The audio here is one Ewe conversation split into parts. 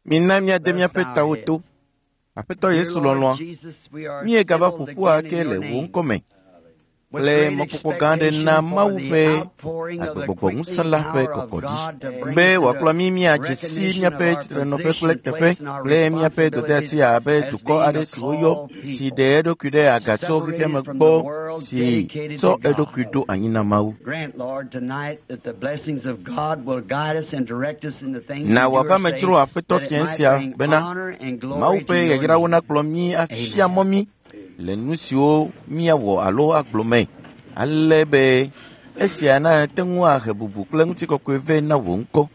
Mina míade míaƒe tawo to. Aƒetɔ Yesu lɔlɔ̃a, míegava ƒo ƒu ake le wò ŋkɔ me kple mɔkpɔkpɔ gã aɖe na Mawu ƒe agbegbɔgbɔ ŋusẽ la ƒe kɔkɔɖi be wòakplɔ mí míadze si míaƒe tsitrenɔƒe kple teƒe kple míaƒe dɔdeasi abe dukɔ aɖe si woyɔ si ɖe eɖokui ɖe aga tso xexeame gbɔ si tsɔ eɖokui ɖo anyi na Mawu. Na wòava me dzro Aƒetɔ fiẽ sia bena Mawu ƒe yayrawo nakplɔ mí afia mɔ mí le nu siwo míawɔ alo agblɔ me ale be esia nate ŋu ahe bubu kple ŋutikɔkɔe vɛ na wò ŋkɔ.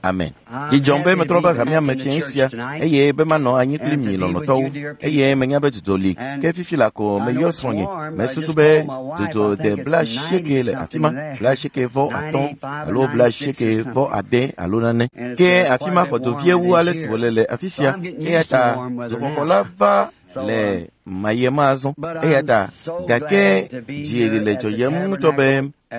Amen. Dzi dzɔm be metrɔ va hamea me fiẽ sia eye be manɔ anyi kpli mi lɔlɔ̃tɔwo eye menya be dzudzɔ li ke fifi la ko meyɔ srɔ̃nye mesusu be dzudzɔ de 80 le afi ma 85 alo 86 alo nane ke afi ma xɔ dzo vie wu ale si wòle le afi sia eya ta dzoxɔxɔ la va le mayema azɔ eya ta gake dzi le dzɔyem ŋutɔ be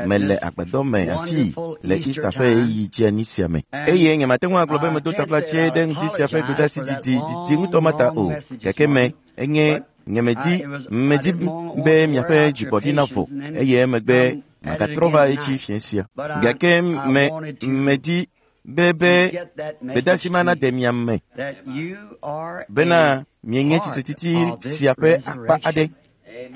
mele agbadɔ me afii le Easter ƒe ɣeyiɣi dzeani sia me eye nyemate ŋu agblɔ be medo taflatse ɖe ŋdi sia ƒe gbedeasi didi didi ŋutɔ ma ta o gake me enye nyemedi medi be miaƒe dzigbɔɖi navɔ eye emegbe magatrɔ va edzi fiẽ sia gake me medi be gbedeasi ma nade mia me bena mienye tsitretsitsi sia ƒe akpa aɖe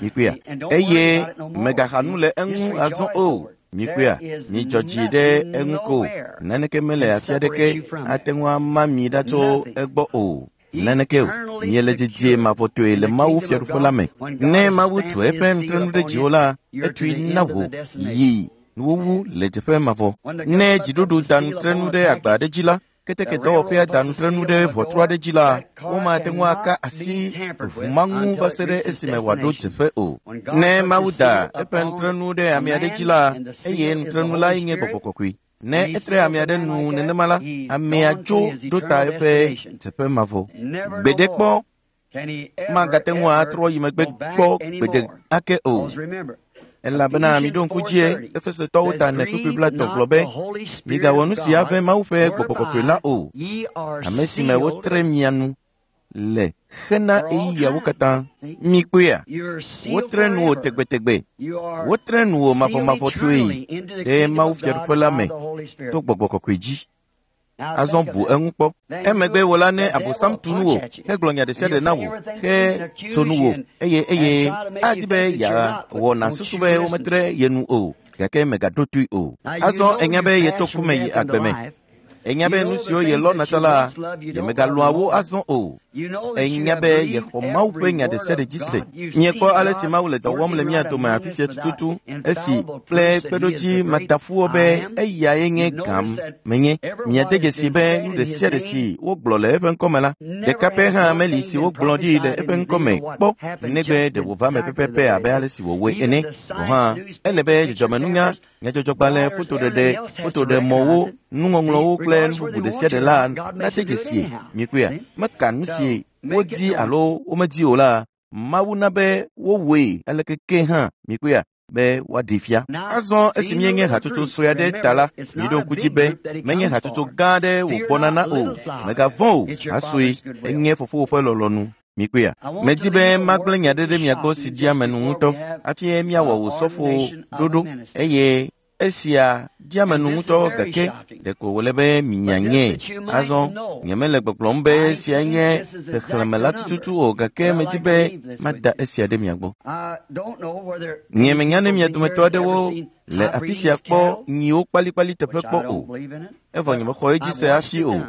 mikpɔea eye megaxa nu le eŋu azɔ o mikpɔea midzɔ dzi ɖe eŋu ko naneke mele afi aɖeke ate ŋu ama mi ɖa tso egbɔ o naneke o miele dedie mavɔtɔe le Mawu fiaɖuƒe la me ne Mawu tu eƒe nutrenu ɖe dziwò la etui na wò yi nuwuwu le teƒe mavɔ ne dziɖuɖu da nutrenu ɖe agba aɖe dzi la keteke dɔwɔƒea da nutrenu ɖe ʋɔtru aɖe dzi la womate ŋu aka asi ʋu ma ŋu va se ɖe esime wòaɖo teƒe o ne Mawu da eƒe nutrenu ɖe ame aɖe dzi la eye nutrenu lae nye gbɔgbɔ kɔkɔe ne etre ame aɖe nu nenema la amea tso ɖo ta eƒe teƒe mavɔ gbeɖe kpɔ magate ŋu atrɔ yi megbe kpɔ gbeɖe ake o elabena miɖo ŋku dzie Efesotɔwo ta ne kpukpui 30 gblɔ be migawɔ nu si ave Mawu ƒe gbɔgbɔ kɔkɔe la o ame si me wotre mia nu le hena ɣeyiɣiawo katã mikpɔea wotre nu wò tegbetegbe wotre nu wò mavɔmavɔtɔe ɖe Mawu fiaɖuƒe la me to gbɔgbɔ kɔkɔe dzi azɔ bu eŋu kpɔ emegbe wò la ne Abosam tu nu wò hegblɔ nya ɖe sia ɖe na wò he tso nu wò eye eye adi be yeawɔ nàsusu be wometre ye nu o gake megaɖo toe o azɔ enya be yeto ku me yi agbe me enya be nu siwo yelɔ̃na tsã la yemegalɔ̃a wo azɔ o enya be yexɔ Mawu ƒe nya ɖe sia ɖe dzi se miekpɔ ale si Mawu le dɔ wɔm le mía dome afi sia tututu esi kple kpeɖodzi mataƒuwo be eyae nye gãm menye miade dzesi be nu ɖe sia ɖe si wogblɔ le eƒe ŋkɔme la ɖeka pɛ hã meli si wogblɔ ɖi le eƒe ŋkɔme kpɔ negbe ɖe wòva me pɛpɛpɛ abe ale si wòwɔe ene gɔ̃ hã ele be dzɔdzɔmenunya nyadzɔdzɔgbalẽ fotoɖeɖe fotoɖemɔwo nuŋɔŋlɔwo kple nu bubu ɖe sia ɖe la nade dzesie mikpɔea meka nu si wodi alo womedi o la Mawu na be wowɔe aleke ke hã mikpɔea be woaɖee fia azɔ esi míenye hatsotso sue aɖe ta la miɖo ŋku dzi be menye hatsotso gã aɖe wògbɔna na o mègavɔ̃ o hasue enye fofowò ƒe lɔlɔ̃nu mikpɔea medi be magblẽ nya ɖe ɖe mia gbɔ si ɖia ame nu ŋutɔ hafi míawɔ wò sɔfo ɖoɖo eye esia ɖia ame nu ŋutɔ gake ɖeko wòle be minyanyɛ azɔ nyemele gbɔgblɔm be esia nye xexlẽme la tututu o gake medi be mada esia ɖe mia gbɔ nyemenya ne mia dometɔ aɖewo le afi sia kpɔ nyiwo kpalikpali teƒe kpɔ o evɔ nyemexɔ edzi se hafi o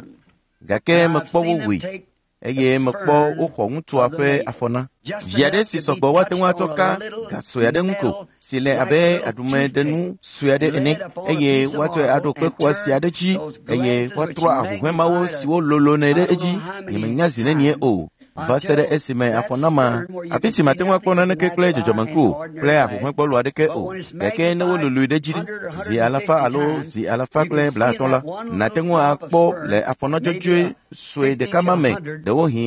gake mekpɔ wo wɔe eye mekpɔ woxɔ ŋutsua ƒe afɔ na vi aɖe si sɔgbɔ woate ŋu atsɔ ka ga sue aɖe ŋu ko si le abe aɖumeɖenu sue aɖe ene eye woatsɔe aɖo kpe xɔasi aɖe dzi eye woatrɔ ahuhɔ̃e mawo siwo lolonɛ ɖe edzi nyemenya zi nenie o va se ɖe esime afɔ nama afi si mate ŋu akpɔ naneke kple dzɔdzɔmeŋku o kple ahuhɔ̃e gbɔlo aɖeke o gake ne wololoe ɖe edzi zi alafa alo zi 150 la nàte ŋu akpɔ le afɔna dzɔdzɔe sue ɖeka ma me ɖewohĩ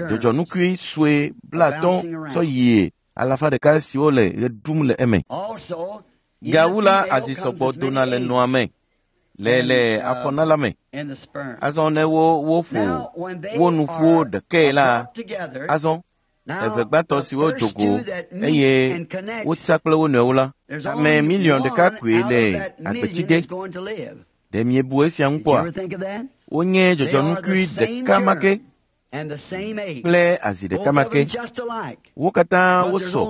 dzɔdzɔnukui sue 50 tsɔ yie 100 siwo le ɣe ɖum le eme gawu la azi sɔgbɔ dona le nɔa me. Le afɔna la me. Azɔ ne woƒo wo nu ƒu ɖekae la, azɔ eve gbãtɔ siwo do go eye wotsa kple wo nɔewo la, ame miliɔn ɖeka koe le agbetsi ge. Ɖe miebu esia ŋu kpɔa? Wonye dzɔdzɔnukui ɖeka ma ke kple azi ɖeka ma ke. Wo katã wosɔ,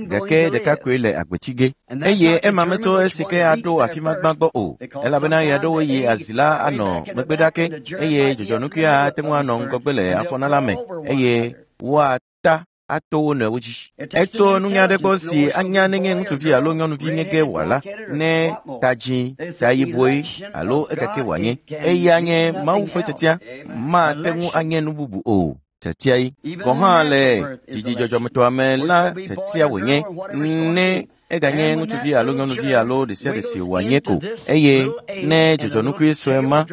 gake ɖeka koe le agbetsi ge. Eye ema metso esi ke aɖo afi ma gbã gbɔ o, elabena ɣeaɖewo ɣi azi la anɔ megbe ɖa ke, eye dzɔdzɔnukuia ate ŋu anɔ ŋgɔgbe le afɔna la me, eye woata ato wo nɔewo dzi. Etso nunya aɖe gbɔ si anya nenye ŋutsuvi alo nyɔnuvi nye ge wòala, ne ta dzĩ, ta yibɔe alo ekake wòanye. Eya nye Mawu ƒe tiatia, mate ŋu anye nu bubu o. Tiatiae. Gɔ̃ hã le dzidzidzɔdzɔmetɔa me la tiatia wònye, ne eganye ŋutsuvi alo nyɔnuvi alo ɖe sia ɖe si wòanye ko. Eye ne dzɔdzɔnukui sue ma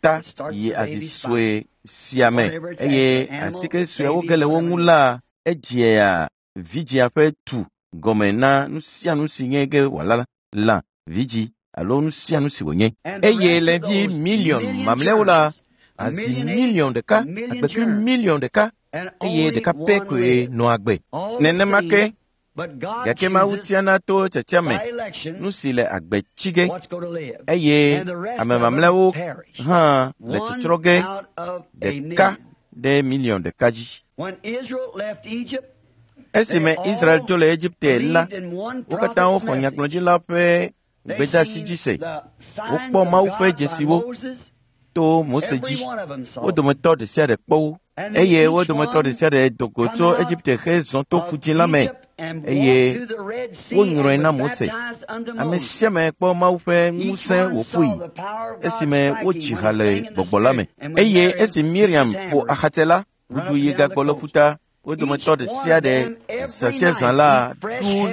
ta yi azi sue sia me eye asike suewo ge le wo ŋu la, edzea vidzĩa ƒe tu gɔme na nu sia nu si nye ge wòala lã, vidzĩ alo nu sia nu si wònye. Eye le vi miliɔn mamlɛawo la, azi miliɔn ɖeka, agbekui miliɔn ɖeka eye ɖeka pɛ koe nɔa agbe. Nenema ke, gake Mawu tiana to tiatia me nu si le agbe tsi ge eye ame mamlɛawo hã le tsɔtsrɔ̃ ge ɖeka ɖe miliɔn ɖeka dzi. Esime Israel dzo le Egipte la, wo katã woxɔ nyagblɔɖila ƒe gbedeasi dzi se. Wokpɔ Mawu ƒe dzesiwo to Mose dzi. Wo dometɔ ɖe sia ɖe kpɔ wo eye wo dometɔ ɖe sia ɖe do go tso Egipte hezɔ to Ƒudzĩ la me eye wonyrɔe na Mose. Ame sia ame kpɔ Mawu ƒe ŋusẽ wòƒoe esime wodzi ha le gbɔgbɔ la me. Eye esi Miriam ƒo axatsɛ la, ʋudu yi gagbɔ le ƒuta. Wo dometɔ ɖe sia ɖe zã sia zã la ɖu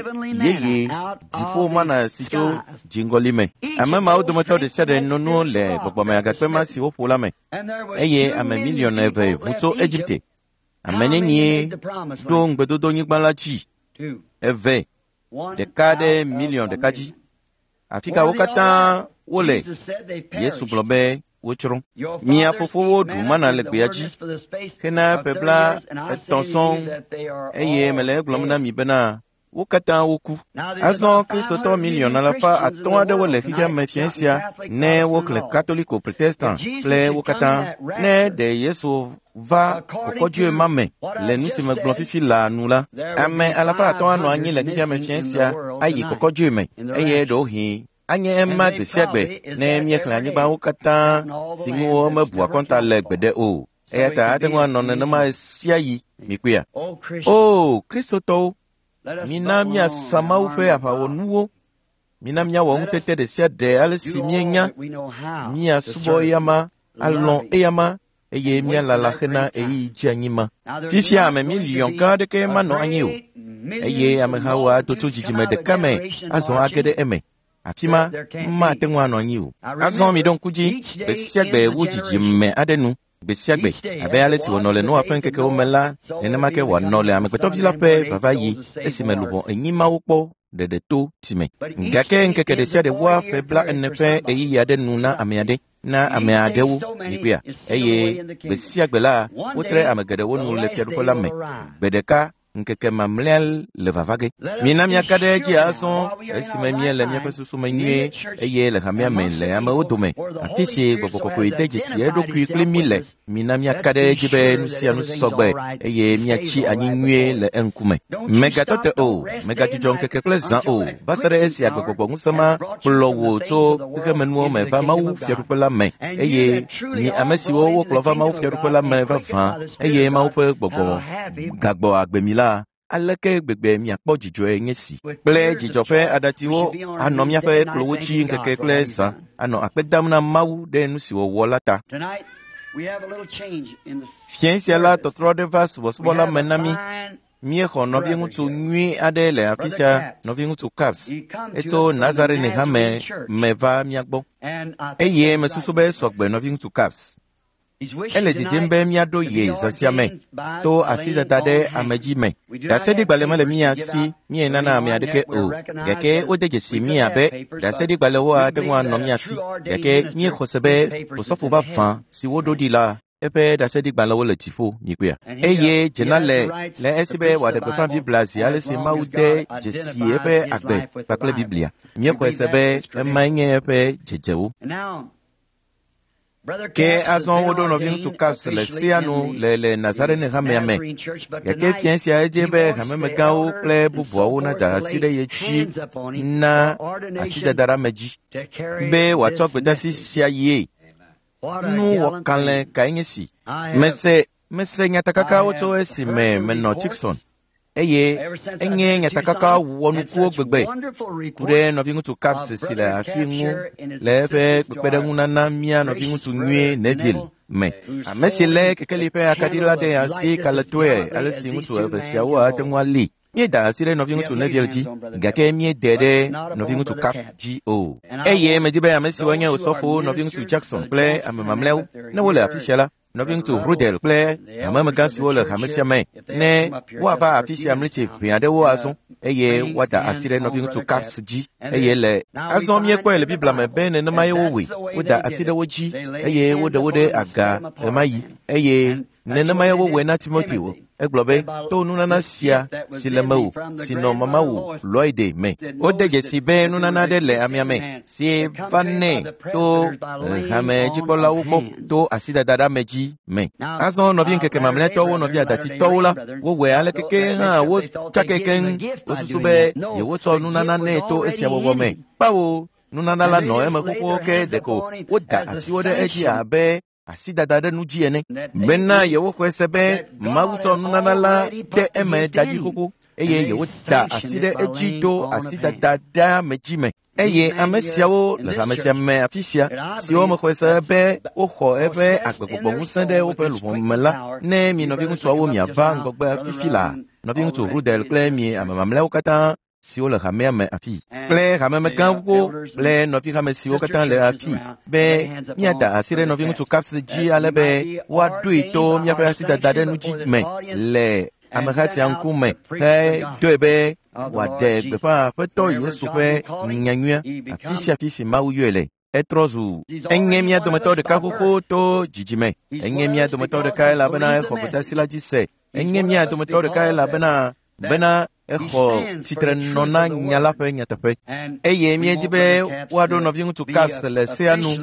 yeye dziƒo mana si tso dziŋgɔli me. Ame mawo dometɔ ɖe sia ɖe no nu le gbɔgbɔme agakpe ma si woƒo la me. Eye ame miliɔn eve ʋu tso Egipte. Ame nenie ɖo ŋugbedodonyigba la dzi? Eve, ɖeka ɖe miliɔn ɖeka dzi. Afi ka wo katã wole? Yesu gblɔ be wotsrɔ̃. Mia fofowo ɖu mana le gbea dzi hena ƒe bla etɔ̃ sɔŋ eye mele egblɔm na mi bena wo katã woku. Azɔ Kristotɔ miliɔn alafa atɔ̃ aɖewo le xexea me fiẽ sia ne woxlẽ Katoliko, Protestant kple wo katã. Ne ɖe Yesu va kɔkɔdzoe ma me le nu si megblɔ fifi laa nu la, ame alafa atɔ̃ anɔ anyi le xexea me fiẽ sia ayi kɔkɔdzoe me eye ɖewohĩ anye ema gbe sia gbe ne míexlẽ anyigbawo katã si ŋu womebua akɔnta le gbeɖe o. Eya ta ate ŋu anɔ nenema sia yi mikpɔea. O Kristotɔwo, mina míasa Mawu ƒe aʋawɔnuwo. Mina míawɔ ŋutete ɖe sia ɖe ale si míenya, míasubɔ eyama, alɔ̃ eyama eye míalala hena ɣeyiɣi dzeanyi ma. Fifia ame miliɔn gã aɖeke manɔ anyi o eye amehawo ado tso dzidzime ɖeka me azɔ age ɖe eme. Afi ma mate ŋu anɔ anyi o. Azɔ miɖo ŋku dzi gbe sia gbe wu dzidzime aɖe nu gbe sia gbe abe ale si wònɔ le Noa ƒe ŋkekewo me la, nenema ke wòanɔ le Amegbetɔvi la ƒe vavaɣi esime luʋɔ enyi mawo kpɔ ɖeɖe to tsi me. Gake ŋkeke ɖe sia ɖe wua ƒe 40 ƒe ɣeyiɣi aɖe nu na ame aɖe, na ame aɖewo mikpɔea. Eye gbe sia gbe la, wotre ame geɖewo nu le fiaɖuƒe la me. Gbe ɖeka ŋkeke mamlɛa le vava ge. Mina míaka ɖe edzi azɔ esime míele míaƒe susu me nyuie eye le hamea me le amewo dome, afi si gbɔgbɔ kɔkɔe de dzesi eɖokui kpli mí le. Mina míaka ɖe edzi be nu sia nu sɔgbe eye míatsi anyi nyuie le eŋkume. Mègatɔ te o, mègadzudzɔ ŋkeke kple zã o, va se ɖe esi agbegbɔgbɔ ŋusẽ ma kplɔ wò tso xexemenuwo me va Mawu fiaɖuƒe la me eye mi ame siwo wokplɔ va Mawu fiaɖuƒe la me vavã eye Mawu ƒe gbɔgbɔ gagbɔ agbe mi la, aleke gbegbe miakpɔ dzidzɔe nye si. Kple dzidzɔ ƒe aɖatsiwo anɔ míaƒe kplɔwo dzi ŋkeke kple zã, anɔ akpe dam na Mawu ɖe nu si wòwɔ la ta. Fiẽ sia la, tɔtrɔ aɖe va subɔsubɔ la me na mí. Míexɔ nɔviŋutsu nyui aɖe le afi sia, nɔviŋutsu Caps. Etso Nazarene hame me va mía gbɔ. Eye mesusu be esɔgbe nɔviŋutsu Caps. Ele dzidzim be míaɖo ye zã sia me to asidada ɖe ame dzi me. Ɖaseɖigbalẽ mele mía si míenana ame aɖeke o, gake wode dzesi mí abe ɖaseɖigbalẽwo ate ŋu anɔ mía si, gake míexɔ se be osɔfo vavã si woɖo ɖi la eƒe ɖaseɖigbalẽwo le dziƒo mikpɔea. Eye dzena le le esi be wòaɖe gbeƒã Biblia zi ale si Mawu de dzesi eƒe agbe kpakple Biblia. Míexɔe se be emae nye eƒe dzedzewo. Ke azɔ woɖo nɔviŋutsu Caps le sea nu le Nazarene hamea me. Gake fia sia edze be hamemegãwo kple bubuawo nada asi ɖe ye dzi na asidada ɖe ame dzi be wòatsɔ gbedeasi sia yie. Nu wɔkalẽ kae nye si. Mese nyatakakawo tso esime menɔ Tucson eye enye nyatakaka wɔnukuwo gbegbe ku ɖe nɔviŋutsu Caps si le afi ŋu le eƒe kpekpeɖeŋunana mía nɔviŋutsu nyuie Neville me. Ame si lé kekeli ƒe akaɖi la ɖe asi kalẽtɔe ale si ŋutsu eve siawo ate ŋu ali. Míeda asi ɖe nɔviŋutsu Neville dzi, gake míede ɖe nɔviŋutsu Cap dzi o. Eye medi be ame siwo nye osɔfowo nɔviŋutsu Jackson kple ame mamlɛawo ne wole afi sia la, nɔviŋutsu Rudel kple hamemegã siwo le hame sia me ne woava afi sia mlitsi ʋɛ aɖewo azɔ eye woada asi ɖe nɔviŋutsu Caps dzi eye le azɔ míekpɔe le Biblia me be nenemae wowɔe. Woda asi ɖe wo dzi eye woɖe wo ɖe aga ɣemaɣi eye nenemae wowɔe na Timoteo. Egblɔ be to nunana sia si le mewò si nɔ mamawò Loide me. Wode dzesi be nunana aɖe le amea me si va nɛ to hamedzikpɔlawo gbɔ to asidada ɖe ame dzi me. Azɔ nɔvi ŋkeke mamlɛtɔwo nɔvi adatitɔwo la wowɔe ale keke hã wotsake keŋ. Wosusu be yewotsɔ nunana nɛ to esia wɔwɔ me. Kpawo nunana la nɔ eme xoxo ke ɖeko woda asiwo ɖe edzi abe asidada ɖe nu dzi ene bena yewoxɔe se be Mawu tsɔ nunana la de eme da ɖi xoxo eye yewoda asi ɖe edzi to asidada ɖe ame dzi me. Eye ame siawo le hame sia me afi sia siwo mexɔe se be woxɔ eƒe agbegbɔgbɔŋusẽ ɖe woƒe luʋɔ me la, ne mi nɔviŋutsuawo miava ŋgɔgbe fifi la, nɔviŋutsu Rudel kple mi ame mamlɛawo katã siwo le hamea me afi kple hamemegãwo kple nɔvihame siwo katã le afi be míada asi ɖe nɔviŋutsu Caps dzi ale be woaɖoe to míaƒe asidada ɖe nu dzi me le ameha sia ŋkume hedoe be wòaɖe gbeƒã Aƒetɔ Yesu ƒe nyanyuia afi sia afi si Mawu yɔe le. Etrɔ zu enye mía dometɔ ɖeka xoxo to dzidzime. Enye mía dometɔ ɖeka elabena exɔ gbedeasi la dzi se. Enye mía dometɔ ɖeka elabena bena exɔ tsitrenɔ na nya la ƒe nyateƒe. Eye míedi be woaɖo nɔviŋutsu Caps le sea nu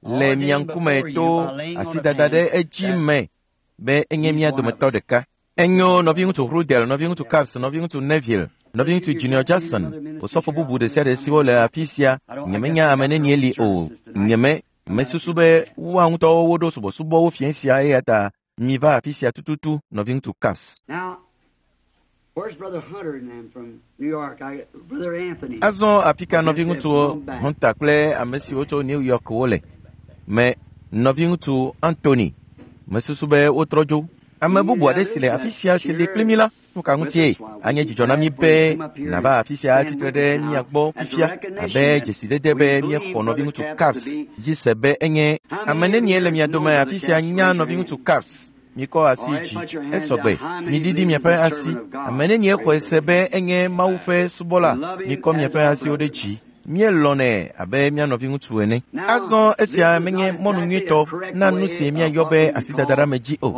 le mia ŋkume to asidada ɖe edzi me be enye mía dometɔ ɖeka. Enyo nɔviŋutsu Rudel, nɔviŋutsu Caps, nɔviŋutsu Neville, nɔviŋutsu Junior Jackson, osɔfo bubu ɖe sia ɖe siwo le afi sia, nyemenya ame nenie li o. Nyeme mesusu be woa ŋutɔwo woɖo subɔsubɔwo fiẽ sia eya ta miva afi sia tututu nɔviŋutsu Caps. Azɔ afi ka nɔviŋutsu Hunter kple ame siwo tso New York wole me nɔviŋutsu Anthony mesusu be wotrɔ dzo. Ame bubu aɖe si le afi sia si li kpli mí la, nu ka ŋutie anye dzidzɔ na mí be nàva afi sia atsitre ɖe mía gbɔ fifia abe dzesidede be míexɔ nɔviŋutsu Caps dzi se be enye ame nenie le mia dome afi sia nya nɔviŋutsu Caps. Mikɔ asi dzi esɔgbe miɖiɖi miaƒe asi. Ame nenie xɔe se be enye Mawu ƒe subɔla. Mikɔ miaƒe asiwo ɖe dzi. Míelɔ̃nɛ abe mía nɔviŋutsu ene. Azɔ esia menye mɔnu nyuitɔ na nu si míayɔ be asidada ɖe ame dzi o.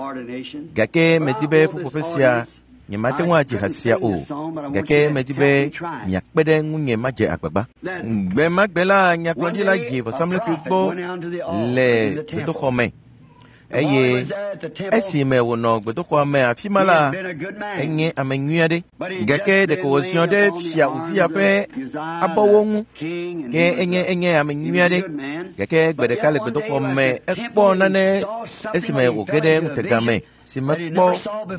Gake medi be ƒuƒoƒe sia nyemate ŋu adzi ha sia o. Gake medi be miakpe ɖe ŋunye madze agbagba. Gbe ma gbe la nyagblɔɖila yi vɔsamlekpui gbɔ le gbedoxɔ me. Eye esime wònɔ gbedoxɔa me afi ma la, enye ame nyui aɖe. Gake ɖeko wòziɔ ɖe fia Uzia ƒe abɔwo ŋu. Ke enye ame nyui aɖe. Gake gbe ɖeka le gbedoxɔ me ekpɔ nane esime wòge ɖe ŋutega me si mekpɔ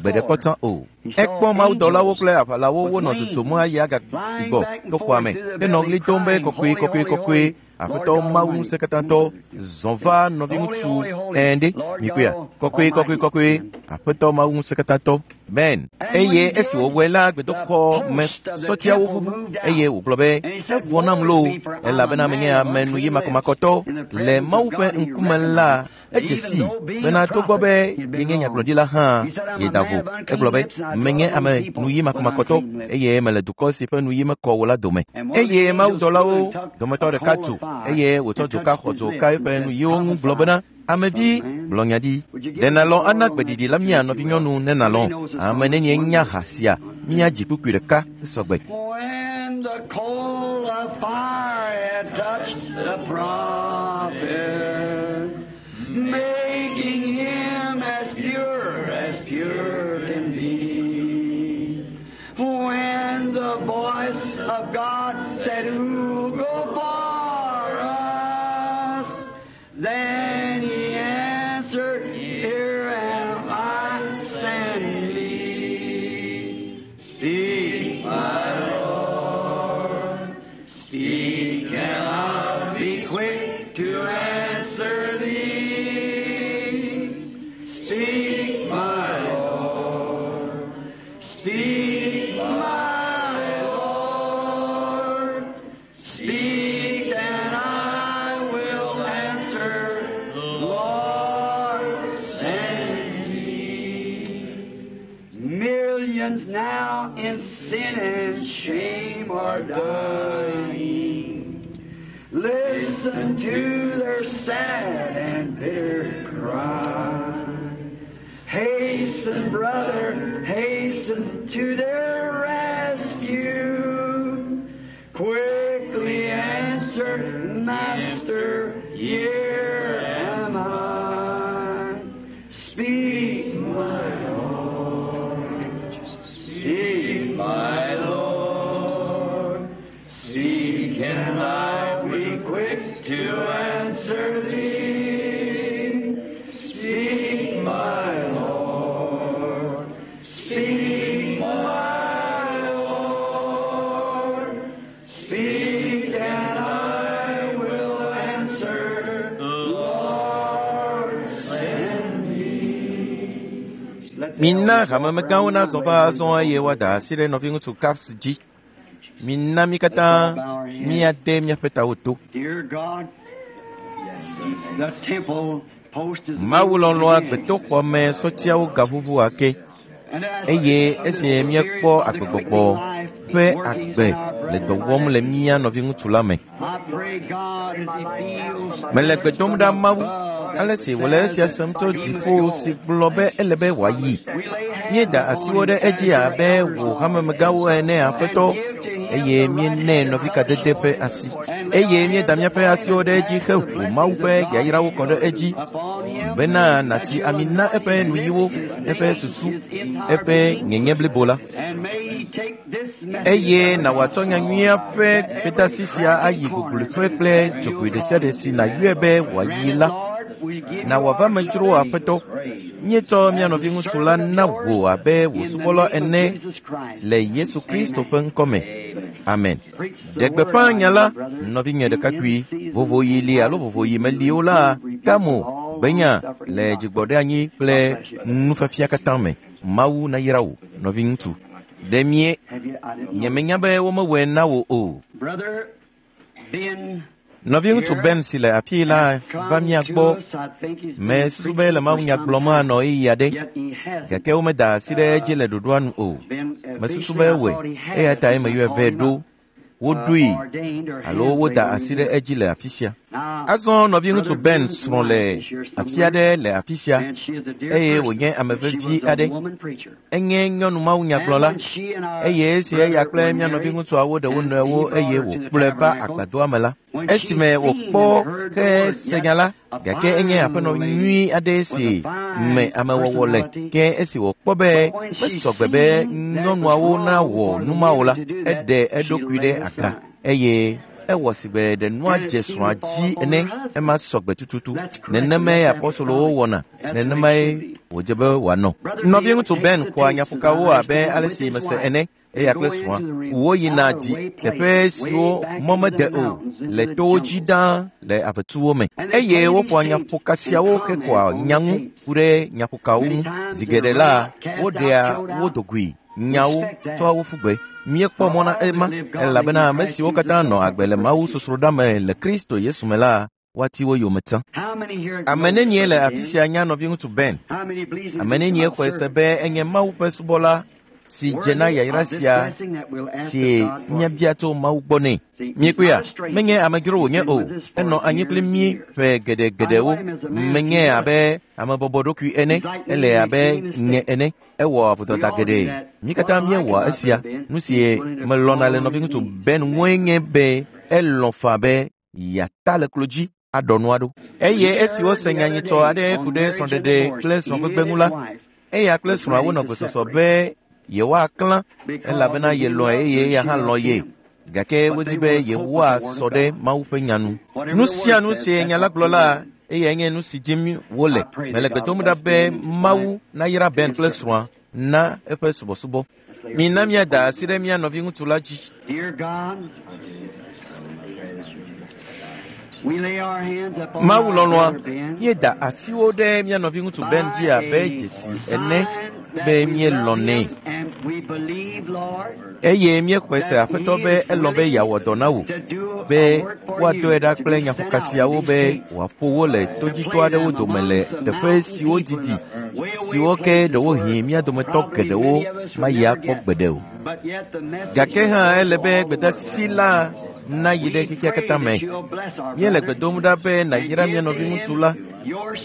gbe ɖe kpɔ tsã o. Ekpɔ mawudɔlawo kple aʋalawo wonɔ dzodzom ayi agagbɔ to xɔa me henɔ ɣli dom be kɔkɔe kɔkɔe kɔkɔe. Aƒetɔ Mawu ŋusẽkatãtɔ zɔ va nɔviŋutsu ɛnɖe mikpɔea kɔkɔe kɔkɔe kɔkɔe Aƒetɔ Mawu ŋusẽkatãtɔ ben. Eye esi wòwɔe la gbedoxɔ me sɔtiawo ʋuʋu eye wògblɔ be evɔ nam loo elabena menye ame nu yi makɔmakɔtɔ le Mawu ƒe ŋkume la. Edze sii bena togbɔ be yenye nyagblɔɖila hã yeda vo. Egblɔ be, menye ame nuyi makɔmakɔtɔ eye mele dukɔ si ƒe nuyi mekɔ o la dome. Eye mawudɔlawo dometɔ ɖeka tso eye wòtsɔ dzoka xɔ dzo ka eƒe nuyiwo ŋu gblɔ bena, amevi, gblɔ nya ɖi. Ɖe nàlɔ̃ ana gbeɖiɖi la mía nɔvinyɔnu ne nàlɔ̃. Ame nenie nya ha sia míadzi kpukpui ɖeka esɔgbe. When the coal of fire had touched the prophet, making him as pure as pure can be. When the voice of God said, Who go for us? Then he answered, Here am I, send me. Speak, my Lord. Speak, and I'll be quick to answer thee. Speak, my Lord. Speak, my Lord. Speak, and I will answer. Lord, send me. Millions now in sin and shame are dying. Listen to their sad and bitter cry. Hasten, brother, hasten to their rescue. Quickly answer, Master, here am I. Speak, my Lord. Speak, my Lord. Speak, and I'll be quick to answer thee. Speak, my Lord. Speak, my Lord. Speak, and I will answer. Lord, send me. Let the Mina elders walk hamemegãwo around nazɔ now, va ladies azɔ and eye gentlemen. woada asi ɖe nɔviŋutsu Caps dzi. Mina mí katã míade míaƒe tawo to. Dear God, the temple post is Mawu moved lɔlɔ̃a again. gbedoxɔ me sɔtiawo gaʋuʋu ake And as eye the esi spirit míekpɔ of the agbegbɔgbɔ quickening life ƒe working agbe in our le dɔ brethren wɔm le mía nɔviŋutsu la me. I pray God as he feels Mele gbe dom ɖa Mawu above ale si wòle esia sem tso dziƒo si gblɔ be ele be wòayi. we lay hands Míeda upon asiwo him ɖe edzi as your abe elders wò hamemegãwo ene aƒetɔ and give to him eye the right míenɛ hand of nɔvikadede ƒe fellowship asi and lay eye our míeda hands míaƒe upon him asiwo and ɖe edzi ask the heʋu Mawu blessings ƒe of God yayrawo kɔ ɖe edzi upon him bena that nàsi you ami na anoint eƒe his nuyiwo, lips, his eƒe name, susu, his entire eƒe being, nyenye blibo la. and may he take this message Eye of na wòatsɔ God nyanyuia ƒe that every gbedeasi sia crack and ayi corner gogloƒe kple that dzogoe you'll ɖe sia call ɖe si nàyɔe be wòayi Grant it, la. Lord, we give Na you wòava our me dzro beloved aƒetɔ. Míetsɔ mía nɔviŋutsu la as the na servant of wò yours abe wò in the subɔla name of ene Jesus Christ. le Yesu Kristo Amen. ƒe ŋkɔ me. Amen. Preach the Ɖe word, gbeƒã my nya dear la, brother. nɔvinye Be in ɖekakpui, season vovoɣi and li out alo of vovoɣi season, meli o la, reprove, rebuke ka with mo all gbenya long-suffering le doctrine. dzigbɔɖeanyi God kple bless you. nufiafia katã me. Mawu nayra wò, nɔviŋutsu. Ɖe mie Have you, I didn't know. nyemenya be womewɔe na wò o. Brother Ben Nɔviŋutsu here Ben si le afii la has va come mía to gbɔ. us. I think he's been Mesusu be preaching le for mawunya some gblɔm time, anɔ ɣeyiɣi aɖe yet he hasn't gake womeda asi ɖe edzi le ɖoɖoa nu o. been. Mesusu Officially, be I ewɔe thought he eya had, tae since I meyɔe called vɛ him ɖo. up, Woɖoe ordained or alo hands laid woda on asi him ɖe here. edzi le afi sia. Now, Azɔ nɔviŋutsu Brother Ben Ben's srɔ̃ le wife is here afi somewhere, aɖe le afi sia and she is a dear eye person. wònye ame She vevi was a aɖe. woman preacher. Enye nyɔnu And mawunyagblɔla when she and our eye esi eya brother kple were mía married, nɔviŋutsuawo ɖe wo and he nɔewo brought eye her to the wòkplɔe va tabernacle, agbadɔa me la, when she esime seen and wòkpɔ heard the ke word, se yet nya la, a gake enye fine aƒenɔ lady nyui aɖe with si a fine me amewɔwɔ le. personality, Ke esi wòkpɔ be but when she mesɔ gbe be seen that it was nyɔnuawo wrong nawɔ for the nu mawo men la, to do that, eɖe she eɖokui laid ɖe aga aside. eye ewɔ si be ɖe nua And it dze seemed srɔ̃a to fall dzi upon ene her husband. ema sɔ gbe tututu. That's correct, and Nenemae that's apɔstolowo apostolic. wɔna, That's the way it nenemae should be. wòdze be wòanɔ. Brother Bill Nɔviŋutsu takes Ben the xɔa tapes, as I nyaƒokawo abe understand, ale with si his mese wife ene eya and kple go srɔ̃a. into the Woyina out of the di way teƒe places, way siwo back mɔ into mede the o mountains, le into the towo dzi jungle. ɖaa le avetuwo me. And they Eye play these woƒoa tapes nyaƒoka and siawo comment hekɔa on the nya ŋu tapes. ku ɖe nyaƒokawo Many ŋu. times Zi they're geɖe run la, out, cast out, woɖea chewed wo out. dogoe nyawo Respect that. tsɔa wo ƒu gbe. Míekpɔ For mɔ na all that ema live godly elabena in ame Christ siwo Jesus katã shall nɔ agbe suffer le Mawu persecution. sosroɖa me le Kristo Yesu me la woati wo yome tsã. Ame nenie le afi sia nya nɔviŋutsu Ben? Ame nenie xɔe se be enye Mawu ƒe subɔla si dze na yayra sia si míabia tso Mawu gbɔ nɛ? Miekpɔea, menye amedzro wònye o. Enɔ anyi kpli mí ƒe geɖegeɖewo. Menye abe ame bɔbɔɖokui ene, ele abe nye ene. Ewɔ vodada geɖe. Mí katã míewɔa esia. Nu si melɔ̃na le nɔviŋutsu Ben ŋue nye be elɔ̃ faa be yeata le klo dzi aɖɔ nua ɖo. Eye esi wose nya nyitsɔ aɖe ku ɖe srɔ̃ɖeɖe kple srɔ̃gbegbe ŋu la, eya kple srɔ̃a wonɔ gbesɔsɔ be yewoaklã elabena yelɔ̃e eye eya hã lɔ̃ ye. Gake wodi be yewoasɔ ɖe Mawu ƒe nya nu. Nu sia nu si nya la gblɔ la, eyae nye nu si dim wole. Mele gbe dom ɖa be Mawu nayra Ben kple srɔ̃a na eƒe subɔsubɔ. Mina míada asi ɖe mía nɔviŋutsu la dzi. Mawu lɔlɔ̃a, míeda asiwo ɖe mía nɔviŋutsu Ben dzi abe dzesi ene be míelɔ̃nɛ. Eye míexɔe se Aƒetɔ be elɔ̃ be yeawɔ dɔ na wò, be woadɔe ɖa kple nyaƒokasiawo be wòaƒo wo le todzitɔ aɖewo dome le teƒe siwo didi, siwo ke ɖewohĩ mía dometɔ geɖewo mayi akpɔ gbeɖe o. Gake hã ele be gbedasi la nayi ɖe xexea katã me. Míele gbe dom ɖa be nàyra mía nɔviŋutsu la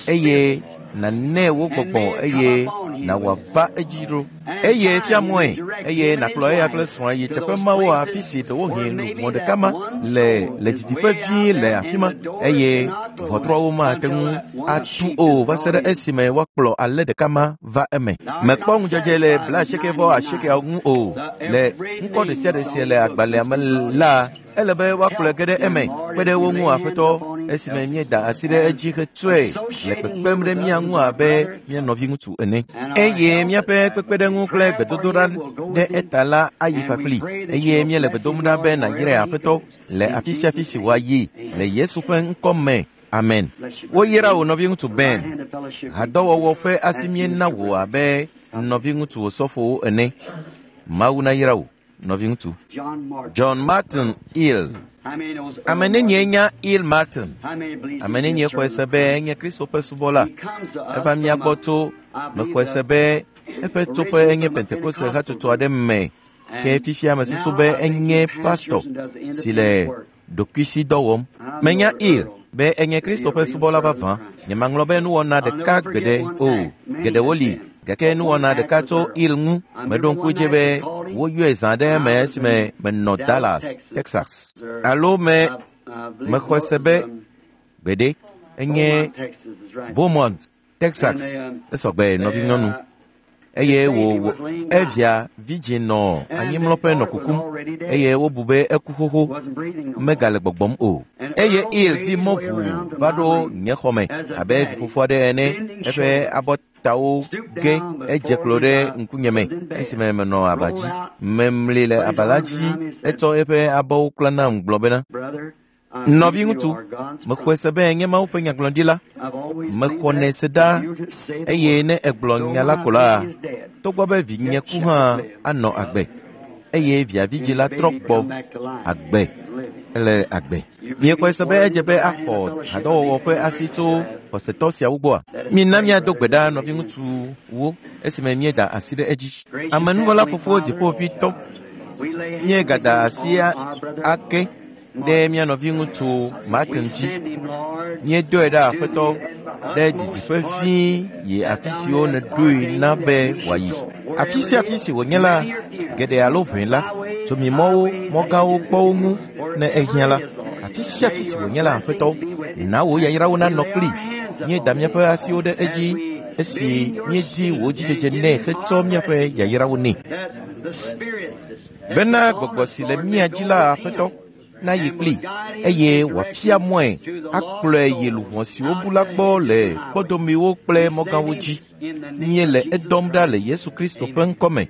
eye nànɛ wò gbɔgbɔ eye nàwɔ ava edzi ɖo. Eye fia mɔe eye nàkplɔ eya kple srɔ̃a yi teƒe mawo afi si ɖewohĩ luʋɔ ɖeka ma le le didiƒe vie le afi ma eye ʋɔtruawo mate ŋu atu o va se ɖe esime woakplɔ alẽ ɖeka ma va eme. Mekpɔ ŋudzedze le 98 ŋu o. Le ŋkɔ ɖe sia ɖe si le agbalẽa me la, ele be woakplɔe ge ɖe eme kpe ɖe wo ŋu Aƒetɔ esime míeda asi ɖe edzi hetsɔe le kpekpem ɖe mía ŋu abe mía nɔviŋutsu ene. Eye míaƒe kpekpeɖeŋu kple gbedodoɖa ɖe eta la ayi kpakpli. Eye míele gbe dom ɖa be nàyrae Aƒetɔ le afi sia afi si wòayi le Yesu ƒe ŋkɔ me. Amen. Woyra wò nɔviŋutsu Ben. Hadɔwɔwɔ ƒe asi míena wò abe nɔviŋutsu osɔfowo ene. Mawu nayra wò, nɔviŋutsu. John Martin Hill. Ame nenie nya Hill Martin? Ame nenie xɔe se be enye Kristo ƒe subɔla? Eva mía gbɔ tso mexɔe se be eƒe tsoƒe enye Pentekoste hatsotso aɖe me ke fifia mesusu be enye pastor si le ɖokuisidɔ wɔm. Menya Hill be enye Kristo ƒe subɔla vavã. Nyemaŋlɔ be nuwɔna ɖeka gbeɖe o. Geɖewo li gake nuwɔna ɖeka tso Hill ŋu meɖo ŋku dzi be woyɔe zã ɖe eme esime menɔ Dallas, Texas. Alo me mexɔe se be gbeɖe enye Beaumont, Texas. Esɔgbe nɔvinyɔnu. Eye wò evia vidzĩ nɔ anyimlɔƒe nɔ kukum eye wobu be eku xoxo megale gbɔgbɔm o. Eye Hill di mɔ ʋuu va ɖo nye xɔme abe vifofo aɖe ene. Eƒe abɔtawo ge edze klo ɖe ŋkunyeme esime menɔ aba dzi. Memli le aba la dzi etsɔ eƒe abɔwo kla nam gblɔ bena, Nɔviŋutsu, mexɔe se be nye Mawu ƒe nyagblɔɖila. Mexɔnɛ se ɖa eye ne egblɔ nya la ko la, togbɔ be vinye ku hã anɔ agbe eye via vidzĩ la trɔ gbɔ agbe ele agbe. Miexɔe se be edze be axɔ hadɔwɔwɔ ƒe asi tso xɔsetɔ siawo gbɔa? Mina míado gbe ɖa nɔviŋutsuwo esime míeda asi ɖe edzi. Amenuvɔla Fofo Dziƒoʋĩtɔ, míegada asi ake ɖe mía nɔviŋutsu Martin dzi. Míedoe ɖa Aƒetɔ ɖe didiƒe vie yi afi siwo nèɖoe na be wòayi. Afi sia afi si wònye la, geɖe alo ʋɛ la, tso mi mɔwo, mɔgãwo kpɔ wo ŋu ne ehiã la. Afi sia afi si wònye la, Aƒetɔ, na wò yayrawo nanɔ kpli. Míeda míaƒe asiwo ɖe edzi esi míedi wò dzidzedze nɛ hetsɔ míaƒe yayrawo nɛ. Bena gbɔgbɔ si le mía dzi la, Aƒetɔ, nayi kpli eye wòafia mɔe akplɔe yi luʋɔ siwo bu la gbɔ le kpɔdomewo kple mɔgãwo dzi. Míele edɔm ɖa le Yesu Kristo ƒe ŋkɔ me.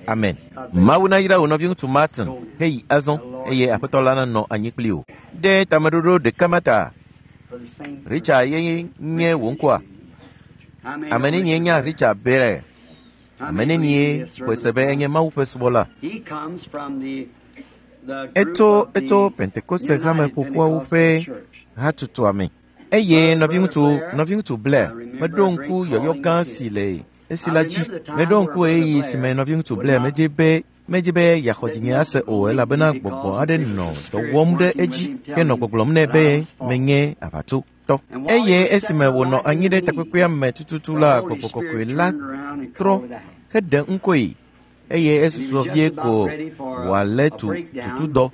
Amen. Mawu nayra wò nɔviŋutsu Martin heyi azɔ eye Aƒetɔ la nanɔ anyi kpli wò. Ɖe tameɖoɖo ɖeka ma ta. Richard ye nye wò ŋkɔa? Ame nenie nya Richard Blair? Ame nenie xɔe se be enye Mawu ƒe subɔla? Etso etso Pentekoste hame ƒoƒuawo ƒe hatsotsoa me. Eye nɔviŋutsu, nɔviŋutsu Blair, meɖo ŋku yɔyɔ gã si le esi la dzi. Meɖo ŋku ɣeyiɣi si me nɔviŋutsu Blair medze be medzi be yeaxɔ dzinye ase o elabena gbɔgbɔ aɖe nɔ dɔ wɔm ɖe edzi henɔ gbɔgblɔm nɛ be menye aʋatsotɔ. Eye esime wònɔ anyi ɖe takpekpea me tututu la, gbɔgbɔ kɔkɔe la trɔ heɖe ŋkɔe eye esusɔ vie ko wòalé tu tutudɔ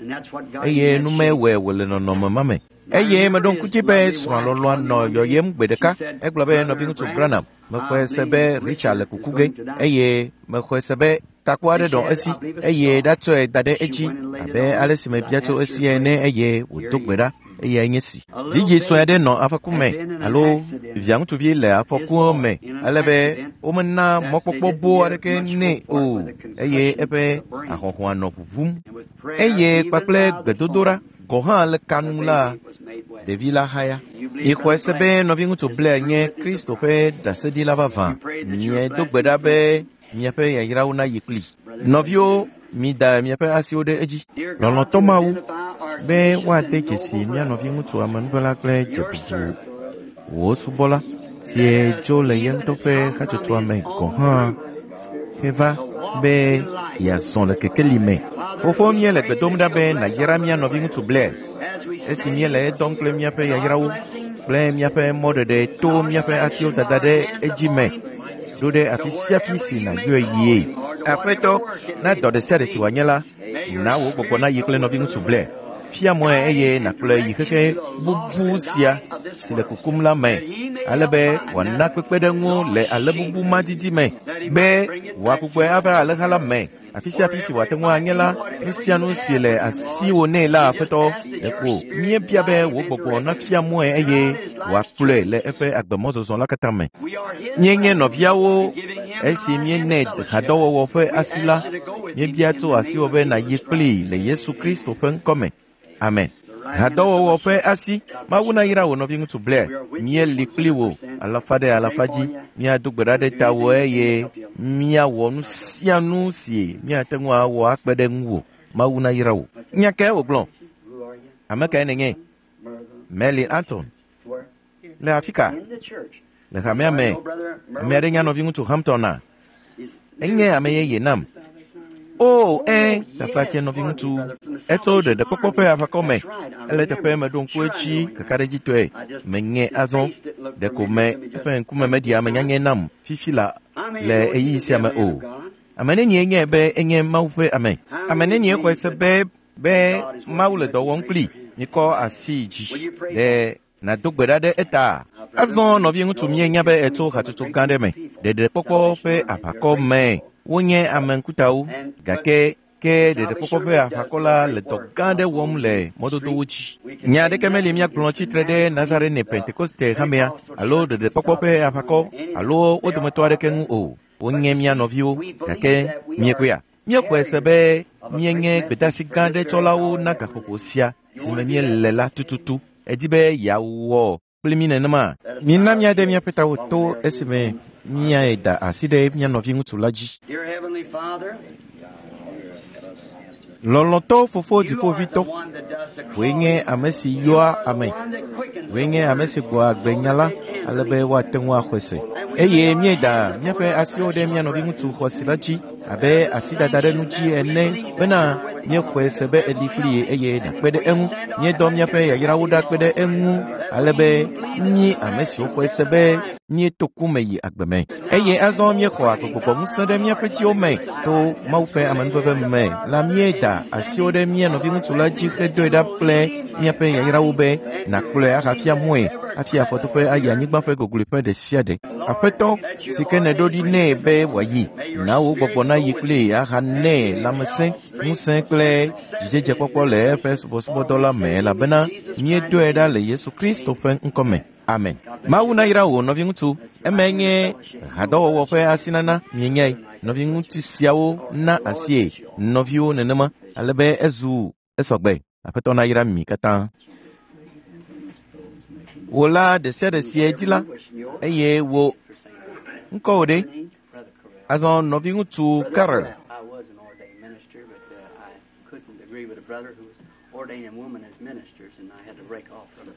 eye nu mewɔe wòle nɔnɔme ma me. Eye meɖo ŋku dzi be srɔ̃a lɔlɔ̃a nɔ yɔyem gbe ɖeka. Egblɔ be nɔviŋutsu Branham, mexɔe se be Richard le kuku ge eye mexɔe se be takpo aɖe nɔ esi eye ɖatsɔe da ɖe edzi abe ale si mebia tso esi ene eye wòdo gbe ɖa eyae nye si. Vidzĩ sue aɖe nɔ afɔku me alo via ŋutsuvi le afɔkua me ale be womena mɔkpɔkpɔ boo aɖeke nɛ o eye eƒe ahɔhɔa nɔ ʋuʋum. Eye kpakple gbedodoɖa gɔ̃ hã le ka nu la, ɖevi la haya. Mixɔe se be nɔviŋutsu Blair nye Kristo ƒe ɖaseɖila vavã. Miedo gbe ɖa be miaƒe yayrawo nayi kpli. Nɔviwo, mida miaƒe asiwo ɖe edzi. Lɔlɔ̃tɔ Mawu, be woade dzesi mía nɔviŋutsu amenuvela kple dzebubu wò subɔla si dzo le ye ŋutɔ ƒe hatsotsoa me gɔ̃ hã heva be yeazɔ le kekeli me. Fofo, míele gbe dom ɖa be nàyra mía nɔviŋutsu Blair esi míele edɔm kple míaƒe yayrawo kple míaƒe mɔɖeɖe to míaƒe asiwo dada ɖe edzi me ɖo ɖe afi sia afi si nàyɔe yie. Aƒetɔ, na dɔ ɖe sia ɖe si wòanye la, na wò gbɔgbɔ nayi kple nɔviŋutsu Blair. Fia mɔe eye nàkplɔe yi xexe bubu sia si le kukum la me, ale be wòana kpekpeɖeŋu le ale bubu ma didi me, be wòagbugbɔe ava alẽha la me. Afi sia afi si wòate ŋu anye la, nu sia nu si le asiwò nɛ la, Aƒetɔ, ɖeko míebia be wò gbɔgbɔ nafia mɔe eye wòakplɔe le eƒe agbemɔzɔzɔ la katã me. Míenye nɔviawo esi míenɛ hadɔwɔwɔ ƒe asi la, míebia tso asiwò be nàyi kplii le Yesu Kristo ƒe ŋkɔ me. Amen. Hadɔwɔwɔ ƒe asi, Mawu nayra wò nɔviŋutsu Blair. Míeli kpli wò alafa ɖe alafa dzi. Míado gbe ɖa ɖe tawò eye míawɔ nu sia nu si míate ŋu awɔ akpe ɖe ŋuwò. Mawu nayra wò. Nya kae wògblɔ? Ame kae nènye? Meli Anton. Le afi ka? Le hamea me. Ame aɖe nya nɔviŋutsu Hampton a? Enye ame yeye nam. O, ẽ, taflatse nɔviŋutsu. Etso ɖeɖekpɔkpɔ ƒe aʋakɔ me. Ele teƒe meɖo ŋku edzi kakaɖedzitɔe. Meŋe azɔ. Ɖeko me eƒe ŋkume meɖi ame nyanyɛ nam fifi la le ɣeyiɣi sia me o. Ame nenie nye be enye Mawu ƒe ame? Ame nenie xɔe se be be Mawu le dɔ wɔm kpli? Mikɔ asi dzi. Ɖe nàdo gbe ɖa ɖe eta. Azɔ nɔviŋutsu míenya be etso hatsotso gã ɖe me. Ɖeɖekpɔkpɔ ƒe aʋakɔ me wonye ame ŋkutawo gake ke ɖeɖekpɔkpɔ ƒe aʋakɔ la le dɔ gã aɖe wɔm le mɔdodowo dzi. Nya aɖeke meli míagblɔ tsitre ɖe Nazarene Pentekoste hamea alo ɖeɖekpɔkpɔ ƒe aʋakɔ alo wo dometɔ aɖeke ŋu o. Wonye mía nɔviwo gake miekpɔea? Míexɔe se be míenye gbedeasi gã aɖe tsɔlawo na gaƒoƒo sia si me míele la tututu. Edi be yeawɔ kpli mí nenema. Mina míade míaƒe tawo to esime míae da asi ɖe mía nɔviŋutsu la dzi. Lɔlɔ̃tɔ Fofo Dziƒoʋĩtɔ, wòe nye ame si yɔa ame, wòe nye ame si gbɔa agbe nya la ale be woate ŋu axɔe se. Eye míeda míaƒe asiwo ɖe mía nɔviŋutsu xɔasi la dzi abe asidada ɖe nu dzi ene bena míexɔe se be eli kpli ye eye nàkpe ɖe eŋu. Míedɔ míaƒe yayrawo ɖa kpe ɖe eŋu ale be mí ame siwo xɔe se be míeto ku me yi agbe me. Eye azɔ míexɔ agbegbɔgbɔ ŋusẽ ɖe míaƒe dziwo me to Mawu ƒe amenuveve me la míeda asiwo ɖe mía nɔviŋutsu la dzi hedoe ɖa kple míaƒe yayrawo be nàkplɔe ahafia mɔe hafi afɔtoƒe ayi anyigba ƒe gogloeƒe ɖe sia ɖe. Aƒetɔ si ke nèɖo ɖi nɛ be wòayi, na wò gbɔgbɔ nayi kplii ahanɛ lãmesẽ, ŋusẽ kple dzidzedzekpɔkpɔ le eƒe subɔsubɔdɔ la me elabena míedoe ɖa le Yesu Kristo ƒe ŋkɔ me. Amen. Mawu nayra wò nɔviŋutsu. Emae nye hadɔwɔwɔ ƒe asinana mienyae. Nɔviŋutsu siawo na asie nɔviwo nenema ale be ezu esɔgbe. Aƒetɔ nayra mi katã. Wò la ɖe sia ɖe si edzi la eye wò ŋkɔ wò ɖe. Azɔ nɔviŋutsu Carol. I was an ordained minister, but I couldn't agree with a brother who was ordaining women as ministers, and I had to break off from it.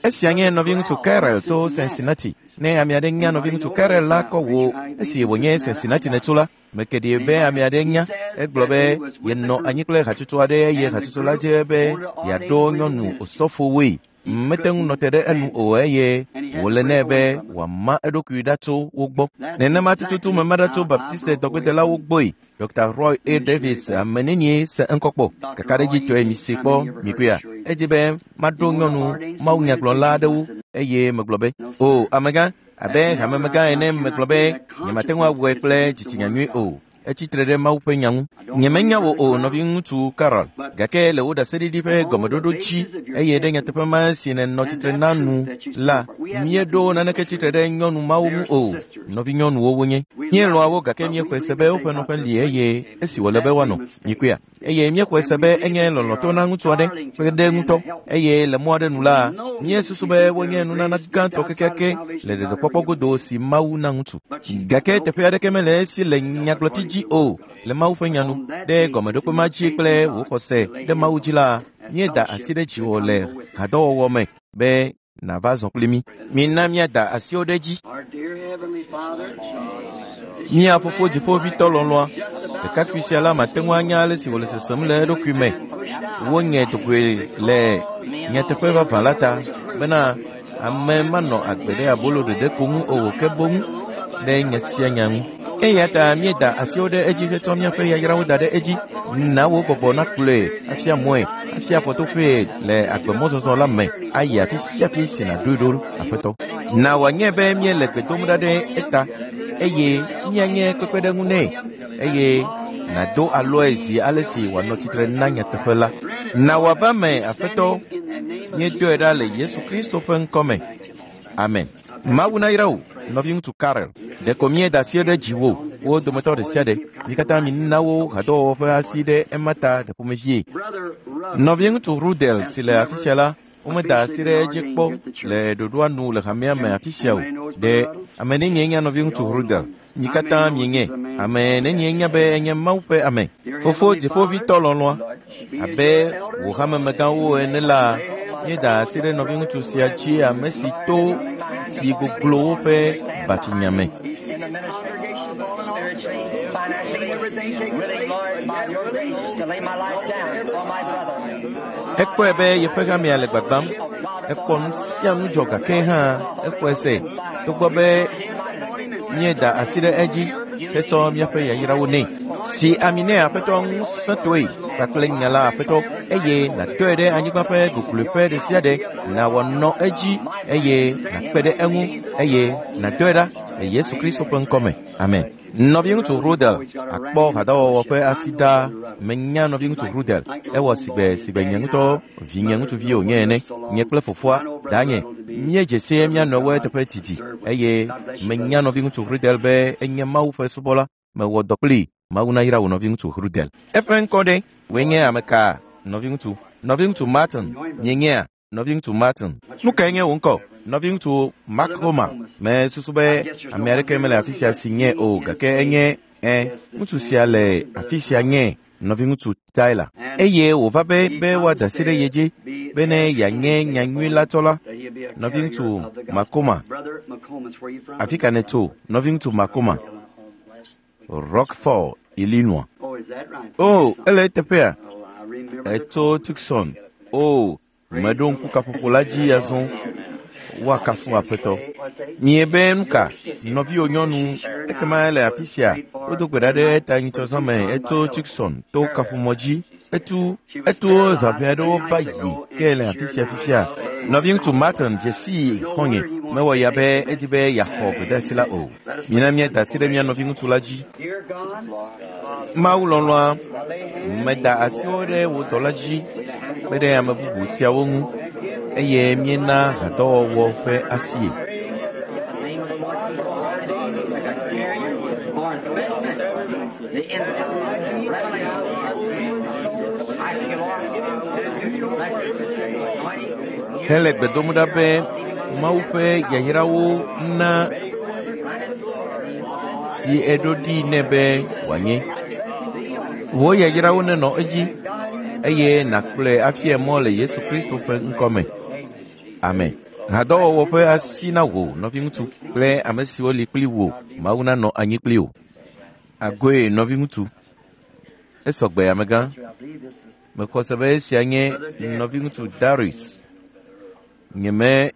Esia nye nɔviŋutsu Carrell tso Cincinnati. Ne ame aɖe nya nɔviŋutsu Carrell la kɔ wò esi wònye Cincinnati nètso la, meke ɖi be ame aɖe nya. Egblɔ be yenɔ anyi kple hatsotso aɖe eye hatsotso la dze be yeaɖo nyɔnu osɔfowoe. Mete ŋu nɔ te ɖe enu o eye wòle nɛ be wòama eɖokui ɖa tso wo gbɔ. Nenema tututu mema ɖa tso Baptiste dɔgbedelawo gbɔe. Dr. Roy A. Davis ame nenie se ŋkɔ kpɔ. Kakaɖedzitɔe mi si kpɔ mikuia. Edzi be maɖo nyɔnu mawunyagblɔla aɖewo eye megblɔ be, o amegã, abe hamemegã ene megblɔ be nyemate ŋu awɔe kple dzitsinya nyui o. Etsitre ɖe Mawu ƒe nya ŋu. Nyemenya wò o nɔviŋutsu Carol, gake le wò ɖaseɖiɖi ƒe gɔmeɖoɖo dzi eye ɖe nyateƒe ma si nènɔ tsitre na nu la, míeɖo naneke tsitre ɖe nyɔnu mawo ŋu o. Nɔvinyɔnuwo wonye. Míelɔ̃a wo gake míexɔe se be woƒe nɔƒe li eye esi wòle be woanɔ. Mikuia. Eye míexɔe se be enye lɔlɔ̃tɔ na ŋutsu aɖe ƒe ɖe ŋutɔ eye le mɔ aɖe nu la, míesusu be wonye nunana gãtɔ kekeake le ɖeɖekpɔkpɔ godo si Mawu na ŋutsu. Gake teƒe aɖeke mele esi le nyagblɔti dzi o le Mawu ƒe nya nu. Ɖe gɔmeɖokpe ma dzi kple wò xɔse ɖe Mawu dzi la, míeda asi ɖe dziwò le hadɔwɔwɔ me be nàva zɔ kpli mí. Mina míada asiwo ɖe edzi. Mía fofo dziƒoʋĩtɔ lɔlɔ̃a, ɖekakpui sia la mate ŋu anya ale si wòle sesem le eɖokui me. Wonye dogoe le nyateƒe vavã la ta bena ame manɔ agbe ɖe abolo ɖeɖe ko ŋu o ke boŋ ɖe nya sia nya ŋu. Eya ta míeda asiwo ɖe edzi hetsɔ míaƒe yayrawo da ɖe edzi. Na wò gbɔgbɔ nakplɔe afia mɔe, afia afɔtoƒee le agbemɔzɔzɔ la me ayi afi sia afi si nàɖoe ɖo Aƒetɔ. Na wòanye be míele gbe dom ɖa ɖe eta eye míanye kpekpeɖeŋu nɛ eye nàdo alɔe zi ale si wòanɔ tsitre na nyateƒe la. Na wòava me Aƒetɔ, míedoe ɖa le Yesu Kristo ƒe ŋkɔ me. Amen. Mawu nayra wò, nɔviŋutsu Carrell. Ɖeko míeda asi ɖe dziwò, wo dometɔ ɖe sia ɖe. Mi katã mina wo hadɔwɔwɔ ƒe asi ɖe ema ta ɖe ƒomevie. Nɔviŋutsu Rudel si le afi sia la, womeda asi ɖe edzi kpɔ le ɖoɖoa nu le hamea me afi sia o. Ɖe ame nenie nye nɔviŋutsu Rudel? Mi katã mienye. Ame nenie nya be enye Mawu ƒe ame. Fofo dziƒoʋĩtɔ lɔlɔ̃a, abe wò hamemegãwo ene la, míeda asi ɖe nɔviŋutsu sia dzi ame si to tsi goglowo ƒe batsinya me. Ekpɔe be yeƒe hamea le gbagbam. Ekpɔ nu sia nu dzɔ gake hã exɔe se togbɔ be míeda asi ɖe edzi hetsɔ míaƒe yayrawo nɛ. Si ami nɛ Aƒetɔ ŋusẽtɔe kpakple nya la Aƒetɔ eye nàtɔe ɖe anyigba ƒe gogloeƒe ɖe sia ɖe nàwɔ nɔ edzi eye nàkpe ɖe eŋu eye nàdɔe ɖa le Yesu Kristo ƒe ŋkɔ me. Amen. Nɔviŋutsu Rudel akpɔ hadɔwɔwɔ ƒe asi ɖaa. Menya nɔviŋutsu Rudel. Ewɔ sigbe sigbe nye ŋutɔ vinye ŋutsuvi wònye ene. Nye kple fofoa, danye, míedze sie mía nɔewo eteƒe didi eye menya nɔviŋutsu Rudel be enye Mawu ƒe subɔla. Mewɔ dɔ kplii. Mawu nayra wò nɔviŋutsu Rudel. Eƒe ŋkɔ ɖe? Wòe nye ame ka, nɔviŋutsu? Nɔviŋutsu Martin, mienyea? Nɔviŋutsu Martin. Nu kae nye wò ŋkɔ? Nɔviŋutsu Makoma. Mesusu be ame aɖeke mele afi sia si nye o gake enye ẽ ŋutsu sia le afi sia nye nɔviŋutsu Tyler. Eye wòva be be woada asi ɖe ye dzi bene yeanye nyanyui la tsɔla. Nɔviŋutsu Makoma. Afi ka nètso? Nɔviŋutsu Makoma. Rockfall, Illinois. Oh, ele eteƒea? Etso Tucson. Oh, meɖo ŋku kaƒoƒo la dzi azɔ. Woakafu Aƒetɔ. Miebe nu ka? Nɔviwò nyɔnu, ekema ele afi sia. Wodo gbe ɖa ɖe eta nyitsɔzã me etso Tucson to kaƒomɔ dzi. Etu eto zã ʋɛ aɖewo va yi ke le afi sia fifia. Nɔviŋutsu Martin dze sii xɔ̃nye. Mewɔ ya be edi be yeaxɔ gbedeasi la o. Mina míada asi ɖe mía nɔviŋutsu la dzi. Mawu lɔlɔ̃a, meda asiwo ɖe wò dɔla dzi kpe ɖe ame bubu siawo ŋu eye míena hadɔwɔwɔ ƒe asie. Hele gbe dom ɖa be Mawu ƒe yayrawo na si eɖo ɖi nɛ be wòanye. Wò yayrawo nenɔ edzi eye nàkplɔe afia mɔ le Yesu Kristo ƒe ŋkɔ me. Amen. Hadɔwɔwɔ ƒe asi na wò, nɔviŋutsu, kple ame siwo li kpli wò. Mawu nanɔ anyi kpli wò. Agoe, nɔviŋutsu. Esɔgbe, amegã. Mexɔ se be esia nye nɔviŋutsu Darius. Nyeme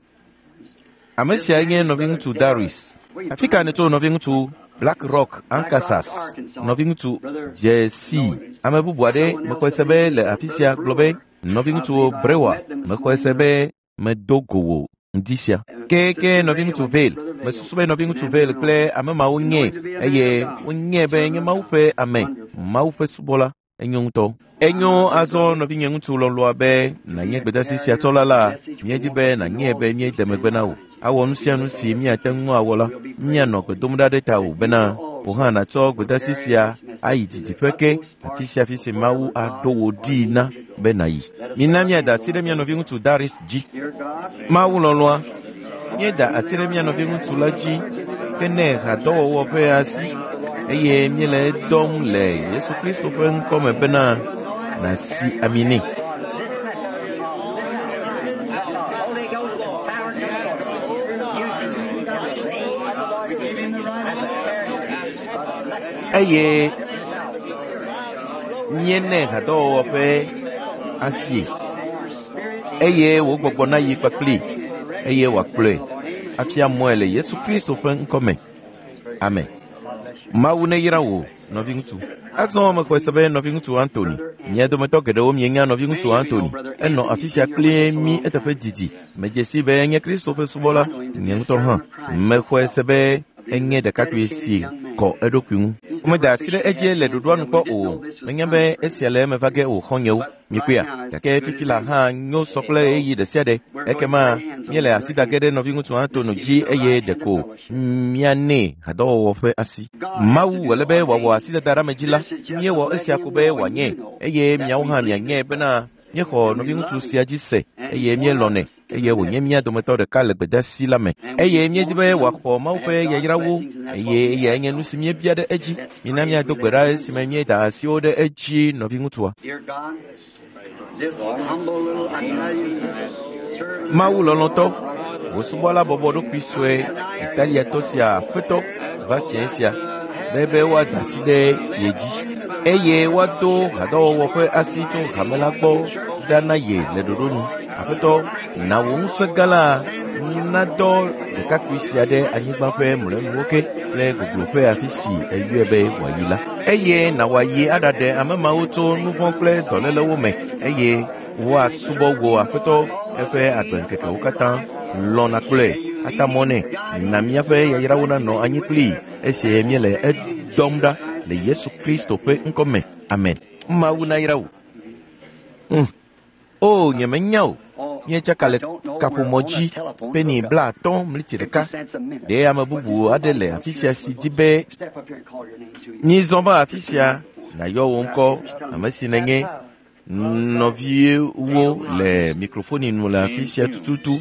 Ame sia nye nɔviŋutsu Darius. Afi ka nètso nɔviŋutsu Black Rock, Arkansas? Nɔviŋutsu Jesse. Ame bubu aɖe mexɔe se be le afi sia gblɔ be nɔviŋutsu Brewer. Mexɔe se be medo go wò ŋdi sia. Ke ke nɔviŋutsu Vale. Mesusu be nɔviŋutsu Vale kple ame mawo nye eye wonye be nye Mawu ƒe ame, Mawu ƒe subɔla. Enyo ŋutɔ. Enyo azɔ nɔvinye ŋutsu lɔlɔa be nànye gbedeasi sia tsɔla la, míedi be nànye be míede megbe na wò. Awɔ nu sia nu si míate ŋu awɔ la, míanɔ gbe dom ɖa ɖe tawò bena wò hã nàtsɔ gbedeasi sia ayi didiƒe ke, afi sia afi si Mawu aɖo wò ɖii na be nàyi. Mina míada asi ɖe mía nɔviŋutsu Darius dzi. Mawu lɔlɔa, míeda asi ɖe mía nɔviŋutsu la dzi hene hadɔwɔwɔ ƒe asi eye míele edɔm le Yesu Kristo ƒe ŋkɔ me bena nàsi ami nɛ. Eye míene hadɔwɔwɔ ƒe asie eye wò gbɔgbɔ nayi kpakplii eye wòakplɔe afia mɔe le Yesu Kristo ƒe ŋkɔ me. Amen. Mawu neyra wò, nɔviŋutsu. Azɔ mexɔe se be nɔviŋutsu Anthony, mia dometɔ geɖewo mienya nɔviŋutsu Anthony. Enɔ afi sia kpli mí eteƒe didi. Medze si be enye Kristo ƒe subɔla, nye ŋutɔ hã. Mexɔe se be enye ɖekakpui si kɔ eɖokui ŋu. Womeda asi ɖe edzi le ɖoɖoa nu kpɔ o. Menya be esia le eme va ge o xɔ̃nyewo. Mikpɔea? Gake fifi la hã nyo sɔ kple ɣeyiɣi ɖe sia ɖe. Ekema míele asi da ge ɖe nɔviŋutsu Anthony dzi eye ɖeko míanɛ hadɔwɔwɔ ƒe asi. Mawu wòle be wòawɔ asidada ɖe ame dzi la, míewɔ esia ko be wòanye eye miawo hã mianye bena míexɔ nɔviŋutsu sia dzi se eye míelɔ̃nɛ eye wònye mía dometɔ ɖeka le gbedeasi la me eye míedi be wòaxɔ Mawu ƒe yayrawo eye eyae nye nu si míebia ɖe edzi. Mina míado gbe ɖa esime míeda asiwo ɖe edzi nɔviŋutsua. Mawu lɔlɔ̃tɔ, wò subɔla bɔbɔ ɖokui sue Italiatɔ sia aƒetɔ va fiẽ sia be be woada asi ɖe ye dzi eye woado hadɔwɔwɔ ƒe asi tso hame la gbɔ ɖa na ye le ɖoɖo nu. Aƒetɔ, na wò ŋusẽ gã la nadɔ ɖekakpui sia ɖe anyigba ƒe mlɔenuwo ke kple gogloƒe afi si eyɔe be wòayi la. Eye na wòayi aɖaɖe ame mawo tso nu vɔ̃ kple dɔlélewo me eye woasubɔ wò Aƒetɔ eƒe agbeŋkekewo katã. Lɔ̃ nàkplɔe, ata mɔ nɛ, na míaƒe yayrawo nanɔ anyi kplii esi míele edɔm ɖa le Yesu Kristo ƒe ŋkɔ me. Amen. Mawu nayra wò. O, nyemenya o. Míetsaka le kaƒomɔ dzi peni 50 mliti ɖeka. Ɖe ame bubu aɖe le afi sia si di be mízɔ va afi sia nàyɔ wò ŋkɔ, ame si nènye. Nɔviwo le mikrofoni nu le afi sia tututu.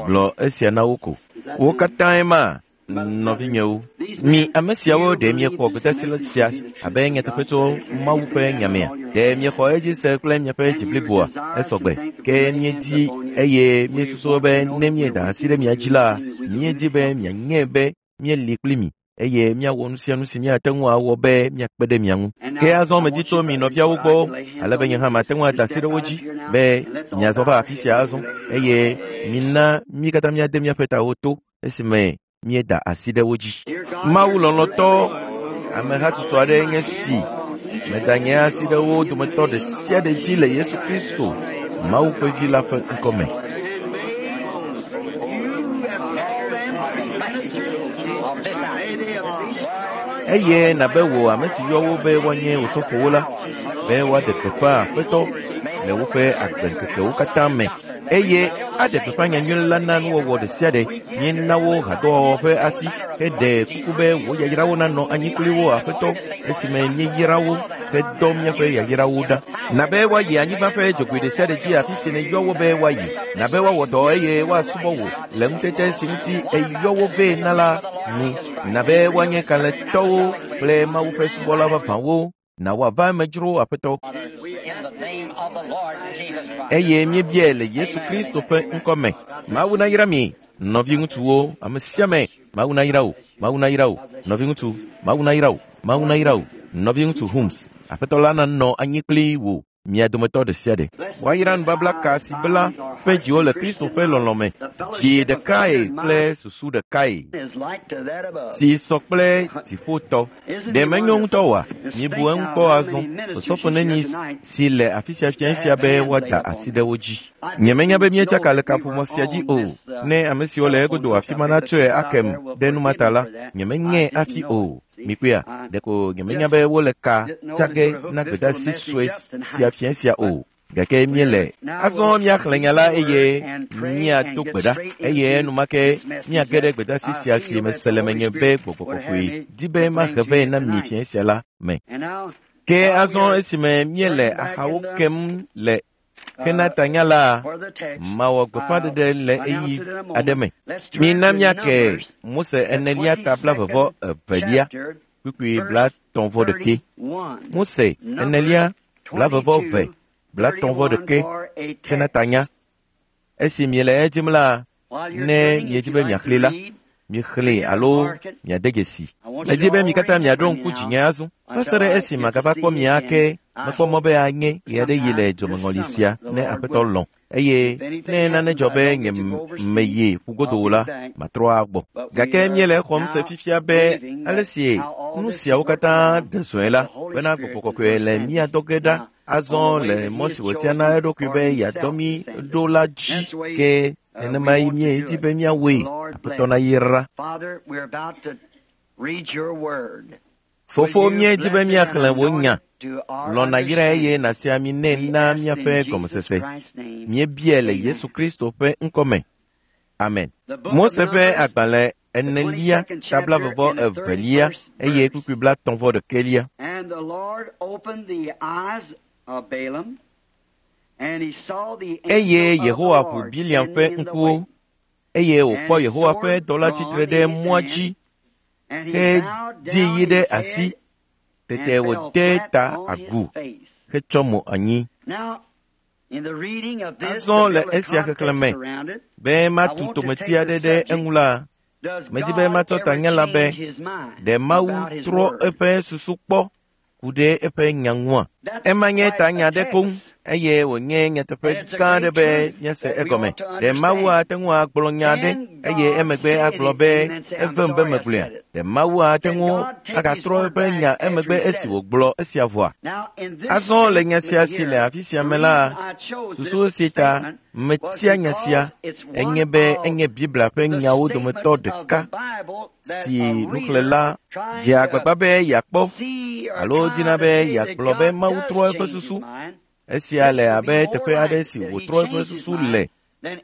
Gblɔ esia na wo ko. Wo katãe ma, nɔvinyewo. Mi ame siawo ɖe miexɔ gbedeasi sia abe nyateƒe tso Mawu ƒe nya mea? Ɖe miexɔ edzi se kple miaƒe dzi bliboa? Esɔgbe. Ke míedi eye míesusu be ne míeda asi ɖe mia dzi la, míedi be mianye be míeli kpli mi eye míawɔ nu sia nu si míate ŋu awɔ be míakpe ɖe mia ŋu. Ke azɔ medi tso mi nɔviawo gbɔ ale be nye hã mate ŋu ada asi ɖe wo dzi be miazɔ va afi sia azɔ eye mina mí katã míade míaƒe tawo to esime míeda asi ɖe wo dzi. Mawu lɔlɔ̃tɔ, amehatsotso aɖe nye si meda nye asi ɖe wo dometɔ ɖe sia ɖe dzi le Yesu Kristo, Mawu ƒe Vi la ƒe ŋkɔ me. Eye nabe wò ame si yɔ wo be woanye osɔfowo la, be woaɖe gbeƒã Aƒetɔ le woƒe agbeŋkekewo katã me eye aɖe gbeƒã nyanyui la na nuwɔwɔ ɖe sia ɖe. Míena wo hadɔwɔwɔ ƒe asi heɖe kuku be wò yayrawo nanɔ anyi kpli wo Aƒetɔ esime míeyra wo hedɔ míaƒe yayrawo ɖa. Na be woayi anyigba ƒe dzogoe ɖe sia ɖe dzi afi si nèyɔ wo be woayi. Na be woawɔ dɔ eye woasubɔ wò le ŋutete si ŋuti èyɔ wo vɛ na la nu. Na be woanye kalẽtɔwo kple Mawu ƒe subɔla vavãwo. Na woava eme dzro Aƒetɔ. Eye míebiae le Yesu Kristo ƒe ŋkɔ me. Mawu nayra mi, nɔviŋutsuwo, ame sia ame. Mawu nayra wò, Mawu nayra wò, nɔviŋutsu, Mawu nayra wò, Mawu nayra wò, nɔviŋutsu Humes. Aƒetɔ la nanɔ anyi kpli wò mia dometɔ ɖe sia ɖe. Woayra nubabla ka si bla ƒe dziwo le Kristo ƒe lɔlɔ̃ me, dzi ɖekae kple susu ɖekae si sɔ kple dziƒotɔ. Ɖe menyo ŋutɔ oa? Mibu eŋu kpɔ azɔ. Osɔfo neni si le afi sia fia esia be woada asi ɖe wo dzi. Nyemenya be míetsaka le kaƒomɔ sia dzi o. Ne ame siwo le egodo afi ma natsɔe akem ɖe nu ma ta la, nyemenyae hafi o. Mikpɔea, ɖeko nyemenya be wole ka tsa ge na gbedeasi sue sia fia sia o. Gake míele azɔ míaxlẽ nya la eye míado gbe ɖa eye enumake míage ɖe gbedeasi sia si mese le menye be Gbɔgbɔ Kɔkɔe di be mahe vɛ na mi fia sia la me. Ke azɔ esime míele axawo kem le hena tanya la, mawɔ gbeƒãɖeɖe le ɣeyiɣi aɖe me. Mina míake Mose enelia ta 22 kpukpui 31. Mose enelia 22 31 hena tanya. Esi miele edzim la, ne miedi be miaxlẽe la, mixlẽe alo miade dzesi. Medi be mi katã miaɖo ŋku dzinye azɔ. Va se ɖe esi magava kpɔ mi ake, mekpɔ mɔ be anye ɣe aɖe yi le dzomeŋɔli sia ne Aƒetɔ lɔ̃. Eye ne nane dzɔ be nye meyi ƒugodo o la, matrɔ agbɔ. Gake míele exɔm se fifia be ale si nu siawo katã ɖe zɔe la, bena Gbɔgbɔ Kɔkɔe le mía dɔ ge ɖa azɔ le mɔ si wòtia na eɖokui be yeadɔ mí ɖo la dzi. Ke nenemae míedi be míawɔe. Aƒetɔ nayra. Fofo, míedi be míaxlẽ wò nya. Lɔ̃ nàyrae eye nàsi ami nɛ na míaƒe gɔmesese. Míebiae le Yesu Kristo ƒe ŋkɔ me. Amen. Mose ƒe agbalẽ enelia ta 22 eye kpukpui 31. Eye Yehowa ʋu Bileam ƒe ŋkuwo eye wòkpɔ Yehowa ƒe dɔla tsitre ɖe mɔa dzi hedi yi ɖe asi. Tete wòde ta agu hetsɔ mo anyi. Azɔ le esia xexlẽ me be matu tometi aɖe ɖe eŋu la, medi be matsɔ tanya la be ɖe Mawu trɔ eƒe susu kpɔ ku ɖe eƒe nya ŋua? Ema nye tanya aɖe koŋ eye wònye nyateƒe gã aɖe be míase egɔme. Ɖe Mawu ate ŋu agblɔ nya aɖe eye emegbe agblɔ be evem be megblɔea? Ɖe Mawu ate ŋu agatrɔ eƒe nya emegbe esi wògblɔ esia vɔa? Azɔ le nya sia si le afi sia me la, susu si ta metia nya sia enye be enye Biblia ƒe nyawo dometɔ ɖeka si nuxlẽla dzea agbagba be yeakpɔ alo dina be yeagblɔ be Mawu trɔ eƒe susu. Esia le abe teƒe aɖe si wòtrɔ eƒe susu le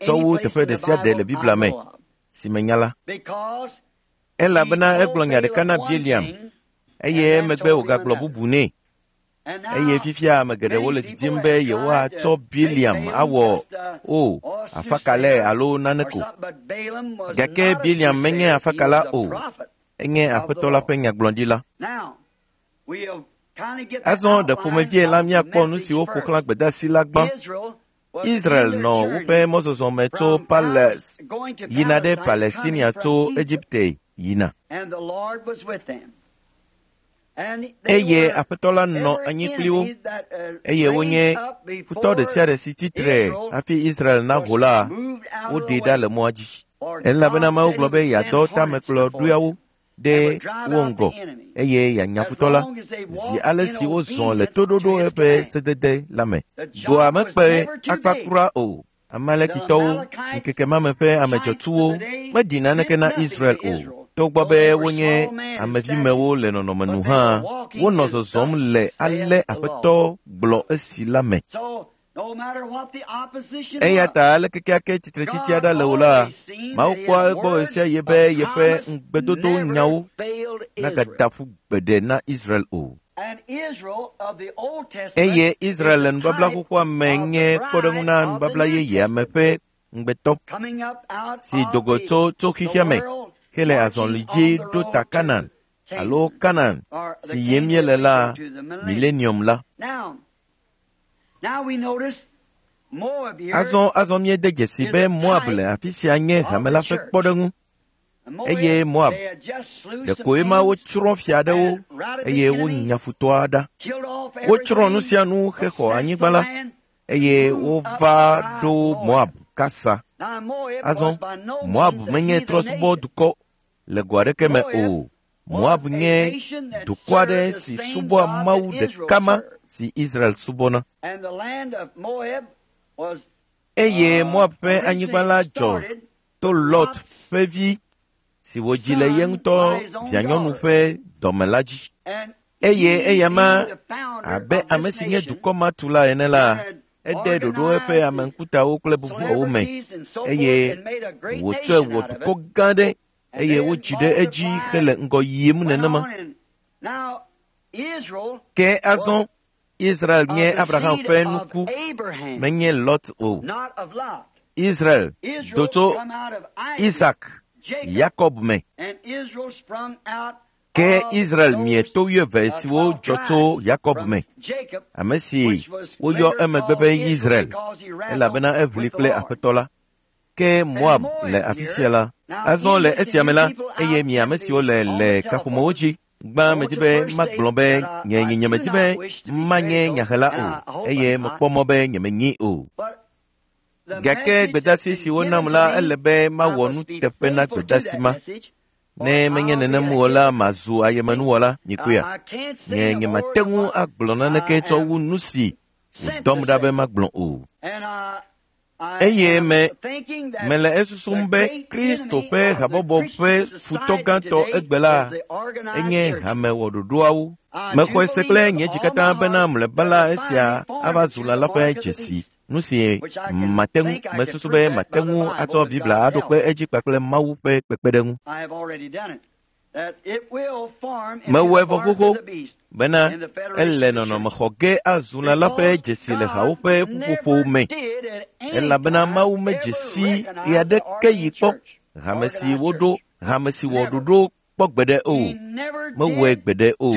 tsɔ wu teƒe ɖe sia ɖe le Biblia me si menya la. Elabena egblɔ nya ɖeka na Bileam eye emegbe wògagblɔ bubu nɛ. Eye fifia ame geɖewo le didim be yewoatsɔ Bileam awɔ o afakalae alo nane ko. Gake Bileam menye afakala o, enye Aƒetɔ la ƒe nyagblɔɖila. Azɔ ɖe ƒomevie la míakpɔ nu siwo ƒo xlã gbedeasi la gbã. Israel nɔ woƒe mɔzɔzɔ me tso yina ɖe Palestinia tso Egipte yina. Eye Aƒetɔ la nɔ anyi kpli wo, eye wonye futɔ ɖe sia ɖe si tsitre hafi Israel naho la, woɖee ɖa le mɔa dzi. Elabena Mawu gblɔ be yeadɔ tamekplɔɖoeawo ɖe wo ŋgɔ eye yeanya futɔ la zi ale si wozɔ le toɖoɖo eƒe sedede la me. Dɔa mekpe akpa kura o. Amalekitɔwo, ŋkeke ma me ƒe ame dzɔtsuwo meɖi naneke na Israel o. Togbɔ be wonye amevimewo le nɔnɔme nu hã, wonɔ zɔzɔm le ale Aƒetɔ gblɔ esi la me. Eya ta ale kekeake tsitretsitsi aɖe le o la, Mawu kpɔa egbɔ ɣe sia ɣi be yeƒe ŋugbedodo nyawo nagada ƒu gbeɖe na Israel o. Eye Israel le nubabla xoxoa me nye kpɔɖeŋu na nubabla yeyea me ƒe ŋugbetɔ si do go tso xexea me hele azɔli dzi ɖo ta Kanan alo Kanan si yim míele la, milenium la. Azɔ míede dzesi be Moab le afi sia nye hame la ƒe kpɔɖeŋu. Eye Moab, ɖekoe ma wotsrɔ̃ fia aɖewo eye wonya futɔa ɖa. Wotsrɔ̃ nu sia nu hexɔ anyigba la eye wova ɖo Moab kasa. Azɔ Moab menye trɔ̃subɔdukɔ le go aɖeke me o. Moab nye dukɔ aɖe si subɔa Mawu ɖeka ma si Israel subɔna. Eye Moab ƒe anyigba la dzɔ to Lot ƒe vi si wòdzi le ye ŋutɔ vianyɔnu ƒe dɔme la dzi. Eye eyama abe ame si nye dukɔ ma tu la ene la, ede ɖoɖo eƒe ame ŋkutawo kple bubuawo me eye wòtsɔe wɔ dukɔ gã ɖe eye wodzi ɖe edzi hele ŋgɔ yim nenema. Ke azɔ Israel nye Abraham ƒe nuku, menye Lot o. Israel do tso Isak, Yakob me. Ke Israel mie to wuieve siwo dzɔ tso Yakob me, ame si woyɔ emegbe be Israel, elabena eʋli kple Aƒetɔ la. Ke Moab le afi sia la. Azɔ le esia me la, eye mi ame siwo le kaƒomewo dzi, gbã medi be magblɔ be nye nyemedi be manye nyahela o, eye mekpɔ mɔ be nyemenyi o. Gake gbedasi si wonam la, ele be mawɔ nuteƒe na gbedasi ma. Ne menye nenem o la, mazu ayemenuwɔla, nyikoea. Nye nyemate ŋu agblɔ naneke tsɔ wu nu si wòdɔm ɖa be magblɔ o. Eye mele esusum be Kristo ƒe habɔbɔ ƒe futɔ gãtɔ egbe la enye hamewɔɖoɖoawo. Mexɔe se kple nye dzi katã bena mlɔeba la esia ava zu lã la ƒe dzesi. Nu si mate ŋu mesusu be mate ŋu atsɔ Biblia aɖo kpe edzi kpakple Mawu ƒe kpekpeɖeŋu. Mewɔe vɔ xoxo bena ele nɔnɔme xɔ ge azu lã la ƒe dzesi le hawo ƒe ƒuƒoƒo me, elabena Mawu medze si ɣe aɖeke yi kpɔ hame si woɖo, hame si wɔ ɖoɖo kpɔ gbeɖe o. Mewɔe gbeɖe o.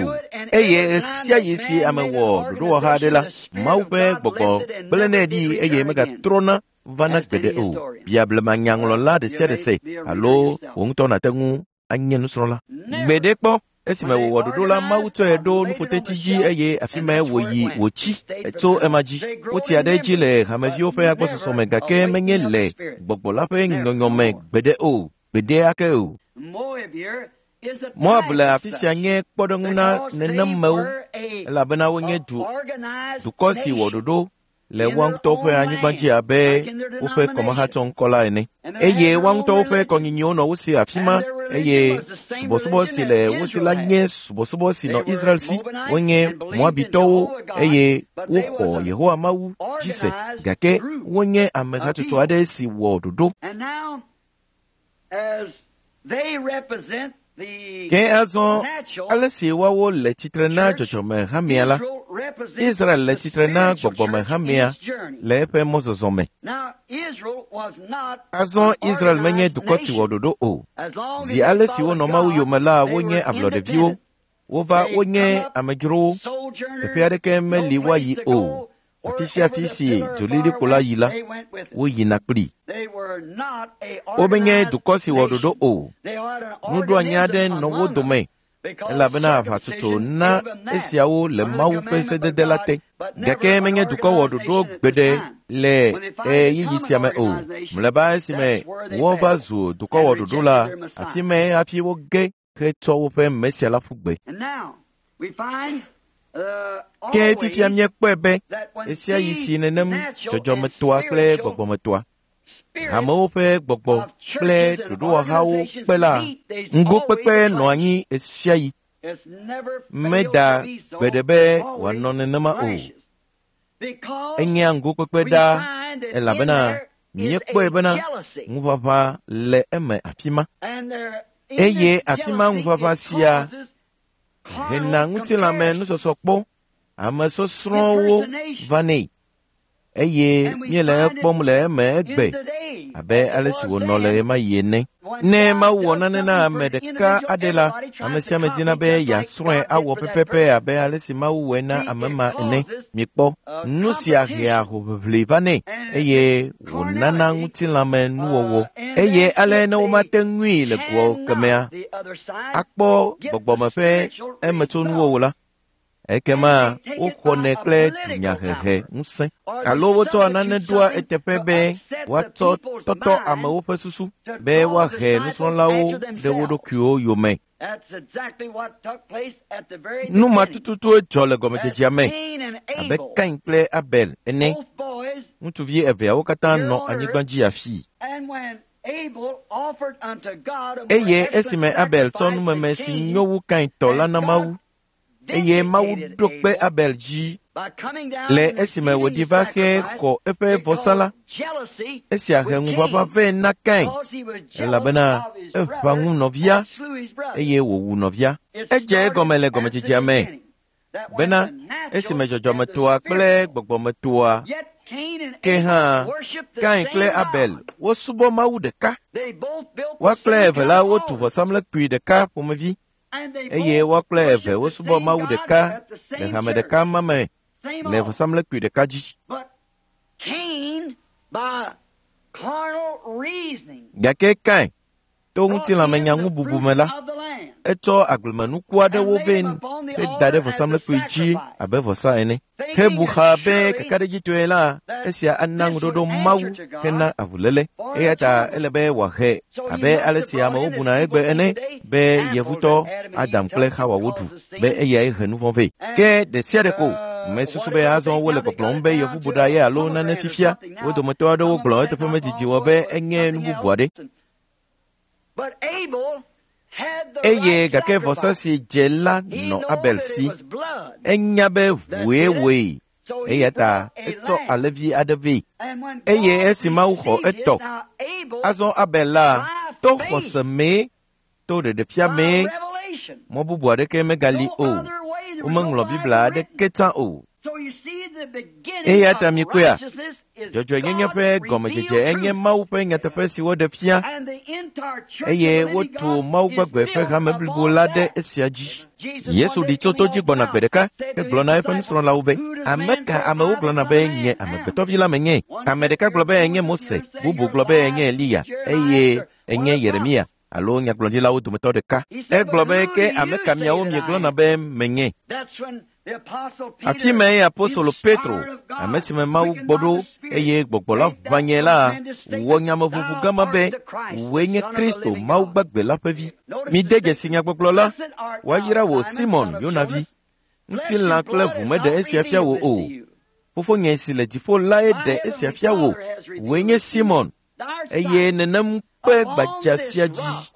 Eye ɣe sia ɣi si ame wɔ ɖoɖowɔha aɖe la, Mawu ƒe gbɔgbɔ gblẽnɛ ɖi eye megatrɔna vana gbeɖe o. Bia blemanyaŋlɔla ɖe sia ɖe se alo wò ŋutɔ nàte ŋu anye nusrɔ̃la. Gbeɖe kpɔ esime wòwɔ ɖoɖo la, Mawu tsɔe ɖo nuƒoteti dzi eye afi mae wòyi wòtsi tso ema dzi. Wotsia ɖe edzi le hameviwo ƒe agbɔsɔsɔ me gake menye le gbɔgbɔ la ƒe nyɔnyɔ me gbeɖe o, gbeɖe ake o. Moab le afi sia nye kpɔɖeŋu na nenemewo, elabena wonye dukɔ si wɔ ɖoɖo le woa ŋutɔwo ƒe anyigba dzi abe woƒe kɔmahatsɔŋkɔ la ene. Eye woa ŋutɔwo ƒe kɔnyinyiwo nɔ wo si afi ma, eye subɔsubɔ si le wo si la nye subɔsubɔ si nɔ Israel si. Wonye Moabitɔwo eye woxɔ Yehowa Mawu dzi se, gake wonye ame hatsotso aɖe si wɔ ɖoɖo. Ke azɔ ale si woawo le tsitre na dzɔdzɔme hamea la, Israel le tsitre na gbɔgbɔme hamea le eƒe mɔzɔzɔ me. Azɔ Israel menye dukɔ si wɔ ɖoɖo o. Zi ale si wonɔ Mawu yome la, wonye ablɔɖeviwo. Wova wonye amedzrowo. Teƒe aɖeke meli woayi o. Afi sia afi si dzolilikpo la yi la, woyina kplii. Womenye dukɔ si wɔ ɖoɖo o. Nuɖoanyi aɖe nɔ wo dome, elabena aʋatsotso na esiawo le Mawu ƒe sedede la te. Gake menye dukɔ wɔ ɖoɖo gbeɖe le ɣeyiɣi sia me o. Mlɔeba esime wova zu dukɔ wɔ ɖoɖo la, afi mae hafi woge hetsɔ woƒe Mesia la ƒu gbe. Ke fifia míekpɔe be ɣe sia ɣi si nenem dzɔdzɔmetoa kple gbɔgbɔmetoa, hamewo ƒe gbɔgbɔ kple ɖoɖowɔhawo kpe la, ŋgokpekpe nɔ anyi ɣe sia ɣi. Meda gbeɖe be wòanɔ nenema o. Enyea ŋgokpekpe ɖaa elabena míekpɔe bena ŋuʋaʋã le eme afi ma. Eye afi ma ŋuʋaʋã sia hena ŋutilãme nusɔsɔkpɔ ame sɔsrɔ̃wo vanɛ. Eye míele ekpɔm le eme egbe abe ale si wònɔ le ɣemaɣi ene. Ne Mawu wɔ nane na ame ɖeka aɖe la, ame sia ame dina be yeasrɔ̃e awɔ pɛpɛpɛ abe ale si Mawu wɔe na ame ma ene. Mikpɔ, nu sia hea hoʋiʋli vanɛ eye wònana ŋutilãme nuwɔwɔ. Eye ale ne womate ŋui le goa kemea akpɔ gbɔgbɔme ƒe emetsonuwo o la, ekema woxɔnɛ kple dunyahehe ŋusẽ alo wotsɔa nane ɖoa eteƒe be woatsɔ tɔtɔ amewo ƒe susu be woahe nusrɔ̃lawo ɖe wo ɖokuiwo yome. Nu ma tututue dzɔ le gɔmedzedzea me abe Kain kple Abel ene. Ŋutsuvi eveawo katã nɔ anyigba dzi afii. Eye esime Abel tsɔ numeme si nyo wu Kain tɔ la na Mawu, eye Mawu ɖo kpe Abel dzi le esime wòɖi va xe xɔ eƒe vɔsa la, esia he ŋuʋaʋã vɛ na Kain, elabena eʋã ŋu nɔvia eye wòwu nɔvia. Edze egɔme le gɔmedzedzea me bena esime dzɔdzɔmetoa kple gbɔgbɔmetoa ke hã Kain kple Abel wosubɔ Mawu ɖeka. Woa kple eve la wotu vɔsamlekpui ɖeka ƒomevi eye woa kple eve wosubɔ Mawu ɖeka le hame ɖeka ma me le vɔsamlekpui ɖeka dzi. Gake Kain to ŋutilãmenyaŋububu me la, etsɔ agblemenuku aɖewo vɛ heda ɖe vɔsamlekpui dzi abe vɔsa ene. Hebu xa be kakaɖedzitɔe la, esia ana ŋuɖoɖo Mawu hena avuléle. Eya ta ele be wòahe abe ale si amewo buna egbe ene be yevutɔ Adam kple Xawa woɖu be eyae he nu vɔ̃ vɛ. Ke ɖe sia ɖe ko mesusu be azɔ wole gbɔgblɔm be yevuboɖa ye alo nane fifia. Wo dometɔ aɖewo gblɔ eteƒe medidi wɔ be enye nu bubu aɖe. Eye gake vɔsa si dze la nɔ Abel si. Enya be ʋue wɔe, eya ta etsɔ alẽvi aɖe vɛ. Eye esi Mawu xɔ etɔ, azɔ Abel la to xɔse mee, to ɖeɖefia mee, mɔ bubu aɖeke megali o. Womeŋlɔ Biblia aɖeke tsã o. Eya ta mikpɔea, dzɔdzɔenyenye ƒe gɔmedzedze enye Mawu ƒe nyateƒe si woɖe fia, eye wotu Mawu gbagbe ƒe hame blibo la ɖe esia dzi. Yesu ɖi tso to dzi gbɔna gbe ɖeka hegblɔ na eƒe nusrɔ̃lawo be, ame ka amewo gblɔna be nye amegbetɔvi la menye? Ame ɖeka gblɔ be enye Mose, bubu gblɔ be enye Eliya, eye enye Yeremia alo nyagblɔɖilawo dometɔ ɖeka. Egblɔ be ke ame ka miawo miegblɔna be menye? Afi mae apostolo Petro, ame si me Mawu gbɔ ɖo eye gbɔgbɔ la ʋã nye la, wɔ nyameʋuʋu gama be wòe nye Kristo, Mawu gbagbe la ƒe vi. Mide dzesi nyagbɔgblɔ la, woayra wò Simon, Yona vi. Ŋutilã kple ʋu meɖe esia fia wò o. Fofonye si le dziƒo lae ɖe esia fia wò. Wòe nye Simon, eye nenem kpe gbadza sia dzi.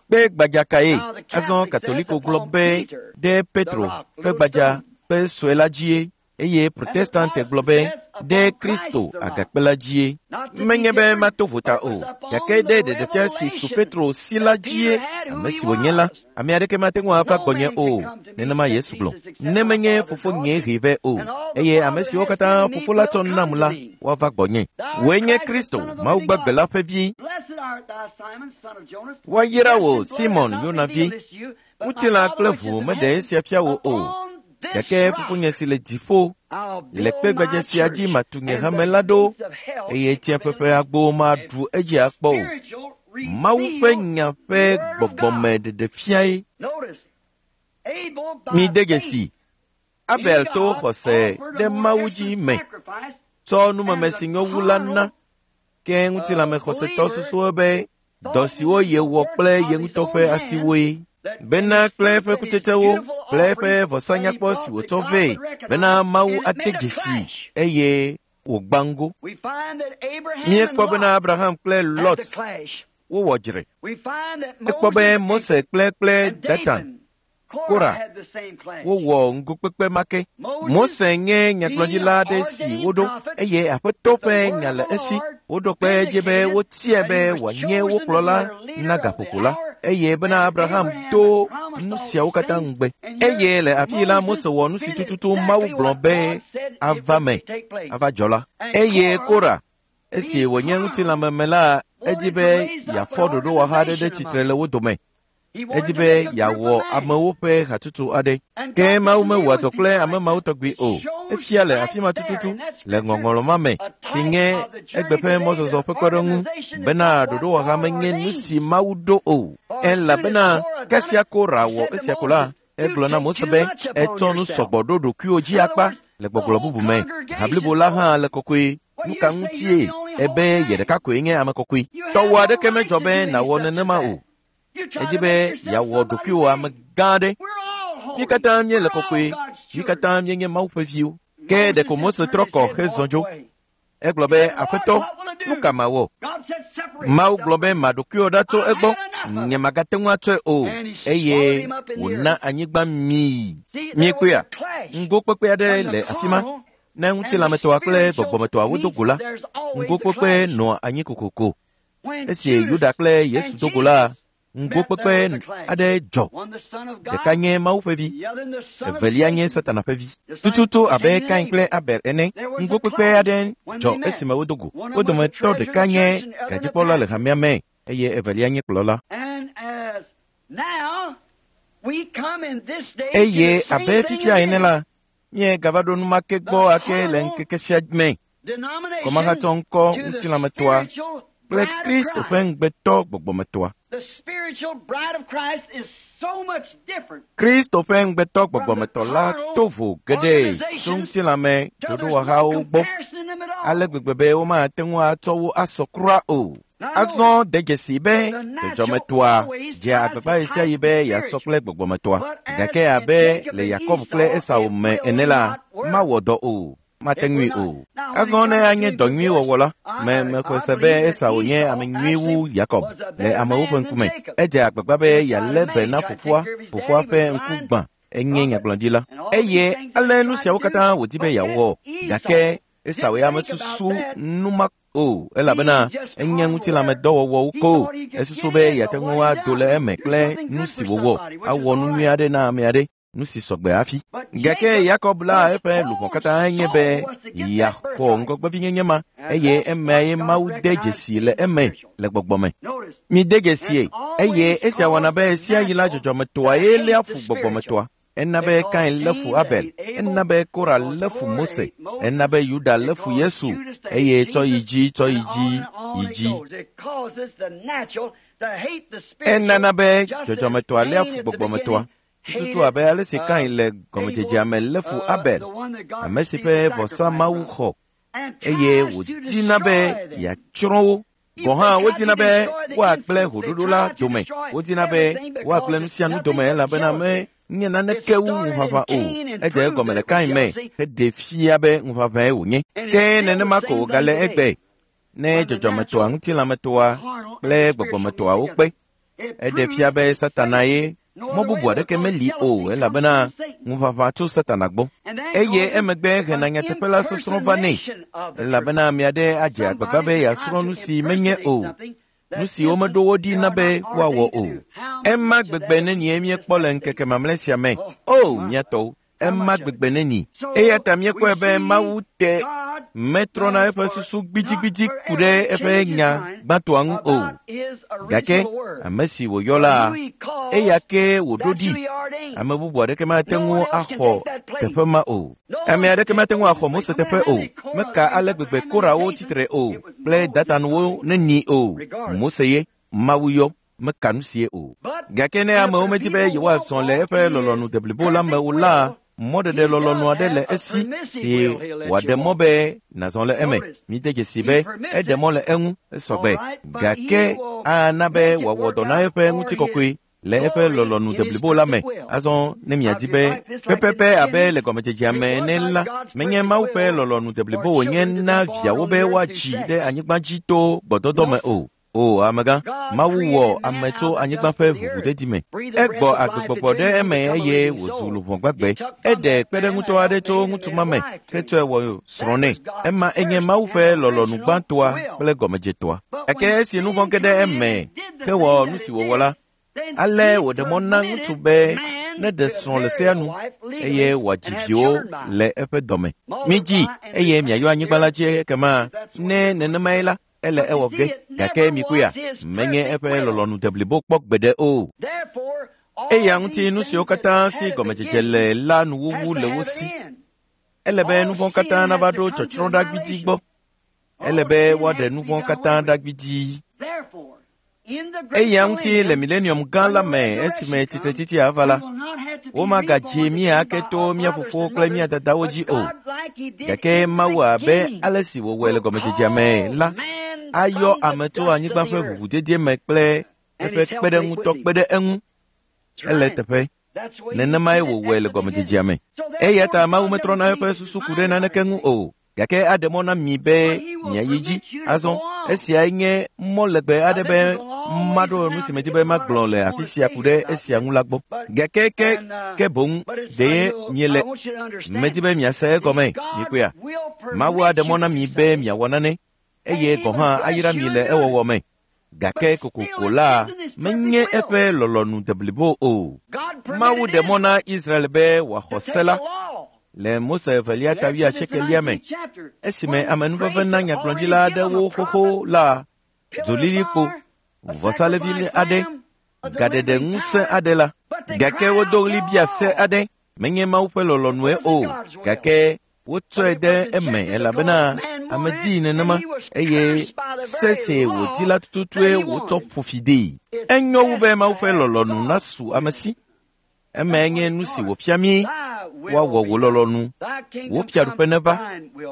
Kpe gbadza kae? Azɔ Katoliko gblɔ be ɖe Petro ƒe gbadza ƒe sue la dzie, eye Protestante gblɔ be ɖe Kristo agakpe la dzie. Menye be mato vota o, gake ɖe ɖeɖefia si su Petro si la dzie, ame si wònye la, ame aɖeke mate ŋu ava gbɔnye o. Nenema Yesu gblɔ. Ne menye fofonye hee vɛ o, eye ame siwo katã fofo la tsɔ nam la, woava gbɔnye. Wòe nye Kristo, Mawu gbagbe la ƒe vi. Woayra wò, Simon, Yona vi. Ŋutilã kple ʋu meɖe esia fia wò o, gake fofonye si le dziƒo le kpe gbadza sia dzi matu nye hame la ɖo, eye tsiẽƒe ƒe agbowo maɖu edzi akpɔ o. Mawu ƒe nya ƒe gbɔgbɔme ɖeɖefiae. Mide dzesi, Abel to xɔse ɖe Mawu dzi me tsɔ numeme si nyo wu la na, ke ŋutilãme xɔsetɔ susuwo be dɔ siwo yewɔ kple ye ŋutɔ ƒe asiwoe, bena kple eƒe kutsetsewo kple eƒe vɔsanyakpɔ si wòtsɔ vɛ bena Mawu ate dzesi eye wògbã ŋgo. Míekpɔ bena Abraham kple Lot wowɔ dzre. Ekpɔ be Mose kple Datan, Kora wowɔ ŋgokpekpe ma ke. Mose nye nyagblɔɖila aɖe si woɖo eye Aƒetɔ ƒe nya le esi. Woɖo kpe edzi be wotiae be wòanye wo kplɔla na gaƒoƒo la, eye bena Abraham do nu siawo katã ŋugbe. Eye le afii la, Mose wɔ nu si tututu Mawu gblɔ be ava me, ava dzɔ la. Eye Kora, esi wònye ŋutilãmeme la, edi be yeafɔ ɖoɖowɔha aɖe ɖe tsitre le wo dome. Edi be yeawɔ amewo ƒe hatsotso aɖe. Ke Mawu mewɔa dɔ kple ame mawo tɔgbi o. Efia le afi ma tututu le ŋɔŋlɔ ma me si nye egbe ƒe mɔzɔzɔ ƒe kpɔɖeŋu bena ɖoɖowɔha menye nu si Mawu ɖo o. Elabena kasia Kora wɔ esia ko la, egblɔ na Mose be etsɔ nu sɔgbɔ ɖo ɖokuiwò dzi akpa le gbɔgblɔ bubu me. Ha blibo la hã le kɔkɔe. Nu ka ŋutie ebe ye ɖeka koe nye ame kɔkɔe? Tɔwò aɖeke medzɔ be nàwɔ nenema o. Edi be yeawɔ ɖokuiwò ame gã aɖe. Mí katã míele kɔkɔe, mí katã míenye Mawu ƒe viwo. Ke ɖeko Mose trɔ kɔ hezɔ dzo. Egblɔ be, Aƒetɔ, nu ka mawɔ? Mawu gblɔ be, Ma ɖokuiwò ɖa tso egbɔ, nyemagate ŋu atsɔe o. Eye wòna anyigba mii. Miekpɔea? Ŋgokpekpe aɖe le afi ma. Ne ŋutilãmetɔa kple gbɔgbɔmetɔa wodo go la, ŋgokpekpe nɔa anyi kokoko. Esi Yuda kple Yesu do go la, ŋgokpekpe aɖe dzɔ. Ɖeka nye Mawu ƒe vi, evelia nye Satana ƒe vi. Tututu abe Kain kple Abel ene, ŋgokpekpe aɖe dzɔ esime wodo go. Wo dometɔ ɖeka nye gadzikpɔla le hamea me eye evelia nye kplɔla. Eye abe fifia ene la, míegava ɖo nu ma ke gbɔ ake le ŋkeke sia me. Kɔmahatsɔ ŋkɔ ŋutilãmetɔa kple Kristo ƒe ŋugbetɔ gbɔgbɔmetɔa. Kristo ƒe ŋugbetɔ gbɔgbɔmetɔ la to vo geɖe tso ŋutilãme ɖoɖowɔhawo gbɔ ale gbegbe be womate ŋu atsɔ wo asɔ kura o. Azɔ de dzesi be dzɔdzɔmetɔa dzea agbagba ɣesiaɣi be yeasɔ kple gbɔgbɔmetɔa, gake abe le Yakob kple Esau me ene la, mawɔ dɔ o. Mate ŋui o. Azɔ ne anye dɔ nyui wɔwɔ la, me mexɔe se be Esau nye ame nyui wu Yakob le amewo ƒe ŋkume. Edze agbagba be yealé be na fofoa, fofoa ƒe ŋku gbã enye nyagblɔɖila. Eye ale nu siawo katã wòdi be yeawɔ, gake Esau ya mesusu nu ma o, elabena enye ŋutilãmedɔwɔwɔwo ko. Esusu be yeate ŋu ado le eme kple nu si wòwɔ, awɔ nu nyui aɖe na ame aɖe. Nu si sɔgbe hafi. Gake Yakob la eƒe luʋɔ katã nye be yeaxɔ ŋgɔgbevinyenye ma, eye emae Mawu de dzesi le eme le gbɔgbɔ me. Mide dzesie, eye esia wɔna be ɣesiaɣi la dzɔdzɔmetɔa ye léa fu gbɔgbɔmetɔa. Ena be Kain lé fu Abel, ena be Kora lé fu Mose, ena be Yuda lé fu Yesu, eye tsɔ yi dzi, tsɔ yi dzi, yi dzi. Enana be dzɔdzɔmetɔa léa fu gbɔgbɔmetɔa. Tututu abe ale si Kain le gɔmedzedzea me lé fu Abel, ame si ƒe vɔsa Mawu xɔ, eye wòdina be yeatsrɔ̃ wo. Gɔ̃ hã wodina be woagblẽ ʋuɖoɖo la dome, wodina be woagblẽ nu sia nu dome elabena menye naneke wu ŋuʋaʋã o. Edze egɔme le Kain me heɖee fia be ŋuʋaʋãe wònye. Ke nenema ko wògale egbe ne dzɔdzɔmetɔa, ŋutilãmetɔa kple gbɔgbɔmetɔa wokpe. Eɖe fia be Satana ye. Mɔ bubu aɖeke meli o elabena ŋuʋaʋã tso Satana gbɔ. Eye emegbe hena nyateƒe la sɔsrɔ̃ va nɛ elabena ame aɖe adze agbagba be yeasrɔ̃ nu si menye o, nu si womeɖo wo ɖi na be woawɔ o. Ema gbegbe nenie míekpɔ le ŋkeke mamlɛ sia me. O, mía tɔwo, ema gbegbe neni. Eya ta míekpɔe be Mawu te metrɔna eƒe susu gbidigbidi ku ɖe eƒe nya gbãtɔa ŋu o. Gake ame si wòyɔ la, eya ke wòɖo ɖi. Ame bubu aɖeke mate ŋu axɔ teƒe ma o. Ame aɖeke mate ŋu axɔ Mose teƒe o. Meka ale gbegbe Korawo tsitre o kple Datanuwo neni o. Mose ye Mawu yɔ. Meka nu sie o. Gake ne amewo medi be yewoazɔ le eƒe lɔlɔ̃nu deblibo la me o la, mɔɖeɖe lɔlɔ̃nu aɖe le esi si wòaɖe mɔ be nàzɔ le eme. Mide dzesi be eɖe mɔ le eŋu esɔgbe, gake ana be wòawɔ dɔ na eƒe ŋutikɔkɔe le eƒe lɔlɔ̃nu deblibo la me. Azɔ ne miadi be pɛpɛpɛ abe le gɔmedzedzea me ene la, menye Mawu ƒe lɔlɔ̃nu deblibo wònye na viawo be woadzi ɖe anyigba dzi to gbɔdɔdɔ me o. O amegã, Mawu wɔ ame tso anyigba ƒe ʋuʋudedi me. Egbɔ agbegbɔgbɔ ɖe eme eye wòzu luʋɔ gbagbe. Eɖe kpeɖeŋutɔ aɖe tso ŋutsu ma me hetsɔe wɔ srɔ̃ nɛ. Ema enye Mawu ƒe lɔlɔ̃nu gbãtɔa kple gɔmedzetɔa. Gake esi nu vɔ̃ ge ɖe eme hewɔ nu si wòwɔ la, ale wòɖe mɔ na ŋutsu be neɖe srɔ̃ le sea nu eye wòadzi viwo le eƒe dɔme. Midzi eye miayɔ anyigba la dzi ekema ne nenemae la, ele ewɔ ge. Gake mikpɔea, menye eƒe lɔlɔ̃nu deblibo kpɔ gbeɖe o. Eya ŋuti nu siwo katã si gɔmedzedze le la nuwuwu le wo si. Ele be nu vɔ̃ katã nava ɖo tsɔtsrɔ̃ ɖa gbidii gbɔ. Ele be woaɖe nu vɔ̃ katã ɖa gbidii. Eya ŋuti le milenium gã la me esime tsitretsitsi ava la, womagadzi mí ake to mía fofowo kple mía dadawo dzi o. Gake Mawu abe ale si wòwɔe le gɔmedzedzea me la, ayɔ ame tso anyigba ƒe ʋuʋudedie me kple eƒe kpeɖeŋutɔ kpe ɖe eŋu. Ele teƒe. Nenemae wòwɔe le gɔmedzedzea me. Eya ta Mawu metrɔna eƒe susu ku ɖe naneke ŋu o. Gake aɖe mɔ na mi be miayi dzi. Azɔ, esiae nye mɔ legbe aɖe be maɖo nu si medi be magblɔ le afi sia ku ɖe esia ŋu la gbɔ. Gake ke ke boŋ ɖe miele medi be miase egɔme, mikpɔea. Mawu aɖe mɔ na mi be miawɔ nane eye gɔ̃ hã ayra mi le ewɔwɔ me. Gake kokoko la menye eƒe lɔlɔ̃nu deblibo o. Mawu ɖe mɔ na Israel be wòaxɔ se la le Mose evelia ta wuiasiekelia me, esime amenuveve na nyagblɔɖila aɖewo xoxo la dzolilikpo, vɔsalevi aɖe, gaɖeɖe ŋusẽ aɖe la. Gake wodo ɣli bia se aɖe, menye Mawu ƒe lɔlɔ̃nue o, gake wotsɔe ɖe eme elabena ame dii nenema eye se si wòdi la tututue wòtsɔ ƒo fi dee. Enyo wu be Mawu ƒe lɔlɔ̃nu nasu ame si. Emae nye nu si wòfia mí. Woawɔ wò lɔlɔ̃nu. Wò fiaɖuƒe neva.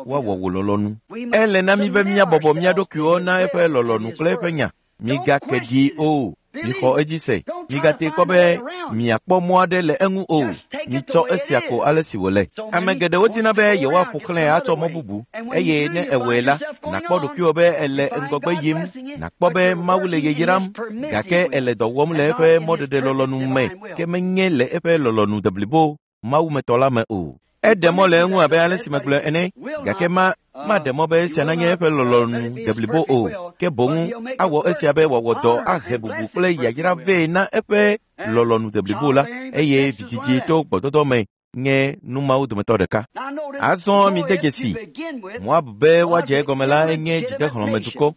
Woawɔ wò lɔlɔ̃nu. Ele na mí be míabɔbɔ mía ɖokuiwo na eƒe lɔlɔ̃nu kple eƒe nya. Migake ɖi o. Mixɔ edzi se. Migate kpɔ be miakpɔ mɔ aɖe le eŋu o. Mitsɔ esia ko ale si wòle. Ame geɖewo dina be yewoaƒo xlãe atsɔ mɔ bubu eye ne ewɔe la, nàkpɔ ɖokuiwò be èle ŋgɔgbe yim, nàkpɔ be Mawu le yayram, gake èle dɔ wɔm le eƒe mɔɖeɖe lɔlɔ̃nu me, ke menye le eƒe lɔlɔ̃nu deblibo Mawumetɔ la me o. Eɖe mɔ le eŋu abe ale si megblɔe ene, gake ma maɖe mɔ be esia nanye eƒe lɔlɔ̃nu deblibo o, ke boŋ awɔ esia be wòawɔ dɔ ahe bubu kple yayra vɛ na eƒe lɔlɔ̃nu deblibo la, eye vidzidzi to gbɔdɔdɔ me nye nu mawo dometɔ ɖeka. Azɔ mide dzesi, Moab be woadze egɔme la enye dzidexlɔ̃medukɔ.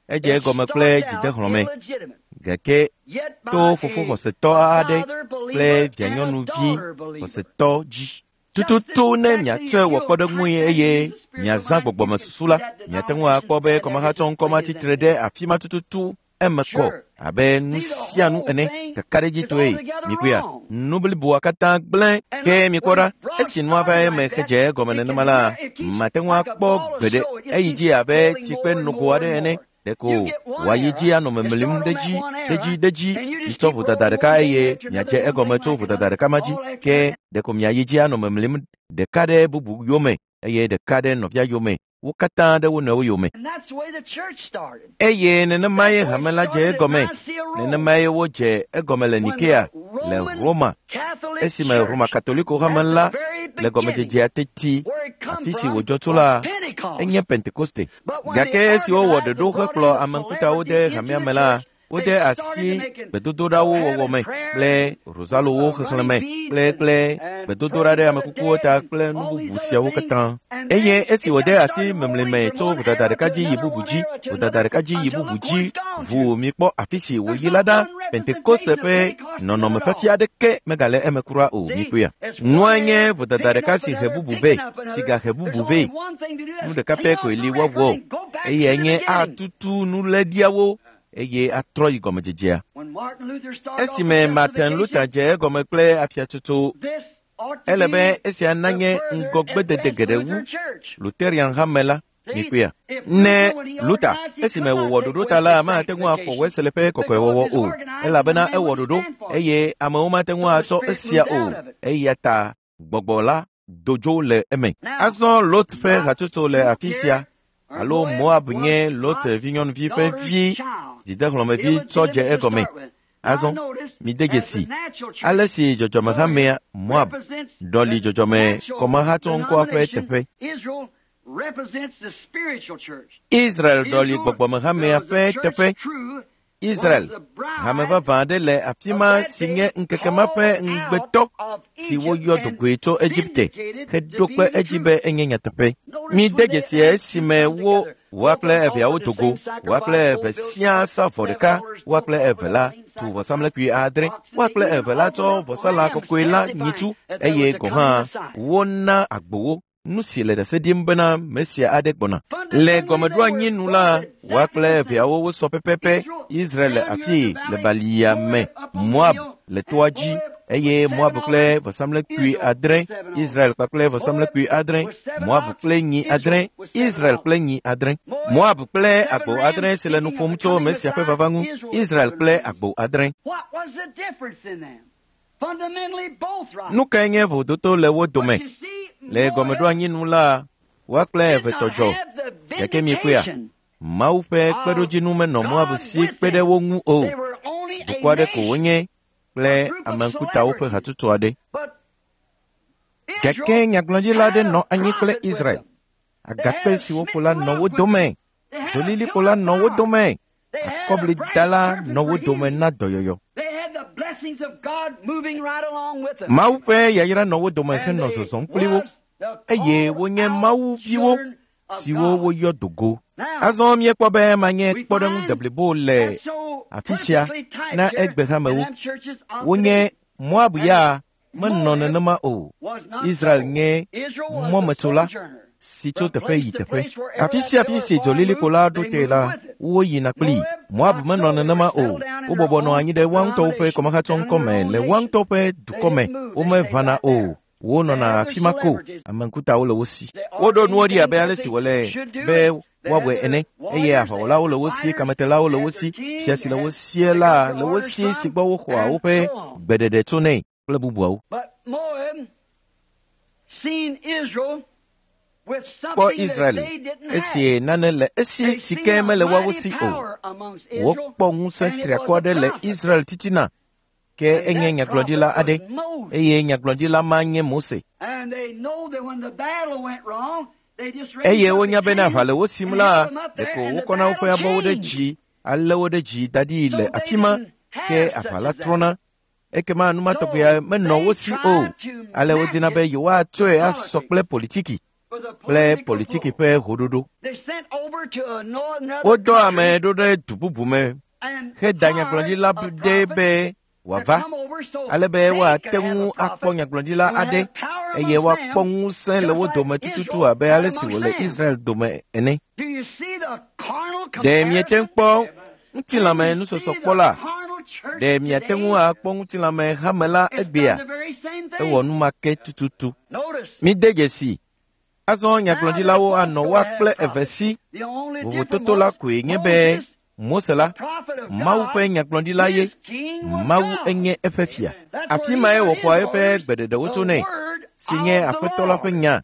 Edze egɔme kple dzidexlɔ̃me, gake to fofo xɔsetɔ aɖe kple vianyɔnuvi xɔsetɔ dzi. Tututu ne miatsɔe wɔ kpɔɖeŋui eye miazã gbɔgbɔmesusu la, miate ŋu akpɔ be kɔmahatsɔ ŋkɔ ma tsitre ɖe afi ma tututu eme kɔ abe nu sia nu ene kakaɖedzitɔe. Mikpɔea, nu bliboa katã gblẽ. Ke mikpɔ ɖa, esi nua va eme hedze egɔme nenema la, mate ŋu akpɔ gbeɖe eyi dzi abe tsikpe nogo aɖe ene. Ɖeko wòayi dzi anɔ memlim ɖe dzi, ɖe dzi, ɖe dzi. Mitsɔ vodada ɖeka eye miadze egɔme tso vodada ɖeka ma dzi. Ke ɖeko miayi dzi anɔ memlim ɖeka ɖe bubu yome eye ɖeka ɖe nɔvia yome. Wo katã ɖe wo nɔewo yome. Eye nenemae hame la dze egɔme. Nenemae wodze egɔme le Nikea, le Roma, esime Roma Katoliko hame la le gɔmedzedzea teti, afi si wòdzɔ tso la, enye Pentekoste. Gake esi wowɔ ɖoɖo hekplɔ ame ŋkutawo de hamea me la, wode asi gbedodoɖawo wɔwɔ me kple rozalowo xexlẽ me kple kple gbedodoɖa ɖe amekukuwo ta kple nu bubu siawo katã. Eye esi wòde asi memli me tso vodada ɖeka dzi yi bubu dzi, vodada ɖeka dzi yi bubu dzi, ʋuu mikpɔ afi si wòyi la ɖa, Pentekoste ƒe nɔnɔmefiafia aɖeke megale eme kura o, mikpɔea. Nua nye vodada ɖeka si he bubu vɛ, si gahe bubu vɛ. Nu ɖeka pɛ koe li woawɔ, eyae nye atutu nuléɖiawo eye atrɔ yi gɔmedzedzea. Esime Martin Luther dze egɔme kple afiatsotso, ele be esia nanye ŋgɔgbedede geɖe wu Lutheran hame la, mikpɔea. Ne Luther, esime wòwɔ ɖoɖo ta la, mate ŋu axɔ Wesley ƒe kɔkɔewɔwɔ o, elabena ewɔ ɖoɖo eye amewo mate ŋu atsɔ esia o, eya ta gbɔgbɔ la do dzo le eme. Azɔ Lot ƒe hatsotso le afi sia, alo Moab nye Lot vinyɔnuvi ƒe vi. Dzidehlɔ̃mevi tsɔ dze egɔme. Azɔ mide dzesi ale si dzɔdzɔmehamea Moab ɖɔli dzɔdzɔme kɔmahatsɔŋkɔa ƒe teƒe. Israel ɖɔli gbɔgbɔmehamea ƒe teƒe. Israel, hame vavã aɖe le afi ma si nye ŋkeke ma ƒe ŋugbetɔ si woyɔ dogoe tso Egipte heɖo kpe edzi be enye nyateƒe. Mide dzesi esime wo woa kple eveawo do go, woa kple eve siaa sa vɔ ɖeka, woa kple eve la tu vɔsamlekpui adre, woa kple eve la tsɔ vɔsalã kɔkɔe la nyitsu eye gɔ̃ hã wona agbowo. Nu si le ɖase ɖim bena Mesia aɖe gbɔna. Le gɔmeɖoanyi nu la, woa kple eveawo wosɔ pɛpɛpɛ. Israel le afii le balia me, Moab le toa dzi eye Moab kple vɔsamlekpui adre, Israel kpakple vɔsamlekpui adre, Moab kple nyi adre, Israel kple nyi adre. Moab kple agbo adre si le nu ƒom tso Mesia ƒe vava ŋu, Israel kple agbo adre. Nu kae nye vododo le wo dome? Le gɔmeɖoanyi nu la, woa kple eve tɔ dzɔ. Gake miekpɔea, Mawu ƒe kpeɖodzinu menɔ Moab si kpe ɖe wo ŋu o. Dukɔ aɖe ko wonye kple ame ŋkutawo ƒe hatsotso aɖe. Gake nyagblɔɖila aɖe nɔ anyi kple Israel. Agakpe si woƒo la nɔ wo dome. Dzolilikpo la nɔ wo dome. Akɔblida la nɔ wo dome na dɔyɔyɔ. Mawu ƒe yayra nɔ wo dome henɔ zɔzɔm kpli wo eye wonye Mawu viwo siwo woyɔ do go. Azɔ míekpɔ be manye kpɔɖeŋu deblibo le afi sia na egbehamewo. Wonye Moab ya menɔ nenema o. Israel nye mɔmetsola si tso teƒe yi teƒe. Afi sia afi si dzolilikpo la ɖo te la, woyina kplii. Moab menɔ nenema o. Wobɔbɔ nɔ anyi ɖe woa ŋutɔwo ƒe kɔmahatsɔŋkɔ me le woa ŋutɔ ƒe dukɔ me. Womeʋãna o. Wonɔna afi ma ko. Ame ŋkutawo le wo si. Woɖo nuwo ɖi abe ale si wòle be woawɔe ene eye aʋawɔlawo le wo si, kametelawo le wo si, fia si le wo sie la le wo si si gbɔ woxɔa woƒe gbeɖeɖe tsonɛ kple bubuawo. Kpɔ Israel esi nane le esi si ke mele woawo si o. Wokpɔ ŋusẽ triakɔ aɖe le Israel titina ke enye nyagblɔɖila aɖe eye nyagblɔɖila ma nye Mose. Eye wonya bena aʋa le wo sim la, ɖeko wokɔna woƒe abɔwo ɖe dzi alé wo ɖe dzi da ɖi le afi ma ke aʋa la trɔna. Ekema nu ma tɔgbea menɔ wo si o. Ale wodina be yewoatsɔe asɔ kple politiki kple politiki ƒe hoɖoɖo. Wodɔ ame ɖo ɖe du bubu me heda nyagblɔɖila ɖe be wòava ale be woate ŋu akpɔ nyagblɔɖila aɖe eye woakpɔ ŋusẽ le wo dome tututu abe ale si wòle Israel dome ene. Ɖe miete ŋu kpɔ ŋutilãme nusɔsɔkpɔla? Ɖe miate ŋu akpɔ ŋutilãme hame la egbea? Ewɔ nu ma ke tututu. Mide dzesi. Azɔ nyagblɔɖilawo anɔ woa kple eve si. Vovototo la koe nye be Mose la, Mawu ƒe nyagblɔɖila ye. Mawu enye eƒe fia. Afi mae wòxɔa eƒe gbeɖeɖewo tsonɛ, si nye Aƒetɔ la ƒe nya.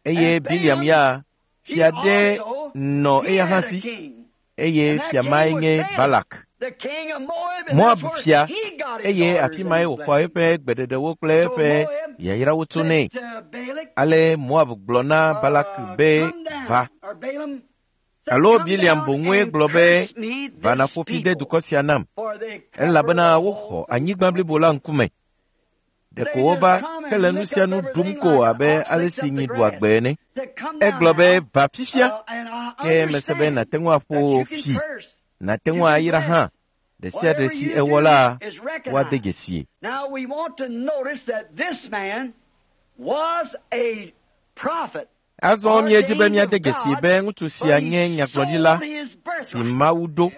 Eye Biliam ya, fia ɖe nɔ eya hã si, eye fia mae nye Balak. Moab fia, eye afi mae wòxɔa eƒe gbeɖeɖewo kple eƒe yayrawo tsonɛ. Ale Moab gblɔ na Balak be va. Alo Biliam boŋue gblɔ be va nàƒo fi de dukɔ sia nam, elabena woxɔ anyigba blibo la ŋkume. Ɖeko wova hele nu sia nu ɖum ko abe ale si nyi ɖua gbe ene. Egblɔ be va fifia, ke mese be nàte ŋu aƒo fi, nàte ŋu ayra hã. Ɖe sia ɖe si ewɔ la, woade dzesie. Azɔ míedi be míade dzesi be ŋutsu sia nye nyagblɔɖila si Mawu ɖo.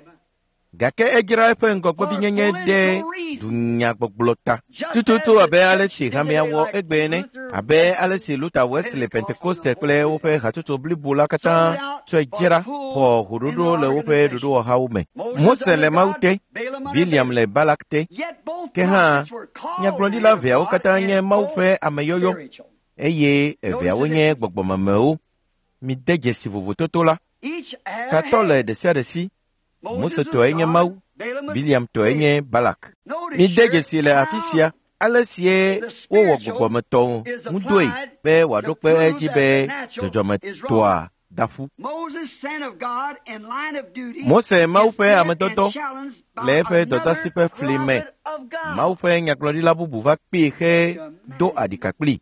Gake edzra eƒe ŋgɔgbevinyenye ɖe dunyagbɔgblɔ ta. Tututu abe ale si hamea wɔ egbe ene, abe ale si Luther, Wesley, Pentekoste kple woƒe hatsotso blibo la katã tsɔe dzra xɔ hoɖoɖo le woƒe ɖoɖowɔhawo me. Mose le Mawu te, Biliam le Balak te. Ke hã, nyagblɔɖila eveawo katã nye Mawu ƒe ameyɔyɔ eye eveawo nye gbɔgbɔmemewo. Mide dzesi vovototo la. Tatɔ le ɖe sia ɖe si. Mose tɔe nye Mawu, Biliam tɔe nye Balak. Mide dzesi le afi sia ale sie wowɔ gbɔgbɔmetɔ ŋudɔe be wòaɖo kpe edzi be dzɔdzɔmetɔa da ƒu. Mose Mawu ƒe amedɔdɔ le eƒe dɔdasi ƒe fli me. Mawu ƒe nyagblɔɖila bubu va kpee xe do aɖika kpli.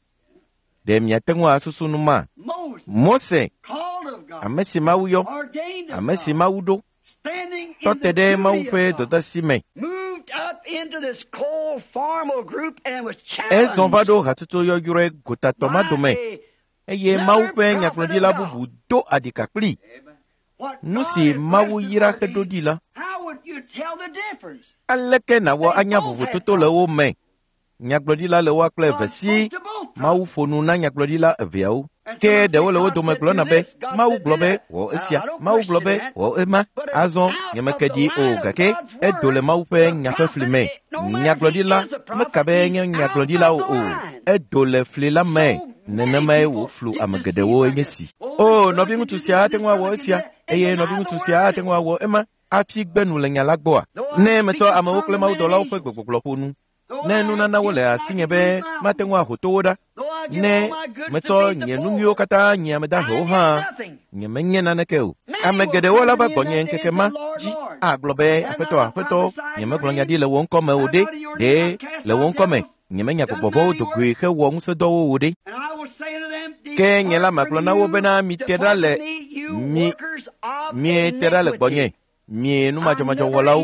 Ɖe miate ŋu asusu nu ma? Mose, ame si Mawu yɔ, ame si Mawu ɖo, tɔ te ɖe Mawu ƒe dɔdasi me. Ezɔ va ɖo hatsotso yɔyrɔe gotatɔ ma dome eye Mawu ƒe nyagblɔɖila bubu do aɖika kpli. Nu si Mawu yra heɖo ɖi la, aleke nàwɔ anya vovototo le wo me? Nyagblɔɖila le woa kple eve si Mawu ƒo nu na nyagblɔɖila eveawo. Ke ɖewo le wo dome gblɔna be, Mawu gblɔ be wɔ esia, Mawu gblɔ be wɔ ema. Azɔ nyemeke ɖi o gake edo le Mawu ƒe nya ƒe fli me. Nyagblɔɖila meka be nye nyagblɔɖilawo o. Edo le fli la me. Nenemae wòflu ame geɖewo enye si. O, nɔviŋutsu sia ate ŋu awɔ esia eye nɔviŋutsu sia ate ŋu awɔ ema hafi gbe nu le nya la gbɔa? Ne metsɔ amewo kple mawudɔlawo ƒe gbegbɔgblɔ ƒo nu, ne nunanawo le asinye be mate ŋu aho towo ɖa, ne metsɔ nye nu nyuiwo katã nye ame dahewo hã, nyemenye naneke o. Ame geɖewo la va gbɔnye ŋkeke ma dzi agblɔ be, Aƒetɔ, Aƒetɔ, nyemegblɔ nya ɖi le wò ŋkɔ me o ɖe, ɖe le wò ŋkɔ me nyemenya gbɔgbɔ vɔ̃wo do goe hewɔ ŋusẽdɔwo o ɖe. Ke nye la magblɔ na wo bena mite ɖa le mi miete ɖa le gbɔnye mi numadzɔmadzɔwɔlawo,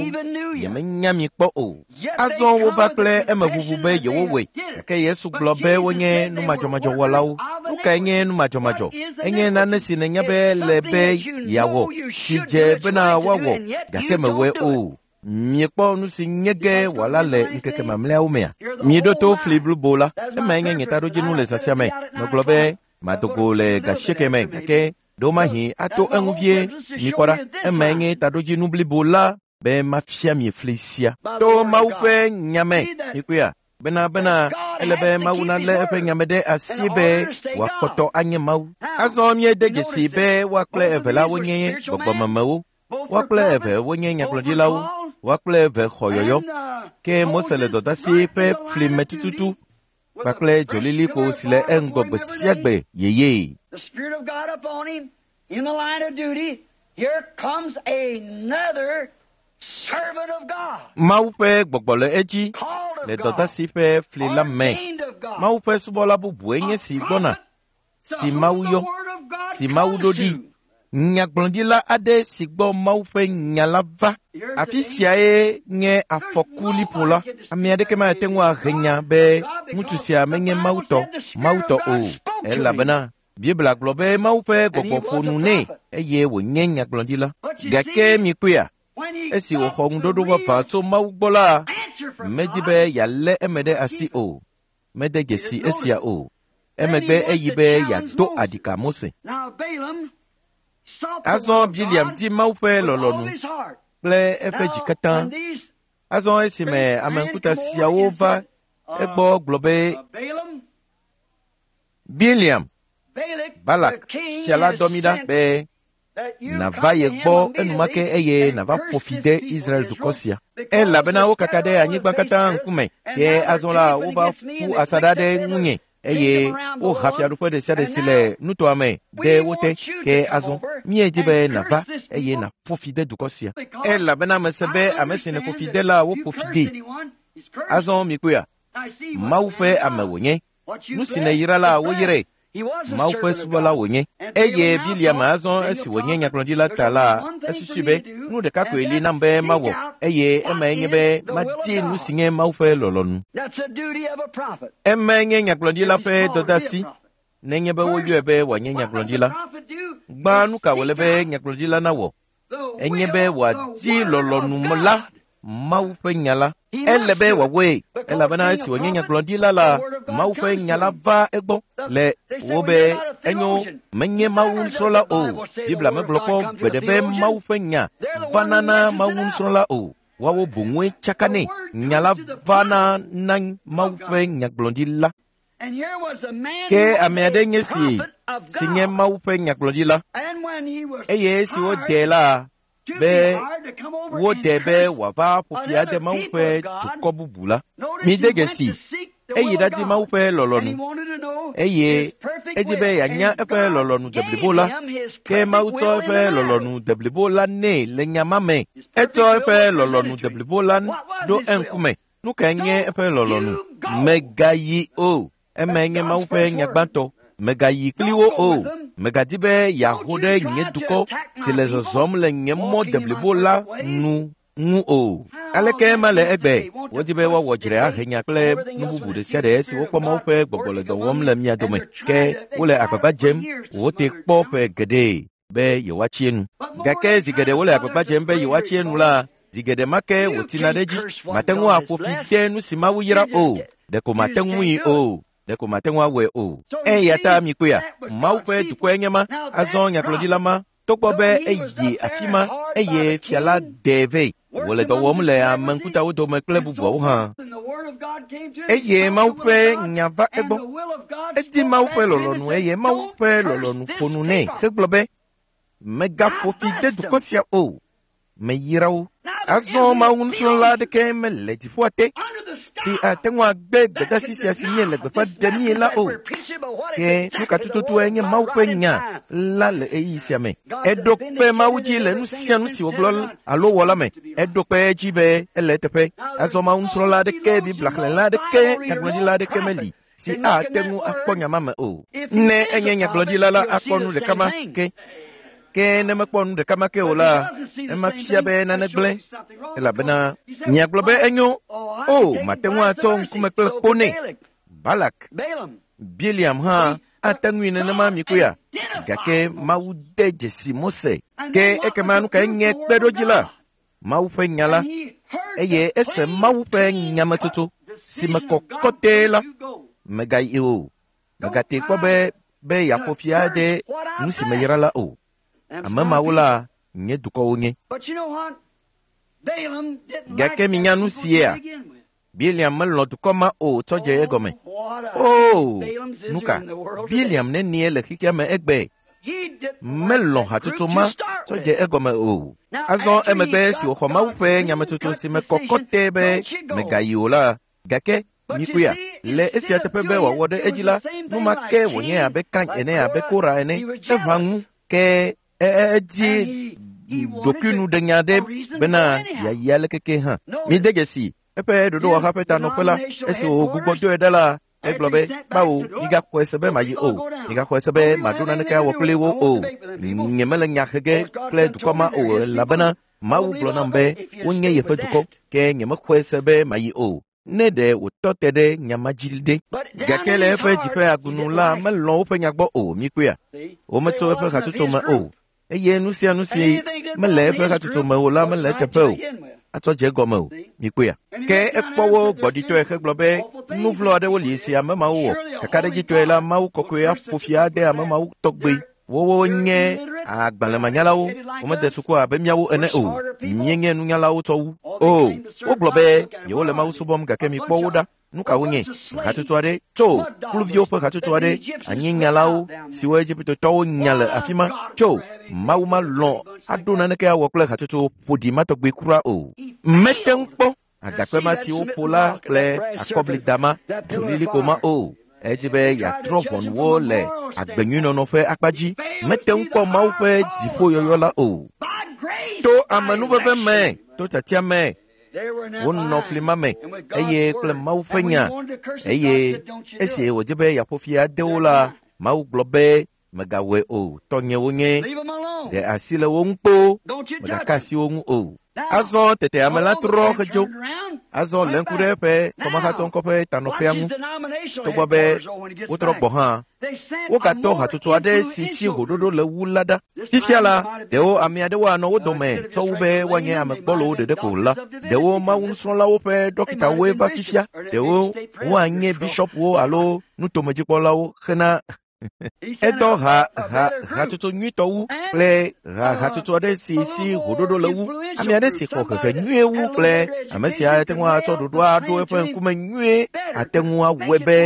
nyemenya mi kpɔ o. Azɔ wova kple emeʋuʋu be yewowɔe, gake Yesu gblɔ be wonye numadzɔmadzɔwɔlawo. Nu kae nye numadzɔmadzɔ? Enye nane si nènya be le be yeawɔ, si dze bena woawɔ, gake mewɔe o. Miekpɔ nu si nye ge wòala le ŋkeke mamlɛawo mea? Mieɖo to fli blibo la. Emae nye nye taɖodzinu le zã sia me. Megblɔ be mado go le ga asieke me gake ɖewomahi ato eŋu vie. Mikpɔ ɖa, emae nye taɖodzinu blibo la be mafia mi fli sia. To Mawu ƒe nya me, mikpɔea? Bena bena ele be Mawu nalé eƒe nya me ɖe asi be wòakpɔtɔ anye Mawu. Azɔ míede dzesi be woa kple eve la wonye gbɔgbɔmemewo. Woa kple eve wonye nyagblɔɖilawo, woa kple eve xɔ yɔyɔ. Ke Mose le dɔdasi ƒe fli me tututu kpakple dzolilikpo si le eŋgɔ gbe sia gbe yeyee. The Spirit of God upon him in the line of duty. Here comes another servant of God, Mawu ƒe gbɔgbɔ le edzi called le of God, dɔdasi ƒe fli la me. ordained of God, Mawu ƒe subɔla bubue nye si gbɔna, to si whom Mawu the yɔ, word of God si Mawu comes ɖo ɖi. to. Nyagblɔɖila aɖe si gbɔ Mawu ƒe nya la va. Afi siae nye afɔku liƒo la. Ame aɖeke mate ŋu ahe nya be ŋutsu sia menye Mawu tɔ, Mawu tɔ o, elabena Biblia gblɔ be Mawu ƒe gbɔgbɔ ƒo nu nɛ eye wònye nyagblɔɖila. Gake mikpɔea, When he esi got wòxɔ the ŋuɖoɖo real vavã tso Mawu gbɔ la, answer from medi God, be yealé eme ɖe asi o. Mede dzesi esia o. Emegbe eyi be yeado aɖika Mose. Now Balaam sought the Azɔ will of Biliam God di Mawu ƒe with all lɔlɔ̃nu his heart. kple eƒe dzi Now, katã. when these Azɔ esime ame ŋkuta siawo va egbɔ gblɔ be Balaam, Biliam, Balak, the Balak king, fia la has dɔ mí ɖa sent be that you nàva come ye to him gbɔ enumake immediately eye and nàva curse ƒo fi this de people Israel dukɔ Israel, sia. because Elabena they wo kaka scattered ɖe all the anyigba face katã of the earth, ŋkume. and Ke now they're azɔ la camping wova against me, ƒu and they asaɖa picked ɖe up every ŋunye eye kingdom around woha below us. fiaɖuƒe ɖe sia ɖe And si now le nutoa me we de wo te. want you to Ke come azɔ over míedi be and nàva curse this eye people nàƒo fi de dukɔ sia. because Elabena mese be I ame si nèƒo fi understand de that la if you woƒo fi curse dee. anyone, he's cursed. Azɔ mikpɔea, I see what Mawu the ƒe man ame does. wònye. What you Nu si bless nèyra la is woyrae. blessed. He was a Mawu ƒe servant of subɔla God. wònye. And Eye Balaam now Biliam thought, azɔ being esi a wònye prophet, nyagblɔɖila there's ta only la, one thing for esusui me be to do, nu ɖeka and koe li that's nam be seek mawɔ out eye what emae nye is be the will of madi nu God. si nye Mawu ƒe lɔlɔ̃nu. That's the duty of a prophet. Emae nye nyagblɔɖila If he's ƒe called to be a dɔdeasi prophet. nenye be First, woyɔe be wòanye what does the nyagblɔɖila. prophet do? Gbã Is nu ka wòle seek be out nyagblɔɖila nawɔ? the Enye be will, the wòadi word of lɔlɔ̃nu la, God. Mawu ƒe nya la. He Ele must be do it wòawɔe because elabena being esi a wònye prophet, nyagblɔɖila the la, word of God Mawu ƒe comes nya to la him. va egbɔ The, le they say, wo well, be you're not a enyo theologian. menye Mawu Never does nusrɔ̃la the o. Bible say the Biblia word of megblɔ God kpɔ comes to gbe the ɖe be theologian. Mawu ƒe nya They're the one vana who na messes Mawu it up. nusrɔ̃la o. Woawo boŋue The tsakanɛ. word Nya la comes to the vana prophet na Mawu of ƒe God. nyagblɔɖila. And here was a man Ke who was ame a aɖe nye si prophet of si nye God. Mawu ƒe nyagblɔɖila And when he was eye esi hired wodee la, to be woɖe be wòava ƒo fi ade Mawu ƒe dukɔ bubu la. Mide dzesi, eyi ɖadi Mawu ƒe lɔlɔ̃nu eye edi be yeanya eƒe lɔlɔ̃nu deblibo la. Ke Mawu tsɔ eƒe lɔlɔ̃nu deblibo la nɛ le nya ma me. Etsɔ eƒe lɔlɔ̃nu deblibo la ɖo eŋkume. Nu kae nye eƒe lɔlɔ̃nu? Mègayi o. Emae nye Mawu ƒe nya gbãtɔ. Mègayi kpli wo o. Mègadi be yeaho ɖe nye dukɔ si le zɔzɔm le nye mɔ deblibo la nu ŋu o. Aleke ema le egbe? Wodi be woawɔ dzre ahe nya kple nu bubu ɖe sia ɖe si wokpɔ Mawu ƒe gbɔgbɔ le dɔ wɔm le mia dome. Ke wole agbagba dzem wote kpɔ ƒe geɖe be yewoatsi enu. Gake zi geɖe wole agbagba dzem be yewoatsi enu la, zi geɖe ma ke wòtina ɖe edzi. Mate ŋu aƒo fi de nu si Mawu yra o. Ɖeko mate ŋui o. Ɖeko mate ŋu awɔe o. Eya ta mikpɔea, Mawu ƒe dukɔe nye ma. Azɔ nyagblɔɖila ma, togbɔ be eyi afi ma eye fia la ɖee vɛ. Wòle dɔ wɔm le ame ŋkutawo dome kple bubuawo hã. Eye Mawu ƒe nya va egbɔ. Edi Mawu ƒe lɔlɔ̃nu eye Mawu ƒe lɔlɔ̃nu ƒo nu nɛ hegblɔ be, Mègaƒo fi de dukɔ sia o. Meyra wo. Azɔ Mawu nusrɔ̃la aɖeke mele dziƒoa te si ate ŋu agbe gbedeasi sia si míele gbeƒã ɖemie la o. Ke nu ka tututue nye Mawu ƒe nya la le ɣeyiɣi sia me? Eɖo kpe Mawu dzi le nu sia nu si wògblɔ alo wɔ la me. Eɖo kpe edzi be ele eteƒe. Azɔ Mawu nusrɔ̃la aɖeke, Biblia xlẽla aɖeke, nyagblɔɖila aɖeke meli si ate ŋu akpɔ nya ma me o. Ne enye nyagblɔɖila la, akpɔ nu ɖeka ma ke. Ke ne mekpɔ nu ɖeka ma ke o la, ema fia be nane gblẽ elabena miagblɔ be enyo. O, mate ŋu atsɔ ŋkume kple kpo nɛ. Balak, Biliam hã ate ŋui nenema mikpɔea? Gake Mawu de dzesi Mose. Ke ekema nu kae nye kpeɖodzi la? Mawu ƒe nya la. Eye ese Mawu ƒe nyametsotso si me kɔ kɔtɛe la. Mègayi o. Mègatee kpɔ be be yeaƒo fi ade nu si meyra la o. Ame mawo la, nye dukɔ wonye. Gake minya nu siea? Biliam melɔ̃ dukɔ ma o tsɔ dze egɔme. Oo, nu ka? Biliam nenie le xexea me egbe? Melɔ̃ hatsotso ma tsɔ dze egɔme o. Azɔ emegbe si wòxɔ Mawu ƒe nyametsotso si me kɔ kɔtɛ be mègayi o la, gake mikpɔea, le esia teƒe be wòawɔ ɖe edzi la, nu ma ke wònye abe Kain ene abe Kora ene. Eʋã ŋu ke edi ɖokuinuɖenya ɖe bena yeayi aleke ke hã. Mide dzesi eƒe ɖoɖowɔha ƒe tanɔƒe la, esi wògbugbɔ doe ɖa la, egblɔ be, Kpawo, migaxɔe se be mayi o. Migaxɔe se be maɖo naneke awɔ kpli wo o. Nyemele nya he ge kple dukɔ ma o elabena Mawu gblɔ nam be wonye yeƒe dukɔ, ke nyemexɔe se be mayi o. Ne ɖe wòtɔ te ɖe nya ma dzi ɖe. Gake le eƒe dzi ƒe agunu la melɔ̃ woƒe nya gbɔ o, mikpɔea? Wometso eƒe hatsotso me o. Eye nu sia nu si mele eƒe hatsotso me o la mele eteƒe o. Atsɔ dze egɔme o, mikpɔea? Ke ekpɔ wo gbɔɖitɔe hegblɔ be nu vlo aɖewo li si ame mawo wɔ. Kakaɖedzitɔe la, Mawu kɔkɔe aƒo fi ade ame mawo tɔgbe. Wowo nye agbalẽmanyalawo, womede suku abe míawo ene o. Míenye nunyalawo tsɔ wu. O, wogblɔ be yewole Mawu subɔm gake mikpɔ wo ɖa. Nu ka wonye? Hatsotso aɖe tso kluviwo ƒe hatsotso aɖe, anyinyalawo siwo Egiptetɔwo nya le afi ma tso. Mawu malɔ̃ aɖo naneke awɔ kple hatsotso ƒoɖi ma tɔgbe kura o. Mete ŋu kpɔ agakpe ma si woƒo la kple akɔblida ma, dzolilikpo ma o. Edi be yeatrɔ ʋɔnuwo le agbenyuinɔnɔ ƒe akpa dzi. Mete ŋu kpɔ Mawu ƒe dziƒoyɔyɔ la o. To amenuveve me, to tiatia me, wonɔ fli ma me eye kple Mawu ƒe nya. Eye esi wòdze be yeaƒo fi ade wo la, Mawu gblɔ be, Mègawɔe o, tɔnye wonye. Ɖe asi le wo ŋu kpoo, mègaka asi wo ŋu o. Azɔ tete ame la trɔ hedzo. Azɔ lé ŋku ɖe eƒe kɔmahatsɔŋkɔ ƒe tanɔƒea ŋu. Togbɔ be wotrɔ gbɔ hã, wogatɔ hatsotso aɖe si si hoɖoɖo le wu la ɖa. Fifia la, ɖewo ame aɖewo anɔ wo dome tsɔ wu be woanye ame gbɔlowo ɖeɖe ko la. Ɖewo Mawu nusrɔ̃lawo ƒe ɖɔkitawoe va fifia. Ɖewo woanye bishɔpwo alo nutomedzikpɔlawo hena Edɔ ha ha hatsotso nyuitɔ wu kple ha hatsotso aɖe si si hoɖoɖo le wu. Ame aɖe si xɔ hehe nyuie wu kple ame si ate ŋu atsɔ ɖoɖoa aɖo eƒe ŋkume nyuie ate ŋu awɔe be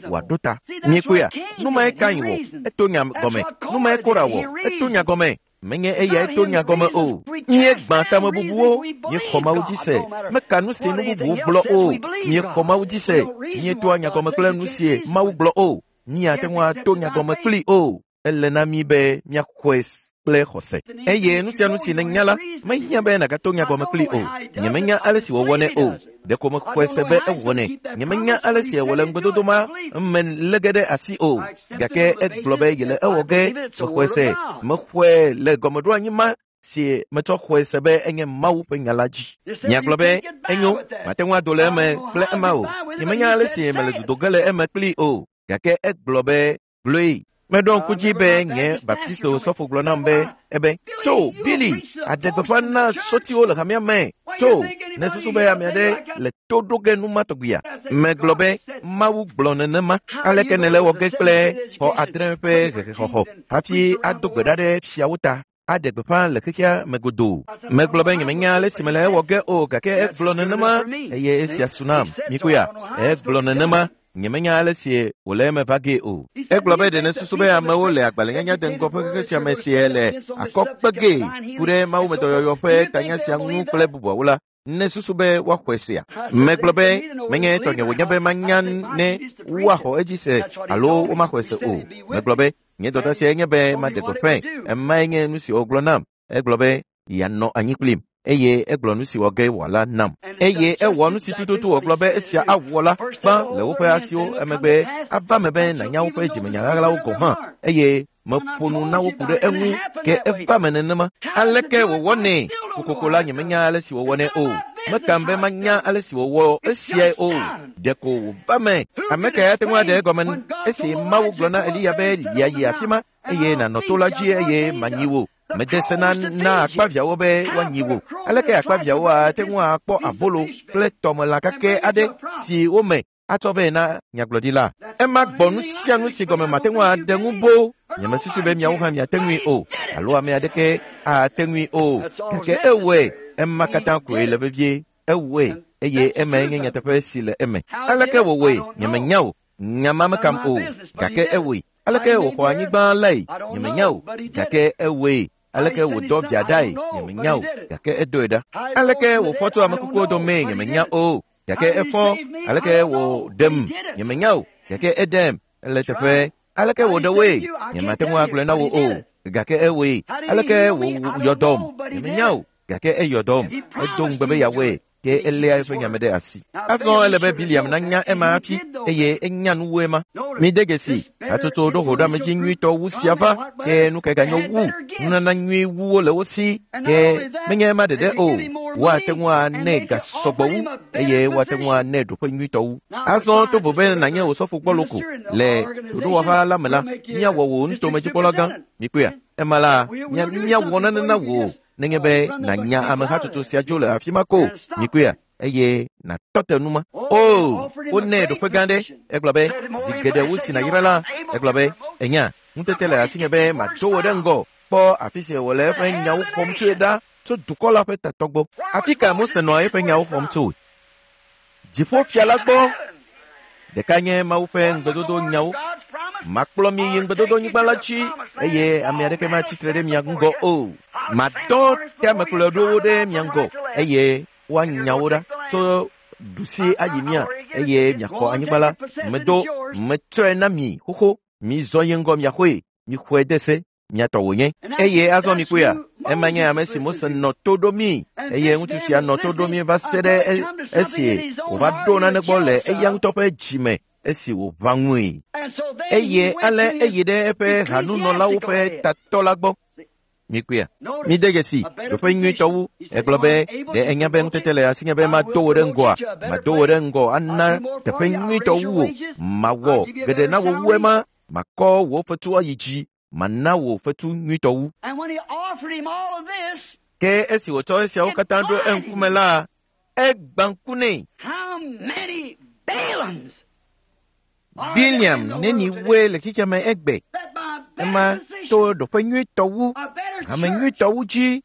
wòaɖo ta. Miekpɔea? Nu mae Kain wɔ. Eto nya gɔme. Nu mae Kora wɔ. Eto nya gɔme. Menye eyae to nya gɔme o. Míegbã tamebubuwo, míexɔ Mawu dzi se. Meka nu si nu bubuwo gblɔ o. Míexɔ Mawu dzi se. Míetoa nya gɔme kple nu si Mawu gblɔ o. Míate ŋu ato nya gɔme kplii o. Ele na mí be míaxɔe kple xɔse. Eye nu sia nu si nènya la, mehiã be nàgato nya gɔme kplii o. Nyemenya ale si wòwɔnɛ o. Ɖeko mexɔe se be ewɔnɛ. Nyemenya ale si wòle ŋugbedodo ma me lé ge ɖe asi o. Gake egblɔ be yele ewɔ ge. Mexɔe se. Mexɔe le gɔmeɖoanyi ma si metsɔ xɔe se be enye Mawu ƒe nya la dzi. Miagblɔ be, enyo, mate ŋu ado le eme kple ema o. Nyemenya ale si mele dodo ge le eme kplii o. Gake egblɔ be, gblɔe. Meɖo ŋku dzi be nye Baptisto sɔfo gblɔ nam be, ebe, tso, Billy, aɖe gbeƒã na sɔtiwo le hamea me. Tso, ne susu be ame aɖe le to ɖo ge nu ma tɔgbia. Megblɔ be, Mawu gblɔ nenema. Aleke nèle wɔ ge kple xɔ adre ƒe hehexɔxɔ hafi ado gbe ɖa ɖe fiawo ta aɖe gbeƒã le xexea me godoo? Megblɔ be nyemenya ale si mele ewɔ ge o, gake egblɔ nenema eye esia su nam. Mikuya, egblɔ nenema. Nyemenya ale si wòle eme va gee o. Egblɔ be ɖe nèsusu be amewo le agbalẽnyanya de ŋgɔ ƒe xexe sia me sie le akɔ kpe gee ku ɖe mawumedɔyɔyɔ ƒe tanya sia ŋu kple bubuawo la, nèsusu be woaxɔe sea? Megblɔ be menye tɔnye wònye be manya ne woaxɔ edzi se alo womaxɔe se o. Megblɔ be nye dɔdeasie nye be maɖe gbeƒãe. Emae nye nu si wògblɔ nam. Egblɔ be yeanɔ anyi kplim eye egblɔ nu si wɔ ge wòala nam. Eye ewɔ nu si tututu wògblɔ be esia awɔ la gbã le woƒe asiwo emegbe ava me be nànya woƒe dzimenya ɣaɣlawo gɔ̃ hã eye meƒo nu na wo ku ɖe eŋu ke eva me nenema. Aleke wòwɔnɛ? Kokoko la nyemenya ale si wòwɔnɛ o. Mekam be manya ale si wòwɔ esiae o. Ɖeko wòva me. Ame kae ate ŋu aɖe egɔme esi Mawu gblɔ na Eliya be yeayi afi ma eye nànɔ to la dzi eye manyi wò. Mede se na akpaviãwo be woanyi wò. Aleke akpaviãwo ate ŋu akpɔ abolo kple tɔmelã kakɛ aɖe si wome atsɔ vɛ na nyagblɔɖila? Ema gbɔ nu sia nu si gɔme mate ŋu aɖe ŋu boo. Nyemesusu be miawo hã miate ŋui o, alo ame aɖeke ate ŋui o. Gake ewɔe. Ema katã koe le vevie. Ewɔe eye emae nye nyateƒe si le eme. Aleke wòwɔe? Nyemenya o. Nya ma mekam o. Gake ewɔe. Aleke wòxɔ anyigba lae? Nyemenya o. Gake ewɔe. Aleke wòdɔ via ɖae? Nyemenya o. Gake edoe ɖa. Aleke wòfɔ tso ame kukuwo domee? Nyemenya o. Gake efɔ. Aleke wòɖem? Nyemenya o. Gake eɖem. Ele teƒe. Aleke wòɖe woe? Nyemate ŋu agblɔe na wò o. Gake ewɔe. Aleke wòyɔ dɔm? Nyemenya o. Gake eyɔ dɔm. Edo ŋugbe be yeawɔe. Ke eléa eƒe nyame ɖe asi. Azɔ ele be Biliam nanya ema hafi eye enya nu wu ema. Mide dzesi, hatsotso ɖo hoɖoamedzi nyuitɔ wu sia va, ke nu kae ganyo wu? Nunana nyui wuwo le wo si, ke menye ema ɖeɖe o. Woate ŋu anɛ ga sɔgbɔ wu eye woate ŋu anɛ ɖoƒe nyuitɔ wu. Azɔ to vo be nànye osɔfo gbɔlo ko le ɖoɖowɔha la me la, míawɔ wò nutomedzikpɔla gã. Mikpɔea? Ema la, míawɔ nane na wò nenye be nànya amehatsotso sia dzo le afi ma ko. Mikpɔea? Eye nàtɔ te nu ma. O, wonɛ ɖoƒe gã ɖe. Egblɔ be, zi geɖe wu si nàyra la, egblɔ be, enya, ŋutete le asinye be mado wò ɖe ŋgɔ. Kpɔ afi si wòle eƒe nyawo xɔm tsoe ɖa tso dukɔ la ƒe tatɔ gbɔ. Afi ka Mose nɔa eƒe nyawo xɔm tsoe? Dziƒofia la gbɔ. Ɖeka nye Mawu ƒe ŋugbedodo nyawo. Makplɔ mi yi ŋugbedodonyigba la dzi eye ame aɖeke matsi tre ɖe mia ŋgɔ o. Madɔ teamekplɔɖowo ɖe mia ŋgɔ eye woanya wo ɖa tso ɖusi ayi mia eye miaxɔ anyigba la. Medo metsɔe na mi xoxo. Mizɔ yi ŋgɔ miaxɔe. Mixɔe de se. Miatɔ wònye. Eye azɔ mikpɔea, ema nye ame si Mose nɔ to ɖo mi eye ŋutsu sia nɔ to ɖo mi va se ɖe esi wòva ɖo nane gbɔ le eya ŋutɔ ƒe dzime esi wòʋã ŋui. Eye ale eyi ɖe eƒe hanunɔlawo ƒe tatɔ la gbɔ. Mikpɔea, mide dzesi ɖoƒe nyuitɔ wu. Egblɔ be, ɖe enya be ŋutete le asinye be mado wò ɖe ŋgɔa? Mado wò ɖe ŋgɔ ana teƒe nyuitɔ wu wò. Mawɔ geɖe na wò wu ema. Makɔ wò fetu ayi dzi. Mana wò fetu nyuitɔ wu. Ke esi wòtsɔ esiawo katã ɖo eŋkume la, egbã ŋku nɛ. Biliam neni woe le xexea me egbe. Ema to ɖoƒe nyuitɔ wu, hame nyuitɔ wu dzi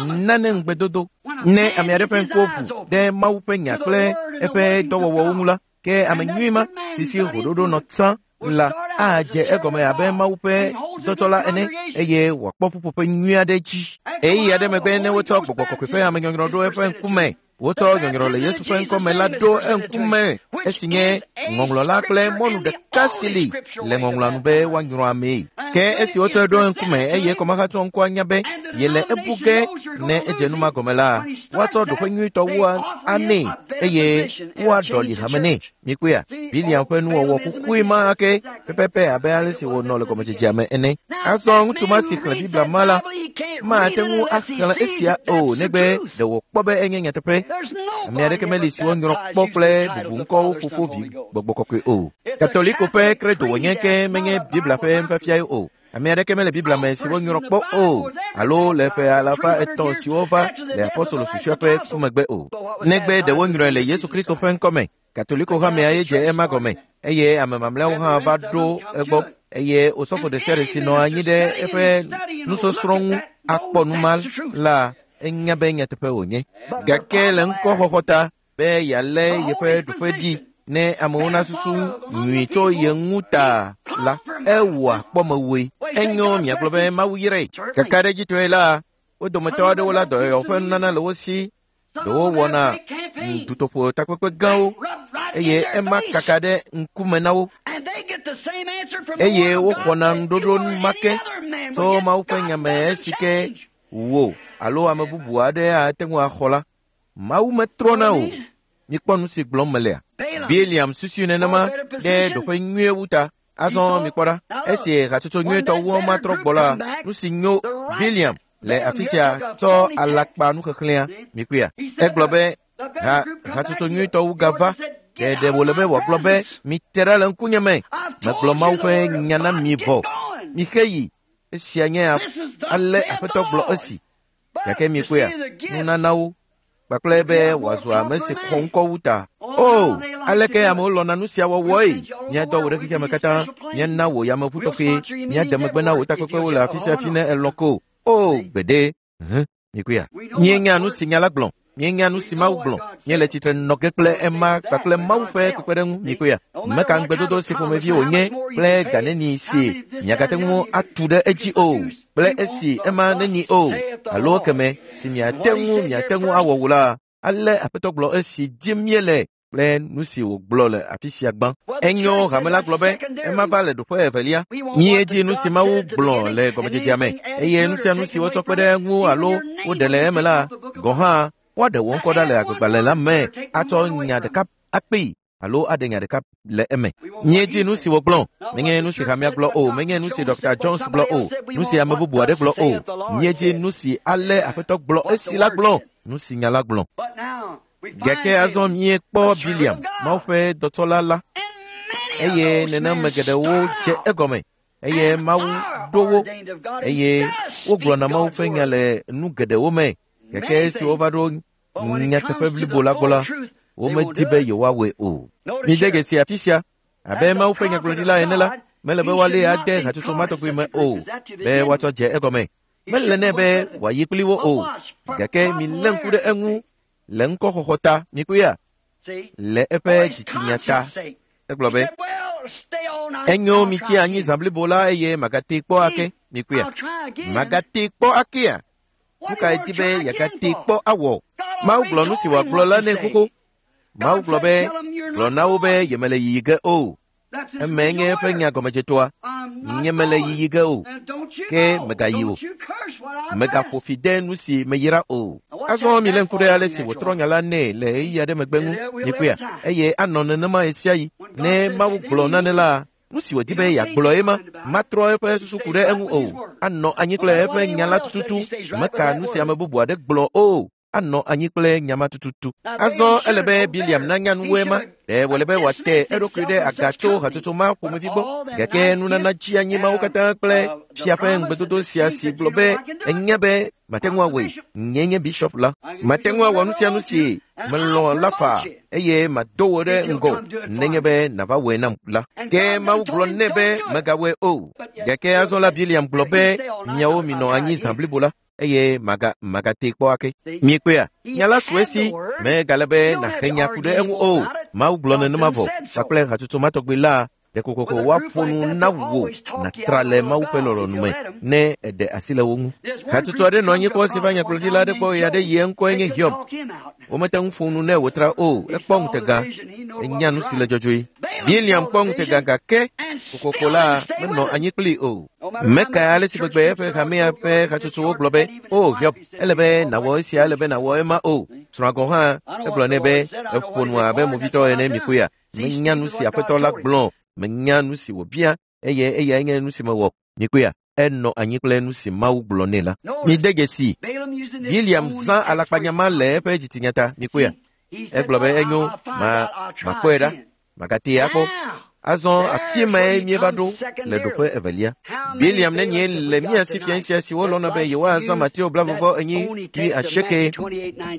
nane ŋugbedodo. Ne ame aɖe ƒe ŋkuwo ʋu ɖe Mawu ƒe nya kple eƒe dɔwɔwɔwo ŋu la, ke ame nyui ma si si hoɖoɖo nɔ tsã la adze egɔme abe Mawu ƒe dɔtɔ la ene eye wòakpɔ ƒuƒoƒe nyui aɖe dzi. Ɣeyiɣi aɖe megbe ne wotsɔ Gbɔgbɔ Kɔkɔe ƒe amenyɔnyrɔ ɖo eƒe ŋkume, wotsɔ nyɔnyrɔ le Yesu ƒe ŋkɔme la ɖo eŋkume, esi nye ŋɔŋlɔ la kple mɔnu ɖeka si li le ŋɔŋlɔa nu be woanyrɔ amee. Ke esi wotsɔe ɖo eŋkume eye kɔmahatsɔ ŋkɔa nya be yele ebu ge ne edze nu ma gɔme la, woatsɔ ɖoƒe nyuitɔ wu anɛ eye woaɖɔli hame nɛ. Mikpɔea, Biliam ƒe nuwɔwɔ xoxoe ma ake pɛpɛpɛ abe ale si wònɔ le gɔmedzedzea me ene. Azɔ ŋutsu ma si xlẽ Biblia ma la mate ŋu axlẽ esia o negbe ɖe wòkpɔ be enye nyateƒe. Ame aɖeke meli si wonyrɔ kpɔ kple bubuŋkɔwo Fofo, Vi, Gbɔgbɔ Kɔkɔe o. Katoliko ƒe credo wònye ke menye Biblia ƒe nufiafiae o. Ame aɖeke mele Biblia me si wonyrɔ kpɔ o alo le ƒe 300 siwo va le apostolo susɔea ƒe ku megbe o. Negbe ɖe wonyrɔe le Yesu Kristo ƒe ŋkɔme. Katoliko hamea ye dze ema gɔme eye ame mamlɛawo hã va ɖo egbɔ eye osɔfo ɖe sia ɖe si nɔ anyi ɖe eƒe nusɔsrɔ̃ ŋu akpɔ nu ma la enya be nyateƒe wònye. Gake le ŋkɔxɔxɔ ta be yealé yeƒe ɖoƒe ɖi ne amewo nasusu nyui tso ye ŋu ta la, ewɔa kpɔmewoe. Enyo miagblɔ be Mawu yrae. Kakaɖedzitɔe la, wo dometɔ aɖewo la dɔyɔyɔ ƒe nunana le wo si. Ɖewo wɔna dutoƒo takpekpe gãwo eye ema kaka ɖe ŋkume na wo eye woxɔna nuɖoɖo ma ke tso Mawu ƒe nya me esi ke wò alo ame bubu aɖe ate ŋu axɔ la. Mawu metrɔna o. Mikpɔ nu si gblɔm melea. Biliam susui nenema ɖe ɖoƒe nyuie wu ta. Azɔ mikpɔ ɖa, esi hatsotso nyuietɔ wu ma trɔ gbɔ la, nu si nyo Biliam le afi sia tsɔ alakpa nuxexlẽa. Mikpɔea, egblɔ be hatsotso nyuietɔ wu gava. Ɖe wòle be wòagblɔ be mite ɖa le ŋkunye me. Megblɔ Mawu ƒe nya na mi vɔ. Mixe yi. Esia nye ale Aƒetɔ gblɔ esi. Gake mikpɔea, nunanawo kpakple be wòazu ame si xɔ ŋkɔ wu ta. O, aleke amewo lɔ̃na nu sia wɔwɔe? Míadɔ wò ɖe xexea me katã, míana wò yameʋu tɔxɛ, míade megbe na wò takpekpewo le afi sia afi ne elɔ̃ ko. O, gbeɖe. Mikpɔea, míenya nu si nya la gblɔ, míenya nu si Mawu gblɔ, míele tsitre nɔ ge kple ema kpakple Mawu ƒe kpekpeɖeŋu. Mikpɔea, meka ŋugbedodo si ƒomevi wònye kple ga neni si miagate ŋu atu ɖe edzi o, kple esi ema neni o, alo keme si miate ŋu awɔ wò la, ale Aƒetɔ gblɔ esi dim míele kple nu si wògblɔ le afi sia gbã. Enyo hame la gblɔ be ema va le ɖoƒe evelia. Míedzi nu si Mawu gblɔ le gɔmedzedzea me eye nu sia nu si wotsɔ kpe ɖe eŋu alo woɖe le eme la gɔ̃ hã woaɖe wò ŋkɔ ɖa le agbegbalẽ la me atsɔ nya ɖeka akpee alo aɖe nya ɖeka le eme. Míedzi nu si wògblɔ, menye nu si hamea gblɔ o, menye nu si Dr. Jones gblɔ o, nu si ame bubu aɖe gblɔ o. Míedzi nu si ale Aƒetɔ gblɔ esi la gblɔ, nu si nya la gblɔ. Gake azɔ míekpɔ Biliam, Mawu ƒe dɔtɔla la, eye nenema geɖewo dze egɔme eye Mawu ɖo wo eye wogblɔna Mawu ƒe nya le nu geɖewo me. Gake esi wova ɖo nyateƒe blibo la gbɔ la, womedi be yewoawɔe o. Mide dzesi afi sia, abe Mawu ƒe nyagblɔɖila ene la, mele be woalée ade hatsotso ma tɔgbi me o, be woatsɔ dze egɔme. Mele nɛ be wòayi kpli wo o, gake milé ŋku ɖe eŋu le ŋkɔxɔxɔ ta. Mikpɔea, le eƒe dzitsinya ta. Egblɔ be, enyo mitsi anyi zã blibo la eye magatee kpɔ ake. Mikpɔea, magatee kpɔ akea? Nu kae di be yeagatee kpɔ awɔ? Mawu gblɔ nu si wòagblɔ la nɛ xoxo. Mawu gblɔ be, gblɔ na wo be yemele yiyi ge o. Eme nye eƒe nya gɔmedzetoa. Nye mele yiyi ge o, ke megayi o. Megaƒo fi de nu si meyra o. Azɔ milé ŋku ɖe ale si wòtrɔ nya la nɛ le ɣeyiɣi aɖe megbe ŋu. Mikpɔea, eye anɔ nenema ɣesiaɣi. Ne Mawu gblɔ nane la, nu si wòdi be yeagblɔ ema, matrɔ eƒe susu ku ɖe eŋu o. Anɔ anyi kple eƒe nya la tututu. Meka nu si ame bubu aɖe gblɔ o. Anɔ anyi kple nya ma tututu. Azɔ ele be Biliam nanya nuwoe ma. Ɖe wòle be wòate eɖokui ɖe aga tso hatsotso ma ƒomevi gbɔ. Gake nunana tsi anyi mawo katã kple fia ƒe ŋugbedodo sia si gblɔ be enya be mate ŋu awɔe. Nye nye bishop la. Mate ŋu awɔ nu sia nu si melɔ̃ la faa eye mado wò ɖe ŋgɔ nenye be nàva wɔe nam la. Ke Mawu gblɔ nɛ be megawɔe o. Gake azɔ la Biliam gblɔ be miawo minɔ anyi zã blibo la eye magatee kpɔ ake. Miekpɔea, nya la su esi megale be nàhe nya ku ɖe eŋu o. Mawu gblɔ nenema vɔ kpakple hatsotso ma tɔgbi la. Ɖe kokoko woaƒo nu na wò nàtra le Mawu ƒe lɔlɔ̃nu me ne èɖe asi le wo ŋu. Hatsotso aɖe nɔ anyi kpɔ si va nyagblɔɖila aɖe gbɔ ɣe aɖe ɣie ŋkɔe nye Hiob. Womete ŋu ƒo nu nɛ wòtra o. Ekpɔ ŋutega. Enya nu si le dzɔdzɔe. Biliam kpɔ ŋutega gake kokoko la menɔ anyi kplii o. Meka ale si gbegbe eƒe hamea ƒe hatsotsowo gblɔ be, “O Hiob, ele be nàwɔ esia, ele be nàwɔ ema o.” Srɔ̃a gɔ̃ hã egblɔ nɛ be, “Eƒo nu abe movitɔ ene mikpɔea? Menya nu si Aƒetɔ la gblɔ, menya nu si wòbia, eye eyae nye nu si mewɔ. Mikpɔea? Enɔ anyi kple nu si Mawu gblɔ nɛ la. Mide dzesi, Biliam zã alakpanya ma le eƒe dzitsinya ta. Mikpɔea? Egblɔ be enyo, ma makpɔe ɖa, magatee akpɔ. Azɔ afi mae míeva ɖo le ɖoƒe evelia. Biliam nenie le mía si fia sia siwo lɔ̃na be yewoazã Mateo 24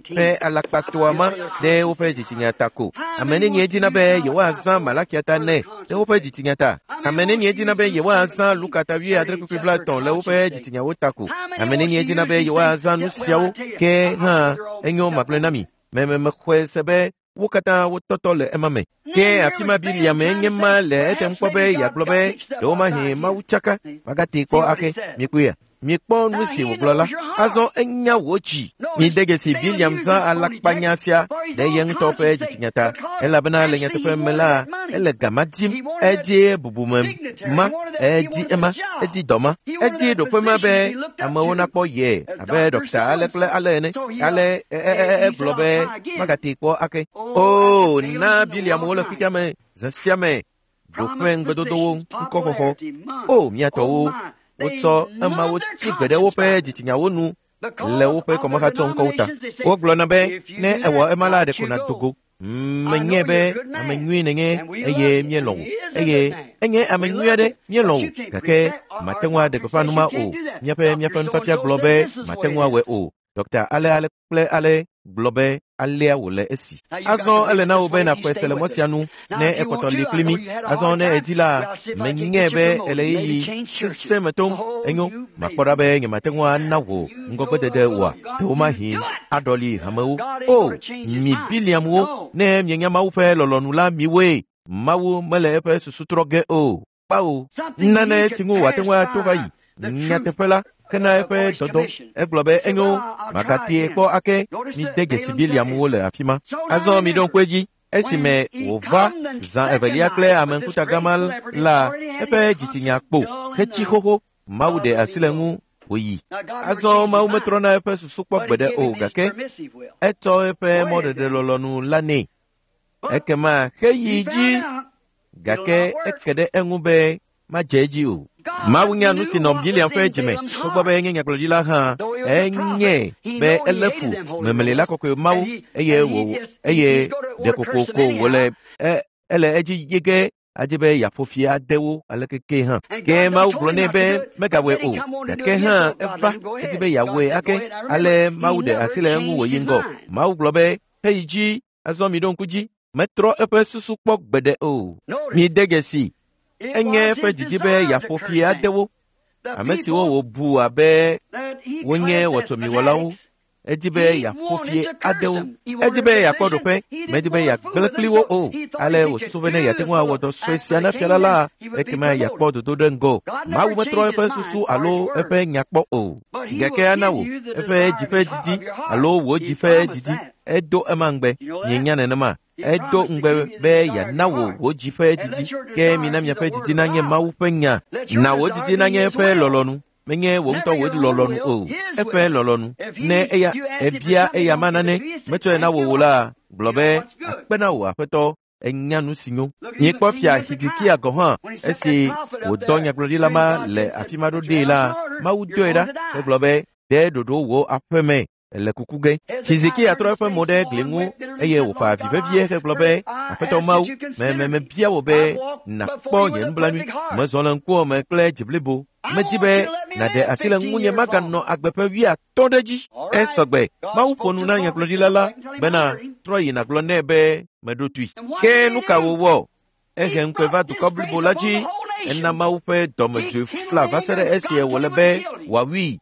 ƒe alakpatoa ma ɖe woƒe dzitsinya ta ko. Ame nenie dina be yewoazã Malakia ta nɛ ɖe woƒe dzitsinya ta. Ame nenie dina be yewoazã Luka ta 7 le woƒe dzitsinyawo ta ko. Ame nenie dina be yewoazã nu siawo ke hã enyo magblɔe na mi. Meme mexɔe se be wo katã wotɔtɔ le ema me. Ke afi ma Biliam enye ma le etem kpɔ be yeagblɔ be ɖewomahi Mawu tsaka magatee kpɔ ake. Mikpɔea? Mikpɔ nu si wògblɔ la. Azɔ enya wò dzi. Mide dzesi Biliam zã alakpanya sia ɖe ye ŋutɔ ƒe dzitsinya ta elabena le nyateƒe me la ele gama dim. Edi bubume ma, edi ema, edi dɔ ma, edi ɖoƒe ma be amewo nakpɔ ye abe ɖɔkta ale kple ale ene. Ale egblɔ be magatee kpɔ ake. O na Biliamwo le xexea me zã sia me ɖoƒe ŋugbedodowo ŋkɔxɔxɔ. O mía tɔwo, wotsɔ emawo tsi gbe ɖe woƒe dzitsinyawo nu le woƒe kɔmehatsɔ ŋkɔwo ta. Wogblɔna be ne ewɔ ema la ɖeko nàdo go. Menye be ame nyui nènye eye míelɔ̃ wò eye enye ame nyui aɖe míelɔ̃ wò gake mate ŋu aɖe gbeƒã nu ma o. Míaƒe míaƒe nufiafia gblɔ be mate ŋu awɔe o. Ɖɔkta ale ale kple ale gblɔ be alea wòle esi. Azɔ ele na wò be nàxɔe se le mɔ sia nu ne ekpɔtɔ li kpli mí. Azɔ ne èdi la, menyae be ele ɣeyiɣi sesẽ me tom. Enyo, makpɔ ɖa be nyemate ŋu ana wò ŋgɔgbedede oa? Ɖewomahi aɖɔli hamewo. O, mi Biliamwo, ne mienya Mawu ƒe lɔlɔ̃nu la miwoe. Mawu mele eƒe susu trɔ ge o. Kpao, nane si ŋu wòate ŋu ato va yi. Nyateƒe la, kena eƒe dɔdɔ. Egblɔ be enyo, magatee kpɔ ake. Mide dzesi Biliamwo le afi ma. Azɔ miɖo ŋku edzi. Esime wòva zã evelia kple ame ŋkuta gã la, eƒe dzitsinya kpo hetsi xoxo. Mawu ɖe asi le eŋu wòyi. Azɔ Mawu metrɔna eƒe susu kpɔ gbeɖe o gake etsɔ eƒe mɔɖeɖe lɔlɔ̃nu la nɛ. Ekema heyi dzi gake eke ɖe eŋu be madze edzi o. Mawu nya nu si nɔ Biliam ƒe dzime togbɔ be enye nyagblɔɖila hã enye be elé fu memelila kɔkɔe Mawu eye wò eye ɖe kokoko wòle ele edzi yi ge adi be yeaƒo fi ade wo aleke ke hã. Ke Mawu gblɔ nɛ be megawɔe o gake hã eva edi be yeawɔe ake ale Mawu ɖe asi le eŋu wòyi ŋgɔ. Mawu gblɔ be heyi dzi azɔ miɖo ŋku dzi metrɔ eƒe susu kpɔ gbeɖe o. Mide dzesi enye eƒe didi be yeaƒo fi ade wo. Ame siwo wòbu abe wonye wɔtsɔmiwɔlawo. Edi be yeaƒo fi ade wo. Edi be yeakpɔ ɖoƒe, medi be yeagblẽ kpli wo o. Ale wòsusu be ne yeate ŋu awɔ dɔ sue sia na fia la la, ekema yeakpɔ dodo ɖe ŋgɔ. Mawu metrɔ eƒe susu alo eƒe nya kpɔ o. Gake ana wò eƒe dzi ƒe didi alo wò dzi ƒe didi. Edo ema ŋugbe. Mienya nenema. Edo ŋugbe be yeana wò wò dzi ƒe didi. Ke mina miaƒe didi nanye Mawu ƒe nya. Na wò didi nanye eƒe lɔlɔ̃nu. Menye wò ŋutɔ wò lɔlɔ̃nu o, eƒe lɔlɔ̃nu. Ne eya ebia eya ma nane metsɔe na wò o la, gblɔ be akpe na wò aƒetɔ enya nu si nyo. Miekpɔ fia Hizikia gɔ̃ hã esi wòdɔ nyagblɔɖila ma le afi ma ɖo ɖee la, Mawu doe ɖa hegblɔ be de ɖoɖo wò aƒe me ele kuku ge. Hizikia trɔ eƒe mo ɖe gli ŋu eye wòfa avi vevie hegblɔ be aƒetɔ Mawu, me mebia wò be nàkpɔ nye nublanui. Mezɔ le ŋkuwò me kple dzi blibo. Medi be nàɖe asi le ŋunye maganɔ agbe ƒe 50 ɖe dzi. Esɔgbe Mawu ƒo nu na nyagblɔɖila la bena trɔ yi nàgblɔ nɛ be meɖo toe. Ke nu ka wòwɔ? Ehe ŋukpe va dukɔ blibo la dzi. Ena Mawu ƒe dɔmedzoe fla va se ɖe esie wòle be wòawui.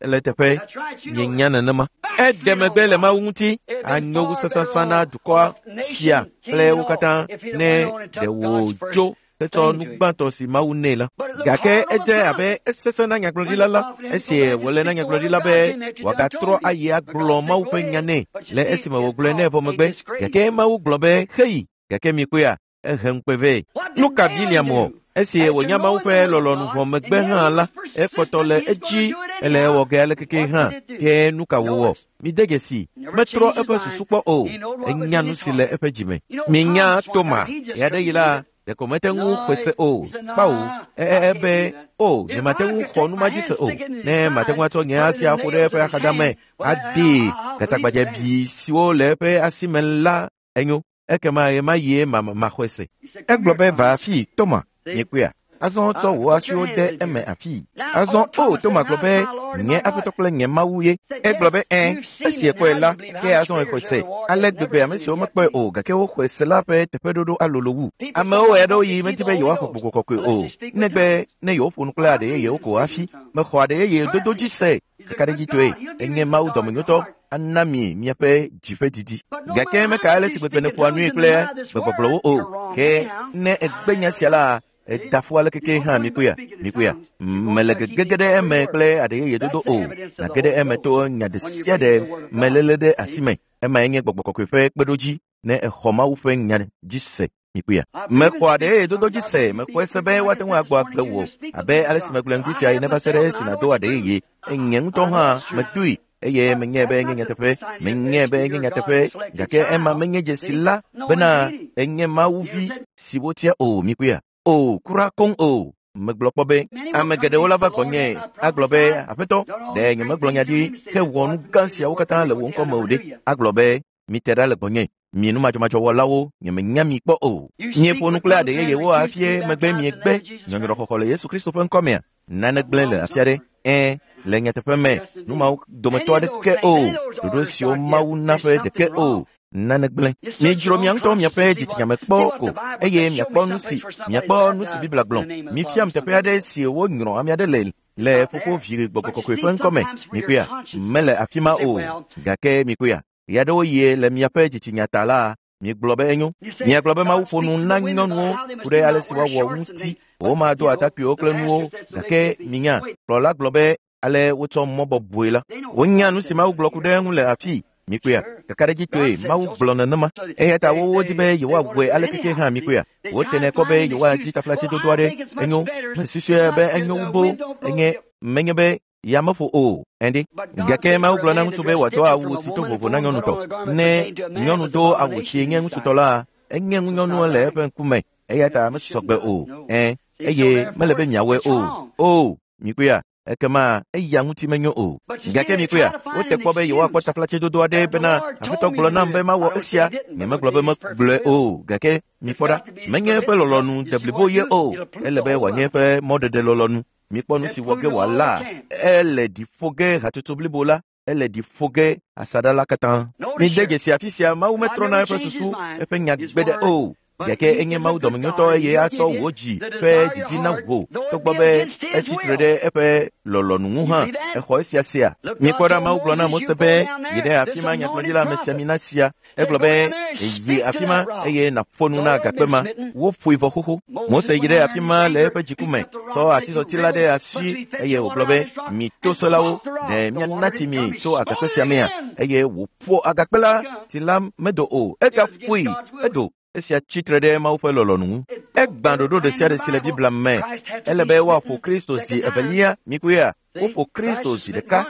Ele teƒe mienya nenema. Eɖe megbe le Mawu ŋuti anyo wu sasasã na dukɔa sia kple wo katã ne ɖe wòdzo hetsɔ nu gbãtɔ si Mawu nɛ la. Gake edze abe esesẽ na nyagblɔɖila la esi wòle na nyagblɔɖila be wòagatrɔ ayi agblɔ Mawu ƒe nya nɛ le esime wògblɔe nɛ vɔ megbe. Gake Mawu gblɔ be heyi, gake mikpɔea, ehe ŋukpe vɛ. Nu ka Biliam wɔ? Esi wònya Mawu ƒe lɔlɔ̃nu vɔ megbe hã la, ekpɔtɔ le edzi ele ewɔ ge alekeke hã. Ke nu ka wòwɔ? Mide dzesi, metrɔ eƒe susu kpɔ o. Enya nu si le eƒe dzime. Minya Toma, ɣeaɖeɣi la, ɖeko mete ŋu xɔe se o. Kpawo, ebe, o, nyemate ŋu xɔ nu ma dzi se o. Ne mate ŋu atsɔ nye asi aƒo ɖe eƒe axadame, adee gatagbadzɛbi siwo le eƒe asi me la, enyo. Ekema ɣemaɣie maxɔe se. Egblɔ be, va afii, Toma, miekpɔea? Azɔ tsɔ wò asiwo de eme afii. Azɔ o, Toma gblɔ be, nye Aƒetɔ kple nye Mawu ye. Egblɔ be, ẽ, esi ekpɔe la, ke azɔ exɔe se. Ale gbegbe ame siwo mekpɔe o, gake woxɔe se la ƒe teƒeɖoɖo alolo wu. Amewo ɣeaɖewoɣi medi be yewoaxɔ Gbɔgbɔ Kɔkɔe o, negbe ne yewoƒo nu kple aɖe yeyewo ko hafi. Mexɔ aɖe yeye dodo dzi se. Kakaɖedzitɔe, enye Mawu dɔmenyotɔ, ana mi miaƒe dzi ƒe didi. Gake meka ale si gbegbe nèƒoa nui kple gbegbɔgblɔwo o. Ke ne ègbe nya sia la, eda ƒu alekeke hã mikpɔea, mikpɔea. Mele gegege ɖe eme kple aɖe yeye dodo o. Nàge ɖe eme to nya ɖe sia ɖe meléle ɖe asi me. Emae nye Gbɔgbɔ Kɔkɔe ƒe kpeɖodzi ne exɔ Mawu ƒe nya dzi se. Mikpɔea. Mexɔ aɖe yeye dodo dzi se, mexɔe se be woate ŋu agbɔ agbe wò abe ale si megblɔe ŋdi sia ene va se ɖe esi nàdo aɖe yeye. Nye ŋutɔ hã medoe eye menyae be enye nyateƒe, menyae be enye nyateƒe, gake ema menye dzesi la bena enye Mawu vi si wotia o. Mikpɔea? O, kura koŋ o. Megblɔ kpɔ be ame geɖewo la va gbɔnye agblɔ be, Aƒetɔ, ɖe nyemegblɔ nya ɖi hewɔ nu gã siawo katã le wò ŋkɔ me o ɖe? Agblɔ be, mite ɖa le gbɔnye, mi numadzɔmadzɔwɔlawo, nyemenya mi kpɔ o. Mieƒo nu kple aɖe yeyewo afie megbe miegbe nyɔnyrɔxɔxɔ le Yesu Kristo ƒe ŋkɔ mea? Nane gblẽ le afi aɖe. Ẽ, le nyateƒe me, nu mawo dometɔ aɖeke o, ɖoɖo siwo Mawu na ƒe ɖeke o, nane gblẽ. Midzro mia ŋutɔ miaƒe dzitsinya me kpɔ ko eye miakpɔ nu si miakpɔ nu si Biblia gblɔ. Mifiam teƒe aɖe si wonyrɔ ame aɖe le le Fofo, Vi, Gbɔgbɔ Kɔkɔe ƒe ŋkɔ me. Mikpɔea? Mele afi ma o. Gake mikpɔea? Ɣeaɖewoɣie le miaƒe dzitsinya ta la, miegblɔ be enyo. Miagblɔ be Mawu ƒo nu na nyɔnuwo ku ɖe ale si woawɔ ŋuti. Womado atakpuiwo kple nuwo, gake minya, kplɔla gblɔ be ale wotsɔ mɔ bɔbɔe la. Wonya nu si Mawu gblɔ ku ɖe eŋu le afii. Mikpɔea? Kakaɖedzitɔe, Mawu gblɔ nenema. Eya ta wowo di be yewoawɔe alekeke hã. Mikpɔea? Wotenɛ kpɔ be yewoadi taflatsedodo aɖe. Enyo, mesusue be enyo wu boo. Enye, menye be ya meƒo o, ɛnɖe. Gake Mawu gblɔ na ŋutsu be wòado awu si to vovo na nyɔnutɔ. Ne nyɔnu do awu si nye ŋutsutɔ la, enye ŋunyɔnu le eƒe ŋkume, eya ta mesɔgbe o. Ẽ, eye mele be miawɔe o. O, mikpɔea? Ekema eya ŋuti menyo o. Gake mikpɔea? Wote kpɔ be yewoakpɔ taflatsedodo aɖe bena Aƒetɔ gblɔ nam be mawɔ esia. Nyemegblɔ be megblɔe o, gake mikpɔ ɖa, menye eƒe lɔlɔ̃nu deblibo ye o. Ele be wòanye eƒe mɔɖeɖe lɔlɔ̃nu. Mikpɔ nu si wɔ ge wòala. Ele ɖi ƒo ge hatsotso blibo la, ele ɖi ƒo ge asaɖa la katã. Mide dzesi afi sia, Mawu metrɔna eƒe susu, eƒe nya gbe ɖe o. Gake enye Mawu dɔmenyotɔ eye atsɔ wò dzi ƒe didi na wò, togbɔ be etsi tre ɖe eƒe lɔlɔ̃nu ŋu hã. Exɔ esia sea? Mikpɔ ɖa, Mawu gblɔ na Mose be, yi ɖe afi ma nyagblɔɖila amesiamina sia. Egblɔ be, yi afi ma eye nàƒo nu na agakpe ma. Woƒoe vɔ xoxo. Mose yi ɖe afi ma le eƒe dziku me, tsɔ atizɔti la ɖe asi eye wògblɔ be, mi toselawo, ɖe miana tsi mi tso agakpe sia mea? Eye wòƒo agakpe la, tsi la medo o. Egaƒoe, edo. Esia tsi tre ɖe Mawu ƒe lɔlɔ̃nu ŋu. Egbã ɖoɖo ɖe sia ɖe si le Biblia me. Ele be woaƒo Kristo zi evelia. Mikpɔea? Woƒo Kristo zi ɖeka.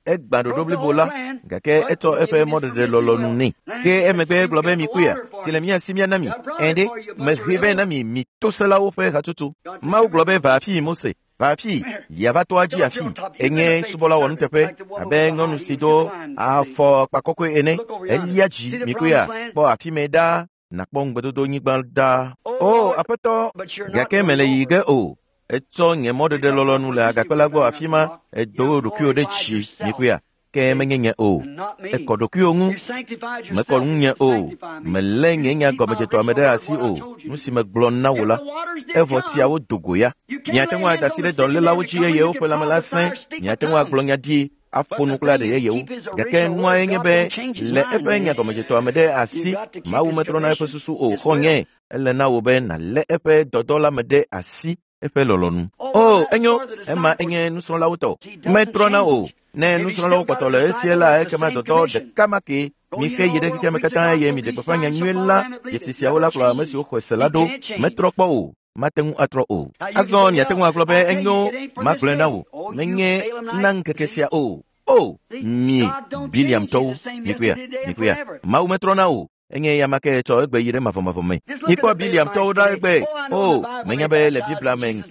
Egbã ɖoɖo blibo la, gake etsɔ eƒe mɔɖeɖe lɔlɔ̃nu nɛ. Ke emegbe egblɔ be, mikpɔea? Tsi le mía si míana mi. Ẽ ɖe, mehe vɛ na mi, mi toselawo ƒe hatsotso. Mawu gblɔ be, va afii, Mose. Va afii, yeava toa dzi afii. Enye subɔla wɔnuteƒe abe nyɔnu si do afɔkpa kɔkɔe ene. Elia dzi, mikpɔea? Kpɔ afi mɛ ɖaa, nàkpɔ ŋugbedodo nyigba ɖaa. O, Aƒetɔ, gake mele yiyi ge o. Etsɔ nye mɔɖeɖe lɔlɔ̃nu le agakpe la gbɔ afi ma, edo ɖokuiwò ɖe dzi, mikpɔea? Ke menye nye o. Ekɔ ɖokuiwò ŋu, mekɔ ŋunye o. Melé nye nya gɔmedzetɔa me ɖe asi o. Nu si megblɔ na wò la, evɔ tsiawo do go ya. Miate ŋu ada asi ɖe dɔlélawo dzi eye woƒe lãme la sẽ. Miate ŋu agblɔ nya ɖi. aƒo nu kple aɖe yeyewo. Gake nuae nye be le eƒe nyagɔmedzetɔa me ɖe asi, Mawu metrɔna eƒe susu o. Xɔ̃nye, ele na wò be nàlé eƒe dɔdɔ la me ɖe asi eƒe lɔlɔ̃nu. O, enyo, ema enye nusrɔ̃lawo tɔ. Metrɔna o. Ne nusrɔ̃lawo kpɔtɔ le esie la, ekema dɔdɔ ɖeka ma ke. Mixe yi ɖe xexea me katã eye miɖe gbeƒã nyanyui la. Dzesi siawo la kplɔ ame siwo xɔe se la ɖo. Metrɔ kpɔ o. Mate ŋu atrɔ o. Azɔ miate ŋu agblɔ be enyo, magblɔe na wò. Menye na ŋkeke sia o. O, mi Biliamtɔwo, mikpɔea, mikpɔea. Mawu metrɔna o. Enye ya ma ke tsɔ egbe yi ɖe mavɔmavɔ me. Mikpɔ Biliamtɔwo ɖa egbe. O, menya be le Biblia me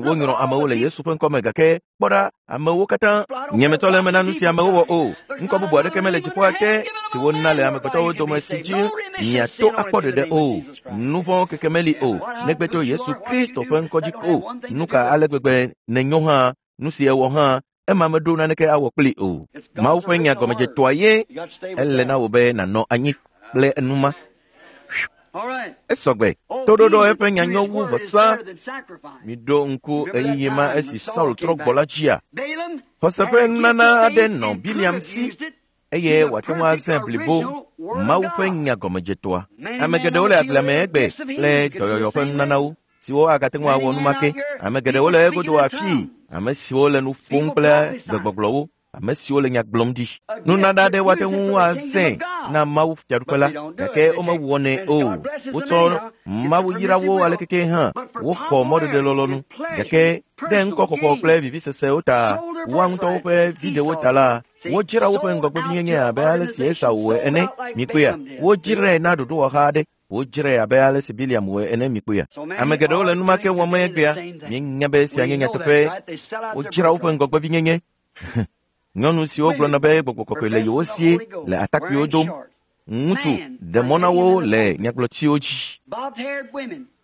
wonyrɔ amewo le Yesu ƒe ŋkɔ me gake kpɔ ɖa amewo katã nye metsɔ le eme na nu si amewo wɔ o. Ŋkɔ bubu aɖeke mele dziƒoa te si wona le amegbetɔwo dome si dzi miato akpɔ ɖeɖe o. Nu vɔ̃ keke meli o negbe to Yesu Kristo ƒe ŋkɔ dzi ko. Nu ka ale gbegbe nenyo hã, nu si ewɔ hã, ema meɖo naneke awɔ kpli o. Mawu ƒe nya gɔmedzetɔa ye ele na wò be nànɔ anyi kple enuma. Esɔgbe. Toɖoɖo eƒe nya nyo wu vɔsa. Miɖo ŋku ɣeyiɣi ma esi Saul trɔ gbɔ la dzia? Xɔse ƒe nunana aɖe nɔ Biliam si eye wòate ŋu azãe blibo Mawu ƒe nya gɔmedzetɔa. Ame geɖewo le agblea me egbe kple dɔyɔyɔ ƒe nunanawo siwo agate ŋu awɔ numake. Ame geɖewo le egodo afii, ame siwo le nu ƒom kple gbegbɔgblɔwo, ame siwo le nya gblɔm ɖi. Nunana aɖe woate ŋu azãe na Mawu fiaɖuƒe la, gake womewɔnɛ o. Wotsɔ Mawu yra wo alekeke hã, woxɔ mɔɖeɖe lɔlɔ̃nu, gake ɖe ŋkɔxɔxɔ kple vivisesewo ta, woa ŋutɔwo ƒe viɖewo ta la, wodzra woƒe ŋgɔgbevinyenye abe ale si Esau wɔe ene. Mikpɔea, wodzrae na ɖoɖowɔha aɖe. Wodzrae abe ale si Biliam wɔe ene. Mikpɔea, ame geɖewo le numake wɔm egbea. Míenya be esia nye nyateƒe. Wodzra woƒe ŋgɔgbevinyenye. Nyɔnu siwo gblɔna be gbɔgbɔ kɔkɔe le yewo sie le atakpuiwo dom. Ŋutsu ɖe mɔ na wo le nyagblɔtiwo dzi.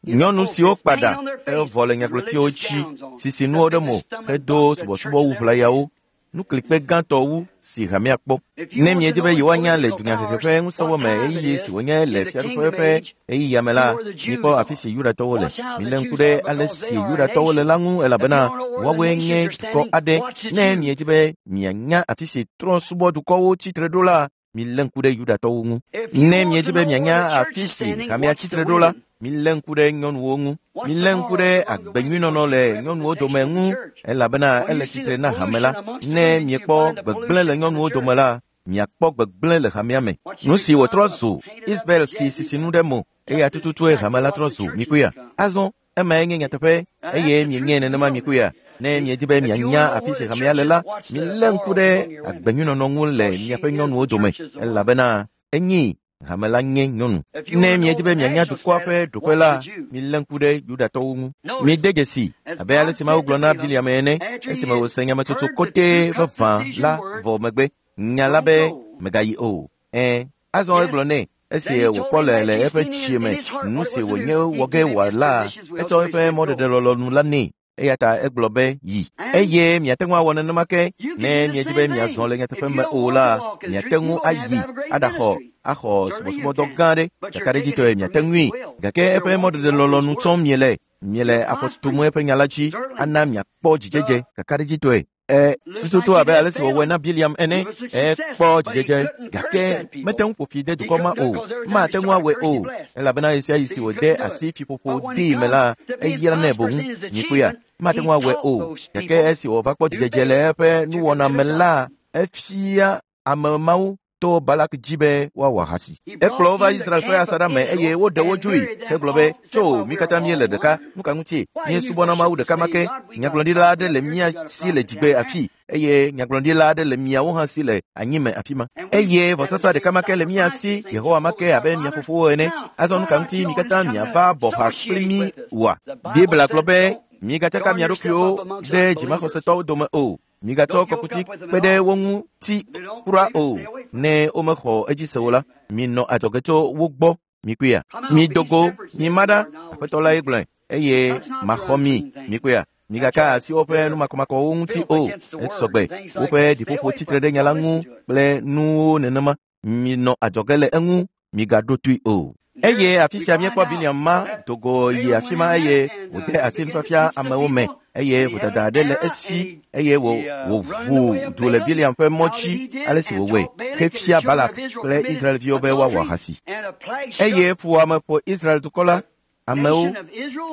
Nyɔnu siwo kpa ɖa evɔ le nyagblɔtiwo dzi, sisi nuwo ɖe mo hedo subɔsubɔwu ʋlayawo. Nuklikpe gãtɔ wu si hamea kpɔ. Ne miedi be yewoanya le dunyahehe ƒe ŋusẽwo me ɣeyiɣi si wònye le fiaɖuƒe ƒe ɣeyiɣia me la, mikpɔ afi si Yudatɔwo le. Milé ŋku ɖe ale si Yudatɔwo le la ŋu elabena woawoe nye dukɔ aɖe. Ne miedi be mianya afi si trɔ̃subɔdukɔwo tsitre ɖo la, milé ŋku ɖe Yudatɔwo ŋu. Ne miedi be mianya afi si hamea tsitre ɖo la, milé ŋku ɖe nyɔnuwo ŋu. Milé ŋku ɖe agbenyuinɔnɔ le nyɔnuwo dome ŋu elabena ele tsitre na hame la. Ne miekpɔ gbegblẽ le nyɔnuwo dome la, miakpɔ gbegblẽ le hamea me. Nu si wòtrɔ zu Isabel si sisinu ɖe mo eya tututue hame la trɔ zu. Mikpɔea? Azɔ emae nye nyateƒe eye mienyae nenema. Mikpɔea? Ne miedi be mianya afi si hamea le la, milé ŋku ɖe agbenyuinɔnɔ ŋu le miaƒe nyɔnuwo dome elabena enyi hame la nye nyɔnu. Ne miedi be mianya dukɔa ƒe ɖoƒe la, milé ŋku ɖe Yudatɔwo ŋu. Mide dzesi abe ale si Mawu gblɔ na Biliam ene esime wòse nyametsotso kɔtɛ vavã la vɔ megbe. Nya la be megayi o. Ẽ, azɔ egblɔ nɛ esi wòkpɔ le eƒe tsie me nu si wònye wɔ ge wòala, etsɔ eƒe mɔɖeɖe lɔlɔ̃nu la nɛ. Eya ta egblɔ be yi. Eye miate ŋu awɔ nenema ke ne miedi be miazɔ le nyateƒe me o la, miate ŋu ayi aɖaxɔ axɔ subɔsubɔdɔ gã aɖe. Kakaɖedzitɔe miate ŋui. Gake eƒe mɔɖeɖe lɔlɔ̃nu tsɔm miele. Miele afɔ tum eƒe nya la dzi ana miakpɔ dzidzedze kakaɖedzitɔe. Tututu abe ale si wòwɔe na Biliam ene, ekpɔ dzidzedze gake mete ŋu ƒo fi de dukɔ ma o. Mate ŋu awɔe o elabena ɣesiaɣi si wòde asi fiƒoƒo dii me la, eyranɛ boŋ. Mikpɔea, mate ŋu awɔe o. Gake esi wòva kpɔ dzidzedze le eƒe nuwɔna me la, efia ame mawo to Balak dzi be woawɔ ahasi. Ekplɔ wo va Israel ƒe asaɖa me eye woɖe wo dzoe hegblɔ be, tso, mi katã míele ɖeka. Nu ka ŋutie? Míesubɔna Mawu ɖeka ma ke. Nyagblɔɖila aɖe le mía si le dzigbe afii eye nyagblɔɖila aɖe le miawo hã si le anyime afi ma. Eye vɔsasa ɖeka ma ke le mía si, Yehowa ma ke abe mia fofowo ene. Azɔ nu ka ŋuti mi katã miava bɔ ha kpli mí oa? Biblia gblɔ be, migatsaka mia ɖokuiwo ɖe dzimaxɔsetɔwo dome o. Migatsɔ kɔkuti kpe ɖe wo ŋu ti kura o. Ne womexɔ edzi se o la, minɔ adzɔge tso wo gbɔ. Mikpɔea? Mido go, mima ɖa, Aƒetɔ lae gblɔe, eye maxɔ mi. Mikpɔea? Migaka asi woƒe numakɔmakɔwo ŋuti o. Esɔgbe. Woƒe ɖiƒoƒo tsitre ɖe nya la ŋu kple nuwo nenema. Minɔ adzɔge le eŋu, migaɖo toe o. Eye afi sia míekpɔ Biliam ma do go yi afi ma eye wòde asi nufiafia amewo me. eye vodada aɖe le esi eye wòʋu du le Biliam ƒe mɔ dzi ale si wòwɔe hefia Balak kple Israelviwo be woawɔ ahasi. Eye fuwɔame ƒo Israel dukɔ la, amewo,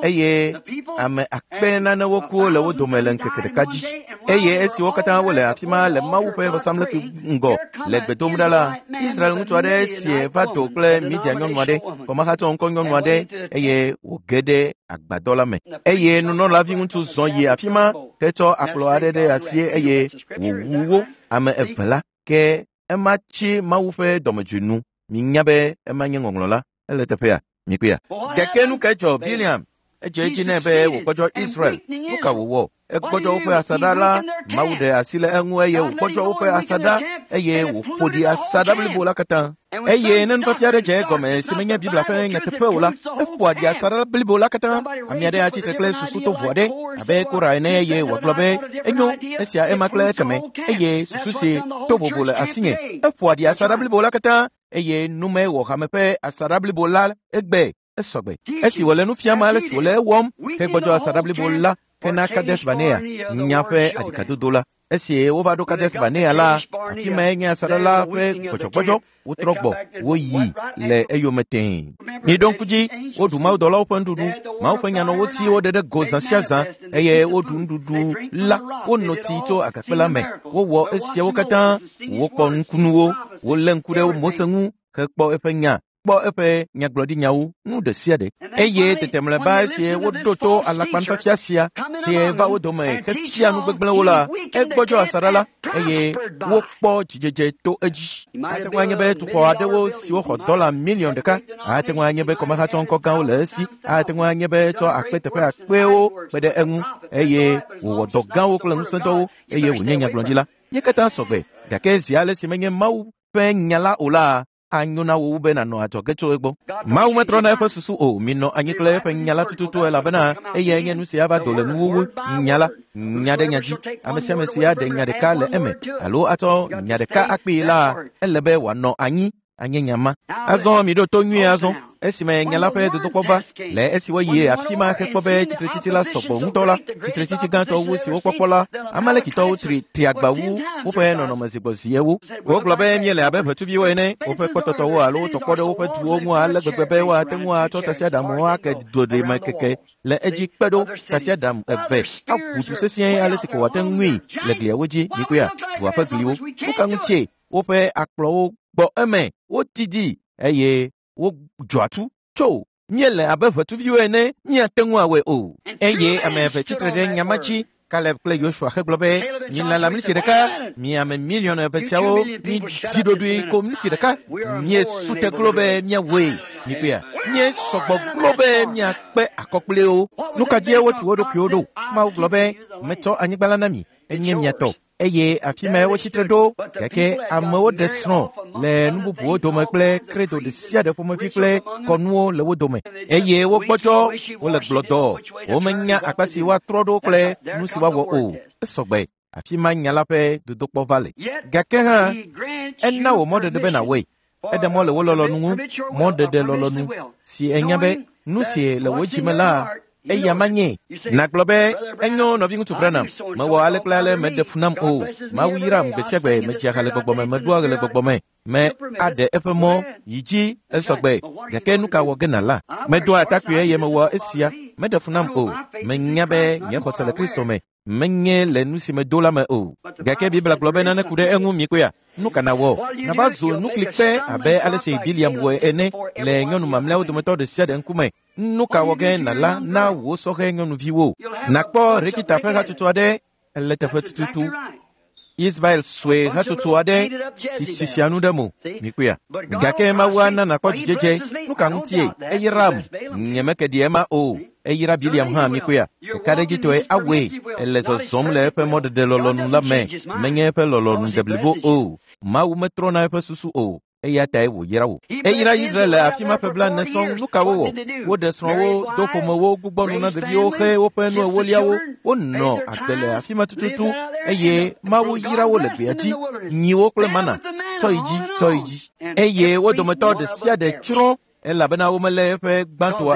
eye ame akpe nanewo ku le wo dome le ŋkeke ɖeka dzi. Eye esi wo katã wole afi ma le Mawu ƒe vɔsamlekpui ŋgɔ le gbe dom ɖa la, Israel ŋutsu aɖe sie va do kple Midian nyɔnu aɖe, kɔmahatsɔ ŋkɔ nyɔnu aɖe, eye wòge ɖe agbadɔ la me. Eye nunɔlavi ŋutsu zɔ yi afi ma hetsɔ akplɔ aɖe ɖe asi eye wòwu wo ame eve la. Ke ema tsi Mawu ƒe dɔmedzoe nu. Minya be ema nye ŋɔŋlɔ la. Ele teƒea? Mikpɔea? Gake nu kae dzɔ Biliam? Edze edzi nɛ be wògbɔdzɔ Israel. Nu ka wòwɔ? Egbɔdzɔ woƒe asaɖa la. Mawu ɖe asi le eŋu eye wògbɔdzɔ woƒe asaɖa eye wòƒo ɖi asaɖa blibo la katã. Eye ne nufiafia aɖe dze egɔme si menye Biblia ƒe nyateƒe o la, eƒoa ɖi asaɖa blibo la katã. Ame aɖe atsi tre kple susu tovo aɖe abe Kora ene eye wòagblɔ be enyo esia ema kple ekeme eye susu si to vovo le asinye. Eƒoa ɖi asaɖa blibo la katã eye nume wɔ hame ƒe asaɖa blibo la egbe esɔgbe. Esi wòle nu fiam ale si wòle ewɔm hegbɔdzɔ asaɖa blibo la hena Kades Barnea nya ƒe aɖikadodo la. Esi wova ɖo Kades Barnea la, afi mae nye asaɖa la ƒe gbɔdzɔgbɔdzɔ. Wotrɔ gbɔ, woyi le eyome tẽe. Miɖo ŋku dzi, woɖu mawudɔlawo ƒe nuɖuɖu, Mawu ƒe nya nɔ wo si woɖe ɖe go zã sia zã eye woɖu nuɖuɖu la, wono tsi tso agakpe la me. Wowɔ esiawo katã, wokpɔ nukunuwo, wolé ŋku ɖe Mose ŋu hekpɔ eƒe nya, kpɔ eƒe nyagblɔɖinyawo, nu ɖe sia ɖe. Eye tete mlɔeba esi woɖo to alakpanufiafia sia si va wo dome hefia nu gbegblẽwo la, egbɔdzɔ asaɖa la eye wokpɔ dzidzedze to edzi. Ate ŋu anye be dukɔ aɖewo siwo xɔ dɔla miliɔn ɖeka, ate ŋu anye be kɔmehatsɔ ŋkɔ gãwo le esi, ate ŋu anye be tsɔ akpe teƒe akpewo kpe ɖe eŋu eye wòwɔ dɔ gãwo kple ŋusẽdɔwo eye wònye nyagblɔɖila. Ye katã sɔgbe, gake zi ale si menye Mawu ƒe nya la o la, anyo na wò wu be nànɔ adzɔge tso egbɔ. Mawu metrɔna eƒe susu o. Minɔ anyi kple eƒe nya la tututu elabena eyae nye nu si ava do le nuwuwu. Nya la, nya ɖe nya dzi. Ame sia ame si aɖe nya ɖeka le eme alo atsɔ nya ɖeka akpee la, ele be wòanɔ anyi anye nya ma. Azɔ miɖo to nyuie azɔ. Esime nya la ƒe dodokpɔ va, le esi woyi afi ma hekpɔ be tsitretsitsi la sɔgbɔ ŋutɔ la, tsitretsitsi gãtɔ wu si wokpɔkpɔ la, Amalekitɔwo tri tri agba wu woƒe nɔnɔme zigbɔziewo. Wogblɔ be míele abe ʋetsuviwo ene, woƒe kpɔtɔtɔwo alo wotɔkpɔ ɖe woƒe duwo ŋu ale gbegbe be woate ŋu atsɔ tasiaɖamwo ake doɖime keke le edzi kpe ɖo tasiaɖam eve aʋu du sesĩe ale si ko wòate ŋui le gliawo dzi. Mikpɔea, dua ƒe gliwo. Nu ka ŋutie woƒe akplɔwo gbɔ eme, wodidi eye wodzɔ atu tso míele abe ʋetsuviwo ene, míate ŋu awɔe o. Eye ame eve tsitre ɖe nya ma dzi, Kaleb kple Yosua hegblɔ be, milala mliti ɖeka, mi ame miliɔn eve siawo mizi ɖoɖoe ko mliti ɖeka, míesu te glo be míawɔe. Mikpɔea, míesɔgbɔ glo be míakpe akɔ kpli wo. Nu ka dzie wotu wo ɖokuiwo ɖo? Mawu gblɔ be, metsɔ anyigba la na mi, enye mia tɔ. Eye afi mae wotsitre ɖo, gake amewo ɖe srɔ̃ le nu bubuwo dome kple kredo ɖe sia ɖe ƒomevi kple kɔnuwo le wo dome. Eye wogbɔdzɔ, wole gblɔdɔ, womenya akpa si woatrɔ ɖo kple nu si woawɔ o. Esɔgbe, afi ma nya la ƒe dodokpɔ va le. Gake hã, ena wò mɔɖeɖe be nàwɔe. Eɖe mɔ le wò lɔlɔ̃nu ŋu, mɔɖeɖe lɔlɔ̃nu si enya be nu si le wò dzi me la, eya manye. Nàgblɔ be, enyo nɔviŋutsu Branham, mewɔ ale kple ale meɖe fu nam o. Mawu yram gbe sia gbe, medzia ha le gbɔgbɔ me, meɖoa ɣe le gbɔgbɔ me, me aɖe eƒe mɔ yi dzi esɔgbe. Gake nu ka wɔ ge nàla? Medoa atakpui eye mewɔ esia, meɖe fu nam o. Menya be nye xɔse le Kristo me, menye le nu si medo la me o. Gake Biblia gblɔ be nane ku ɖe eŋu mikpɔea? Nu ka nàwɔ? Nàva zu nuklikpe abe ale si Biliam wɔe ene le nyɔnu mamlɛawo dometɔ ɖe sia ɖe ŋkume. Nu ka wɔ ge nàla na wò sɔhɛ nyɔnuviwo? Nàkpɔ Rekita ƒe hatsotso aɖe le teƒe tututu. Israel sue hatsotso aɖe si sisia nu ɖe mo. Mikpɔea? Gake Mawu ana nàkpɔ dzidzedze. Nu ka ŋutie? Eyram. Nyemeke ɖi ema o. Eyra Biliam hã mikpɔea? Ɖekaɖedzitɔe awɔe. Ele zɔzɔm le eƒe mɔɖeɖe lɔlɔ̃nu la me. Menye eƒe lɔlɔ̃nu deblibo o. Mawu metrɔna eƒe susu o. Eya tae wòyra wò. Eyra Israel le afi ma ƒe blaene sɔŋ. Nu ka wowɔ? Woɖe srɔ̃wo, do ƒomewo, gbugbɔ nu na ɖeviwo xe woƒe nu ewoliawo. Wonɔ agbe le afi ma tututu eye Mawu yra wo le gbea dzi, nyiwo kple mana. Tsɔ yi dzi, tsɔ yi dzi. Eye wo dometɔ ɖe sia ɖe tsrɔ̃. Elabena womelé eƒe gbãtɔa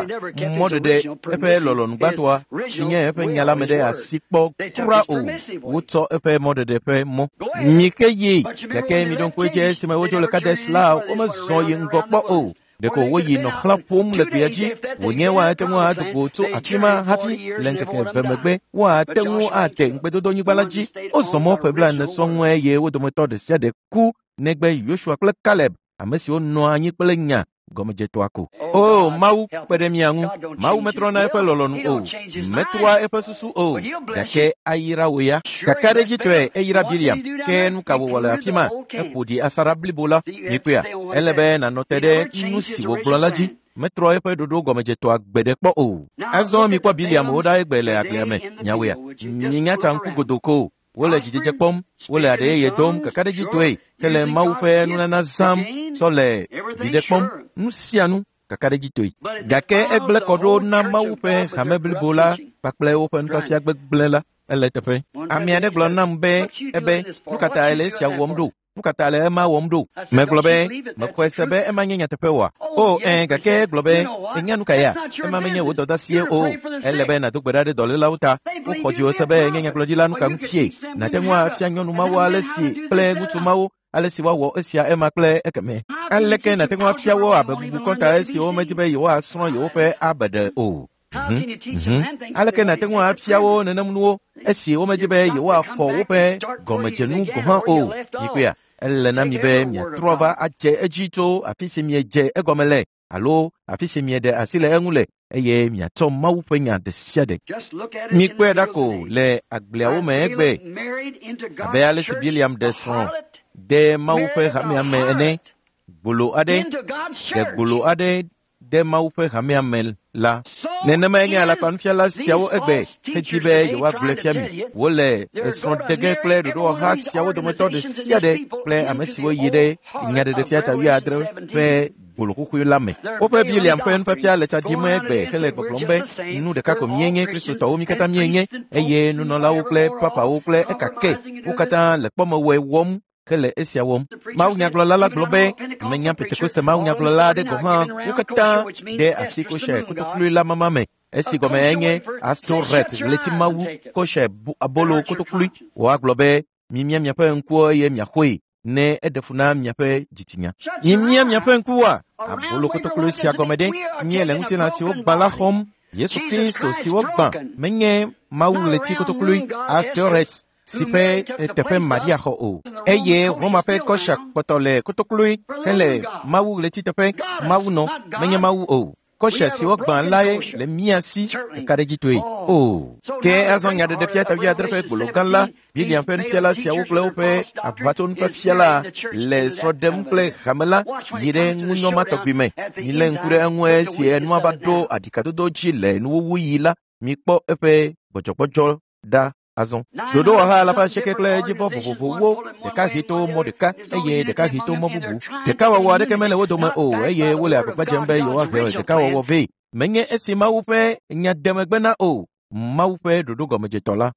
mɔɖeɖe eƒe lɔlɔ̃nu gbãtɔa si nye eƒe nya la me ɖe asi kpɔ kura o. Wotsɔ eƒe mɔɖeɖe ƒe mɔ. Mike yi gake miɖo ŋku edzi esime wodzo le Kades la womezɔ yi ŋgɔ kpɔ o. Ɖeko woyi nɔ xlã ƒom le gbea dzi wònye woate ŋu ado go tso afi ma hafi le ŋkeke eve megbe woate ŋu ate ŋugbedodonyigba la dzi. Wozɔ mɔ ƒe blaene sɔŋ eye wo dometɔ ɖe sia ɖe ku negbe Yosua kple Kaleb, ame siwo nɔ anyi kple nya gɔmedzetɔa ko. O Mawu kpe ɖe mía ŋu. Mawu metrɔna eƒe lɔlɔ̃nu o, metrɔa eƒe susu o, gake ayra wò ya. Kakaɖedzitɔe eyra Biliam, ke nu ka wòwɔ le afi ma? Eƒo ɖi asaɖa blibo la. Mikpɔea, ele be nànɔ te ɖe nu si wògblɔ la dzi. Metrɔ eƒe ɖoɖo gɔmedzetɔa gbe ɖe kpɔ o. Azɔ mikpɔ Biliam wo ɖa egbe le agblea me. Nyawoea, minya tsa ŋku godoko. Wole dzidzedze kpɔm, wole aɖe yeye dom kakaɖedzitɔe hele Mawu ƒe nunana zãm tsɔ le viɖe kpɔm nu sia nu kakaɖedzitɔe. Gake egblẽ kɔ ɖo na Mawu ƒe hame blibo la kpakple woƒe nufiafia gbegblẽ la. Ele teƒe. Ame aɖe gblɔ nam be ebe nu ka ta le esia wɔm ɖo? Nu ka ta le ema wɔm ɖo? Megblɔ be mexɔe se be ema nye nyateƒe oa? O ẽ gake egblɔ be ènya nu ka ya? Ema menye wò dɔdeasie o. Ele be nàdo gbe ɖa ɖe dɔlélawo ta. Woxɔ dziwò se be enye nyagblɔɖila nu ka ŋutie? Nàte ŋu afia nyɔnu mawo ale si kple ŋutsu mawo ale si woawɔ esia ema kple ekeme. Aleke nàte ŋu afia wo abe bubu kɔnta esiwo womedi be yewoasrɔ̃ yewoƒe abeɖe o? Aleke nàte ŋu afia wo nenem nuwo esi womedi be yewoaxɔ woƒe gɔmedzenu gɔ̃ hã o? Mikpɔea, ele na mi be miatrɔ va adze edzi tso afi si miedze egɔme le alo afi si mieɖe asi le eŋu le eye miatsɔ Mawu ƒe nya ɖe sia ɖe. Mikpɔe ɖa ko le agbleawo me egbe abe ale si Biliam ɖe srɔ̃ de Mawu ƒe hamea me ene. Gbolo aɖe ɖe gbolo aɖe de Mawu ƒe hamea me la. Nenemae nye alakpanufiala siawo egbe hedi be yewoagblɔe fia mi. Wole esrɔ̃ɖege kple ɖoɖowɔha siawo dometɔ ɖe sia ɖe kple ame siwo yi ɖe nyaɖeɖefia ta wuiadre ƒe gbolo xoxoe la me. Woƒe Biliam ƒe nufiafia le tsa ɖim egbe hele gbɔgblɔm be nu ɖeka ko míenye Kristotɔwo mí katã míenye eye nunɔlawo kple papawo kple ekake wo katã le kpɔmewɔe wɔm hele esia wɔm. Mawunyagblɔla la gblɔ be menya Pentekoste mawunyagblɔla aɖe gɔ̃ hã wo katã ɖe asi kosher kotoklui la mama me. Esi gɔme enye Astoret ɣletimawu kosher abolo kotoklui. Woagblɔ be mimia miaƒe ŋkuwo eye miaxɔe ne eɖe fu na miaƒe dzitsinya. Mimia miaƒe ŋkuwoa? Abolo kotoklui sia gɔme ɖe míele ŋutilã siwo gbã la xɔm. Yesu Kristo si wogbã menye Mawu ɣleti kotoklui Astoret si ƒe teƒe Maria xɔ o. Eye Roma ƒe kɔsha kpɔtɔ le kotoklui hele Mawu ɣleti teƒe. Mawu nɔ menye Mawu o. Kɔsha si wogbã lae le mía si kakaɖedzitɔe. O. Ke azɔ nyaɖeɖefia ta wuiadre ƒe gbolo gã la, Biliam ƒe nufiala siawo kple woƒe aʋatsonufiafia la le srɔ̃ ɖem kple hame la yi ɖe ŋunyɔ ma tɔgbi me. Milé ŋku ɖe eŋu esi enua va ɖo aɖikadodo dzi le nuwuwuɣi la, mikpɔ eƒe gbɔdzɔgbɔdzɔ ɖa azɔ. Ɖoɖowɔha alafa asieke kple edzivɔ vovovowo, ɖeka hɛ to mɔ ɖeka eye ɖeka hɛ to mɔ bubu. Ɖekawɔwɔ aɖeke mele wo dome o eye wole agbagba dzem be yewoahe ɖekawɔwɔ vɛ. Menye esi Mawu ƒe nya de megbe na o, Mawu ƒe ɖoɖo gɔmedzetɔ la.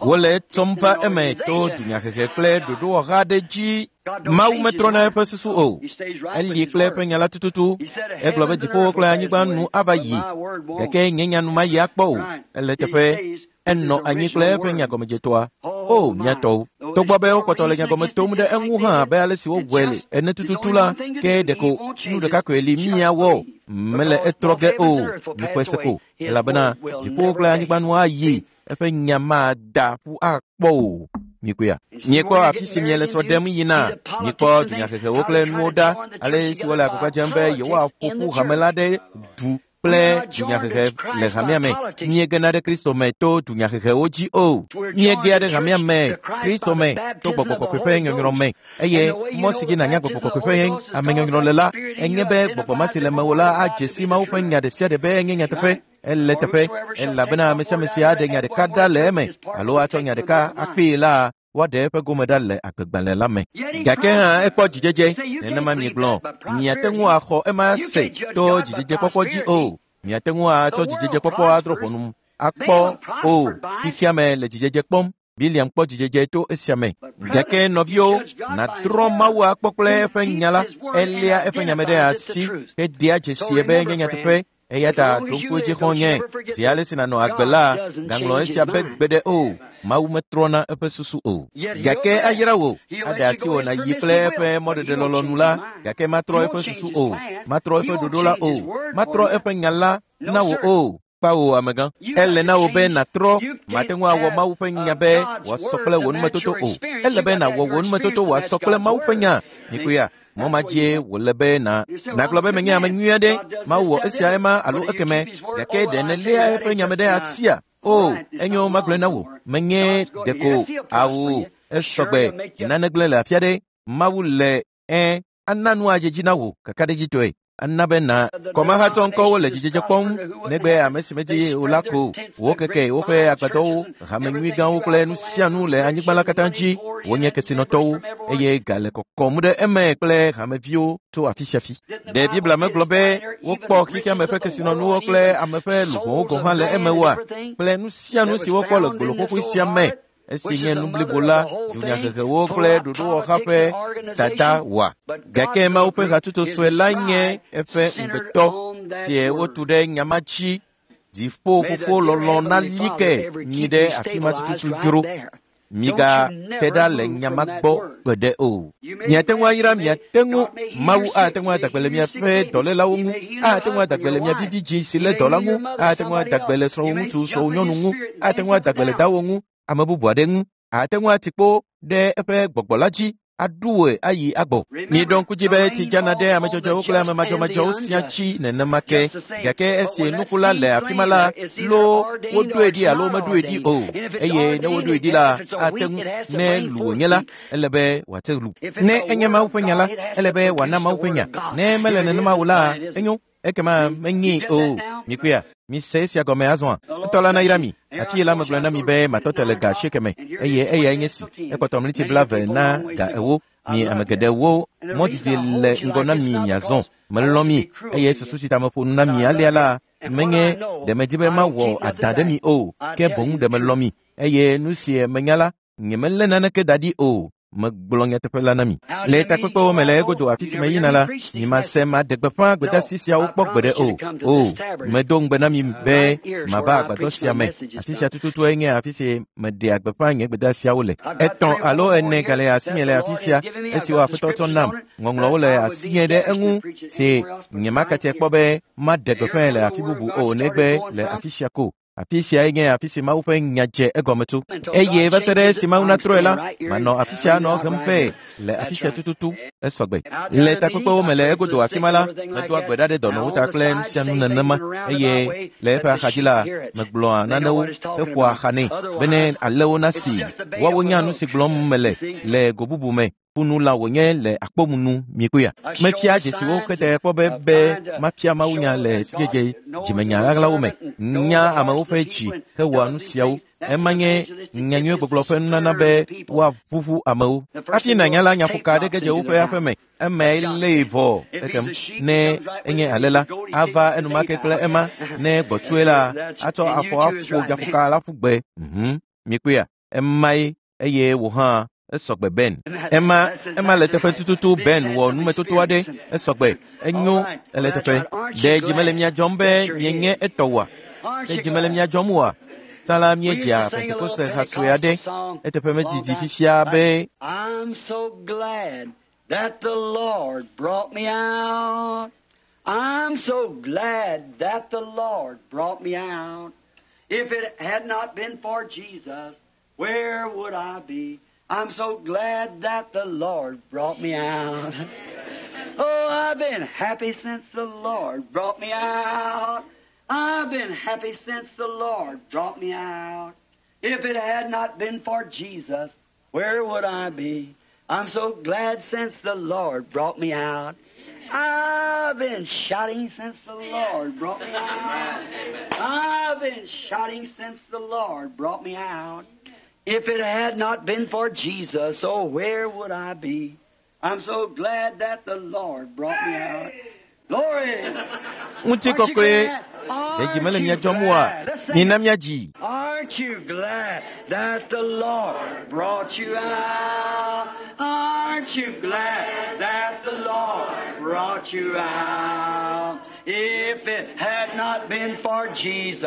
Wole etsɔm va eme to dunyahehe kple ɖoɖowɔha aɖe dzi. Mawu metrɔna eƒe susu o. Eli kple eƒe nya la tututu. Egblɔ be dziƒowo kple anyigba nu ava yi, gake nye nya nu mayi akpɔ o. Ele teƒe. Enɔ anyi kple eƒe nya gɔmedzetɔa. O, mía tɔwo. Togbɔ be wokpɔtɔ le nyagɔme tom ɖe eŋu hã abe ale si wowɔe le ene tututu la, ke ɖeko nu ɖeka koe li míawɔ. Mele etrɔ ge o. Mikpɔe se ko. Elabena dziƒowo kple anyigba nu ayi. Eƒe nya mada ƒu akpɔ o. Mikpɔea? Miekpɔ afi si miele srɔ̃ ɖem yina. Mikpɔ dunyahehewo kple nuwo ɖa. Ale si wole agbagba dzem be yewoaƒo ƒu hame la ɖe du kple dunyahehe le hamea me. Míegena ɖe Kristo me to dunyahehewo dzi o. Míegea ɖe hamea me, Kristo me, to gbɔgbɔ kɔkɔe ƒe nyɔnyrɔ me. Eye mɔ si dzi nànya gbɔgbɔ kɔkɔe ƒe amenyɔnyrɔ le la, enye be gbɔgbɔ ma si le mewò la adze si Mawu ƒe nya ɖe sia ɖe be enye nyateƒe. Ele teƒe, elabena ame sia ame si aɖe nya ɖeka ɖa le eme alo atsɔ nya ɖeka akpee la, woaɖe eƒe gome ɖa le agbegbalẽ la me. Gake hã ekpɔ dzidzedze, nenema miegblɔ, miate ŋu axɔ ema se to dzidzedzekpɔkpɔ dzi o. Miate ŋu atsɔ dzidzedzekpɔkpɔ adrɔ̃ ʋɔnu akpɔ o. Xexea me le dzidzedze kpɔm. Biliam kpɔ dzidzedze to esia me. Gake nɔviwo, nàtrɔ Mawu akpɔ kple eƒe nya la, eléa eƒe nya me ɖe asi hedea dzesie be nye nyateƒe. Eya ta ɖo ŋku edzi xɔ̃nye, zi ale si nànɔ agbe la, gaŋlɔ esia be gbeɖe o. Mawu metrɔna eƒe susu o. Gake ayra wò, aɖe asi wò nàyi kple eƒe mɔɖeɖelɔlɔ̃nu la, gake matrɔ eƒe susu o, matrɔ eƒe ɖoɖo la o, matrɔ eƒe nya la na wò o. Kpawo amegã. Ele na wò be nàtrɔ, mate ŋu awɔ Mawu ƒe nya be wòasɔ kple wò numetoto o. Ele be nàwɔ wò numetoto wòasɔ kple Mawu ƒe nya. Mikuya, mɔ ma dzie wòle be na nàgblɔ be menye ame nyui aɖe, Mawu wɔ esia ema alo ekeme, gake ɖe nèléa eƒe nya me ɖe asia? O, enyo magblɔe na wò, menye ɖeko awu esɔgbe nane gblẽ le afi aɖe. Mawu le ẽ ana nu adze dzi na wò kakaɖedzitɔe. Ana be na kɔmahatsɔ ŋkɔwo le dzidzedze kpɔm negbe ame si medi o la ko. Wokeke woƒe agbadɔwo, hame nyui gãwo kple nu sia nu le anyigba la katã dzi. Wonye kesinɔtɔwo eye ga le kɔkɔm ɖe eme kple hameviwo tso afi sia afi. Ɖe Biblia megblɔ be wokpɔ xexeame ƒe kesinɔnuwo kple ame ƒe luʋɔwo gɔ̃ hã le eme oa? Kple nu sia nu si wokpɔ le gbolokokui sia me esi nye nu blibo la, dunyahehewo kple ɖoɖowɔha ƒe dada wɔa. Gake Mawu ƒe hatsotso sue la nye eƒe ŋugbetɔ sie wotu ɖe nya ma dzi. Dziƒo fofo lɔlɔ̃ nali ke mi ɖe afi ma tututu dzro. Migate ɖa le nya ma gbɔ gbeɖe o. Miate ŋu ayra miate ŋu Mawu ate ŋu ada gbe le miaƒe dɔlélawo ŋu, ate ŋu ada gbe le mia vivi dzi si lé dɔ la ŋu, ate ŋu ada gbe le srɔ̃wò ŋutsu, srɔ̃wò nyɔnu ŋu, ate ŋu ada gbe le dawò ŋu, ame bubu aɖe ŋu, ate ŋu ati kpo ɖe eƒe gbɔgbɔ la dzi aɖu wòe ayi agbɔ. Miɖo ŋku dzi be tsi dzana ɖe ame dzɔdzɔewo kple ame madzɔmadzɔwo sia dzi nenema ke. Gake esi nuku la le afi ma la, loo woɖoe ɖi alo meɖoe ɖi o. Eye ne woɖoe ɖi la, ate ŋu ne lu wònye la, ele be wòate lu. Ne enye Mawu ƒe nya la, ele be wòana Mawu ƒe nya. Ne mele nenema o la, enyo. Ekema menyee o. Mikpɔea, mise esia gɔme azɔa? Etɔ la nayra mi. Afi la megblɔ na mi be matɔ te le ga asieke me eye eyae nye si. Ekpɔtɔ mliti 20 na ga 40. Mi ame geɖewo mɔ didi le ŋgɔ na mi miazɔ. Melɔ̃ mi eye susu si ta meƒo nu na mi alea la menye ɖe medi be mawɔ adã ɖe mi o, ke boŋ ɖe melɔ̃ mi eye nu si menya la, nyemelé naneke da ɖi o. Megblɔ nyateƒe la na mi. Le takpekpewo me le egodo afi si meyina la, nyemase maɖe gbeƒã gbedeasi siawo kpɔ gbeɖe o. O, medo ŋugbe na mi be mava agbadɔ sia me. Afi sia tututue nye afi si meɖea gbeƒã nye gbedeasiawo le. 3 alo 4 gale asinye le afi sia, esiwo Aƒetɔ tsɔ nam. Ŋɔŋlɔwo le asinye ɖe eŋu si nyemakatse kpɔ be maɖe gbeƒãe le afi bubu o negbe le afi sia ko. Afi siae nye afi si Mawu ƒe nya dze egɔme tso. Eye va se ɖe esi Mawu natrɔe la, manɔ afi sia anɔ hem vɛ le afi sia tututu esɔgbe. Le takpekpewo me le egodo afi ma la, medoa gbe ɖa ɖe dɔnɔwo ta kple nu sia nu nenema eye le eƒe axadzi la, megblɔa nanewo heƒoa axa nɛ bene alewo nasi. Woawo nya nu si gblɔm mele le go bubu me. Ƒunu la wònye le akpɔmunu mikpɔea. Mefia dzesiwo kete kpɔ be mafia Mawunya le sidzedze dzimenya ɣaɣlawo me. Nya amewo ƒe dzi hewɔa nu siawo. Ema nye nyanyuiegbɔgblɔ ƒe nunana be woaʋuʋu amewo. Hafi nànya la, nyaƒoka aɖe ge dze woƒe aƒe me. Emae lée vɔ ekem. Ne enye ale la, ava enumake kple ema. Ne gbɔtsue la, atsɔ afɔ aƒo nyaƒoka la ƒu gbe. Mikpɔea, emae eye wò hã esɔgbe Ben. Ema le teƒe tututu Ben wɔ numetoto aɖe esɔgbe. Enyo ele teƒe. Ɖe dzi mele mia dzɔm be mienye etɔ oa? Ɖe dzi mele mia dzɔm oa? Tsã la míedzea Pentekoste ha sue aɖe. Eteƒe medidi fifia be I'm so glad that the Lord brought me out. I'm so glad that the Lord brought me out. If it had not been for Jesus, where would I be? I'm so glad that the Lord brought me out. Oh, I've been happy since the Lord brought me out. I've been happy since the Lord brought me out. If it had not been for Jesus, where would I be? I'm so glad since the Lord brought me out. I've been shouting since the Lord brought me out. I've been shouting since the Lord brought me out. If it had not been for Jesus, oh, where would I be? I'm so glad that the Lord brought me out. Glory! Ŋutikɔkɔe, ɖe dzi mele mia dzɔm oa? Mina míadzi. Aren't you glad that the Lord brought you out? Aren't you glad that the Lord brought you out? If it had not been for Jesus,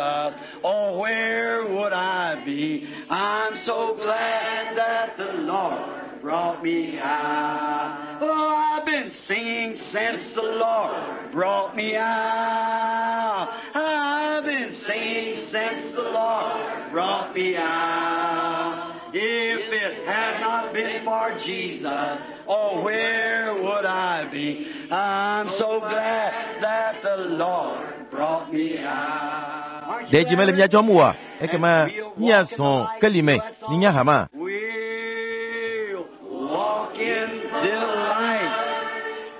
oh, where would I be? I'm so glad that the Lord brought me out. Oh, I've been singing since the Lord brought me out. I've been singing since the Lord brought me out. If it had not been for Jesus, oh, where would I be? I'm so glad that the Lord brought me out. Aren't you Ɖe dzi mele mia dzɔm oa? Ekema míazɔ keli me minya hama. We'll walk in the light.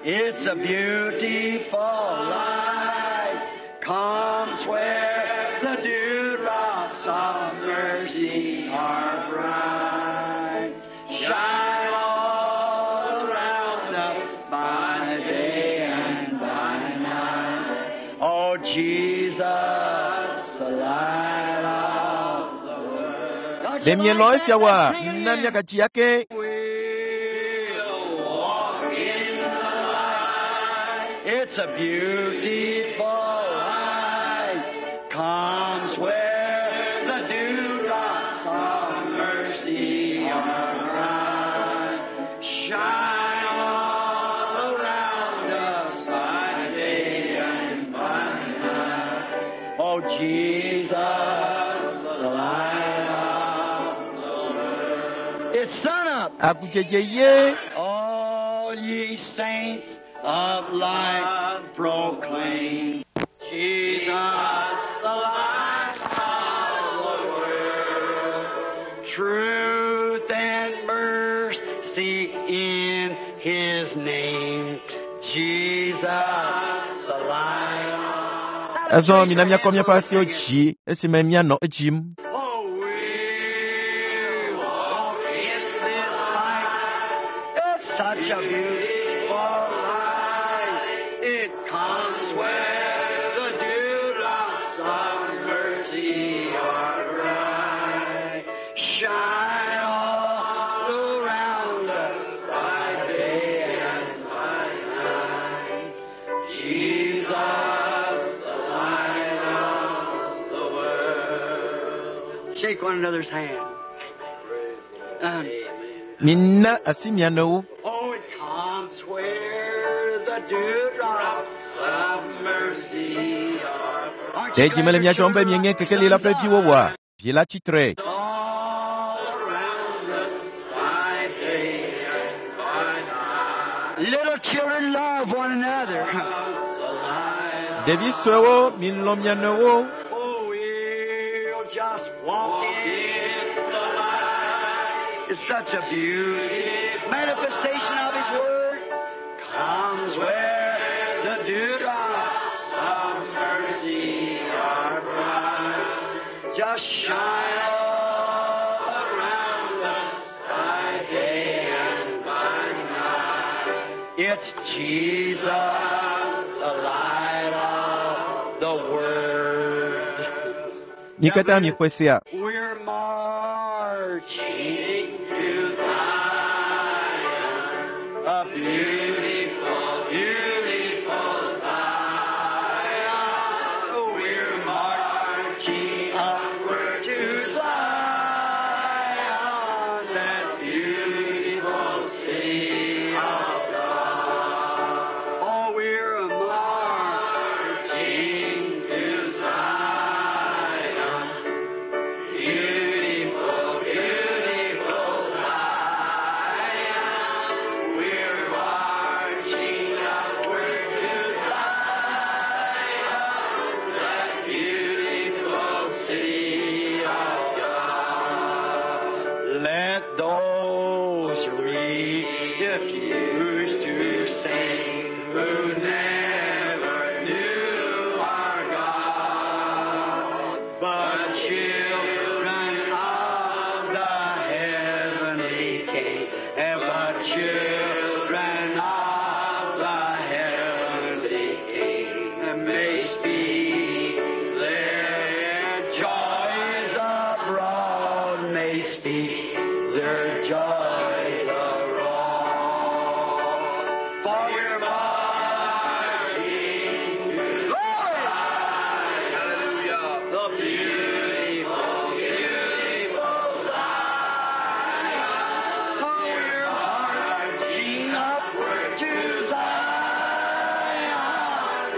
It's a beautiful light. Comes where the dewdrops of mercy are bright. Shine all around us by day and by night. Oh, Jesus, the light of the world. Ɖe mielɔ esia wɔa? Mina míagatsi ake. We'll walk in the light. It's a beautiful light. Comes where the dewdrops of mercy are bright. Shine all around us by day and by night. Oh, Jesus, the light of the world. It's sun up. Agudzedze ye. All ye saints of light proclaim Jesus, the light of the world. Truth and mercy in His name. Jesus, the light. Azɔ mina míakɔ míaƒe asiwo dzi esime míanɔ edzim. Oh, we walk in this light. It's such a beautiful light. It comes where the dewdrops of mercy are bright. Shine all around us by day and by night. Jesus, the light of the world. Shake one another's hand. Mina asi mia nɔewo. Oh, it comes where the dewdrops of mercy are. Aren't Ɖe you dzi mele glad mia your dzɔm be children mienye are kekeli la ƒe viwo oa? Vi la tsitre. all around us by day and by night. Little children love one another. Ɖevi suewo, milɔ̃ mia nɔewo. Oh, we'll just walk in the light. It's such a beauty. Manifestation of His Word comes where the dewdrops of mercy are bright. Just shine all around us by day and by night. It's Jesus, the light of the world. Mi katã miexɔe sea. We're marching to Zion, a beautiful, beautiful Zion. We're marching upward to Zion, that beautiful city of God. Oh, we're marching to Zion. Beautiful, beautiful Zion. We're marching upward to Zion, that beautiful city of God. Let those refuse to sing who never knew our God, but children of the heavenly King, and but children of the heavenly King may speak their joys abroad. joys roar. For we're marching to glory. Hallelujah. The beautiful, beautiful Zion. Oh, we're marching upward to Zion,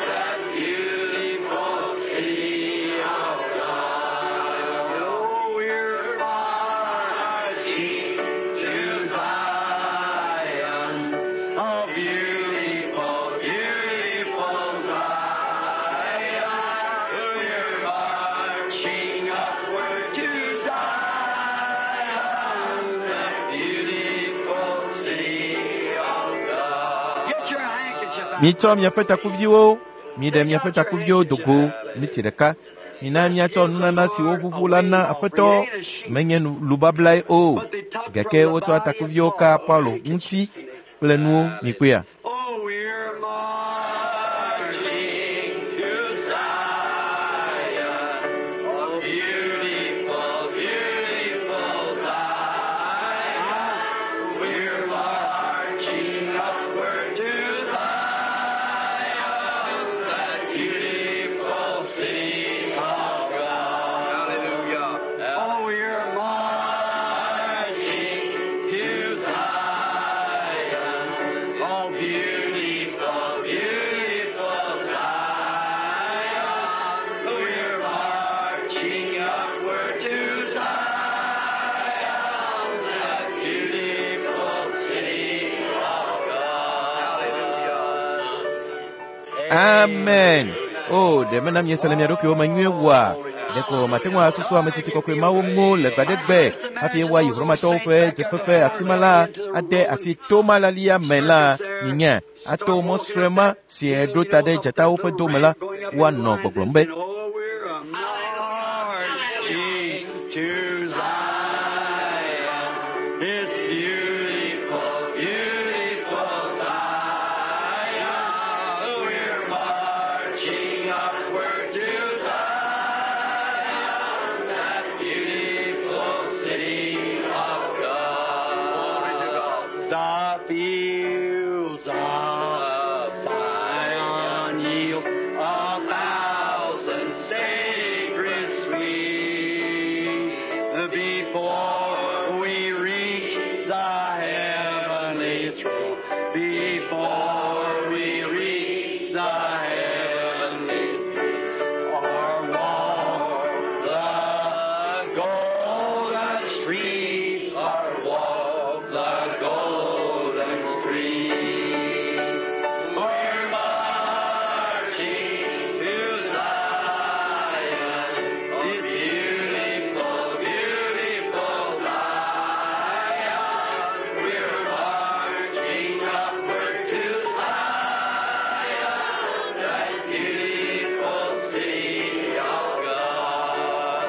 that beautiful city of God. Oh, we're marching to Zion, a beautiful, beautiful Zion. We're marching upward to Zion, that beautiful city of God. Get your handkerchief out. Mitsɔ miaƒe takuviwo, miɖe miaƒe takuviwo do go miti ɖeka. Mina miatsɔ nunana siwo ʋuʋu la na Aƒetɔ menye lubablae o. Gake wotsɔ takuviwo ka Paulo ŋuti kple nuwo mikpɔea. Oh, we're marching to Zion, oh, beautiful, beautiful Zion. We're marching upward to Zion, that beautiful city of God. Hallelujah. Oh, we're marching to Zion, oh, beautiful, beautiful Zion. We're marching upward to Zion, that beautiful city of God. Hallelujah. Amen. O, ɖe mena miese le mia ɖokuiwo me nyuie wua? Ɖeko mate ŋu asusu ame tsitsi kɔkɔe mawo ŋu le gbadegbe hafi woayi Romatɔwo ƒe dzeƒeƒe afi ma la ade asi tomalalia me la minya ato mɔ sue ma si ɖo ta ɖe dzatawo ƒe dome la woanɔ gbɔgblɔm be Oh, we're a marching to Zion. It's beautiful, beautiful Zion. We're marching upward to Zion, that beautiful city of God. The fields of Zion yield a thousand sacred sweet before we reach the heavenly throne. Before we reach the heavenly throne, or walk the golden streets, or walk the golden streets. We're marching to Zion, it's beautiful, beautiful Zion. We're marching upward to Zion, that beautiful city of God.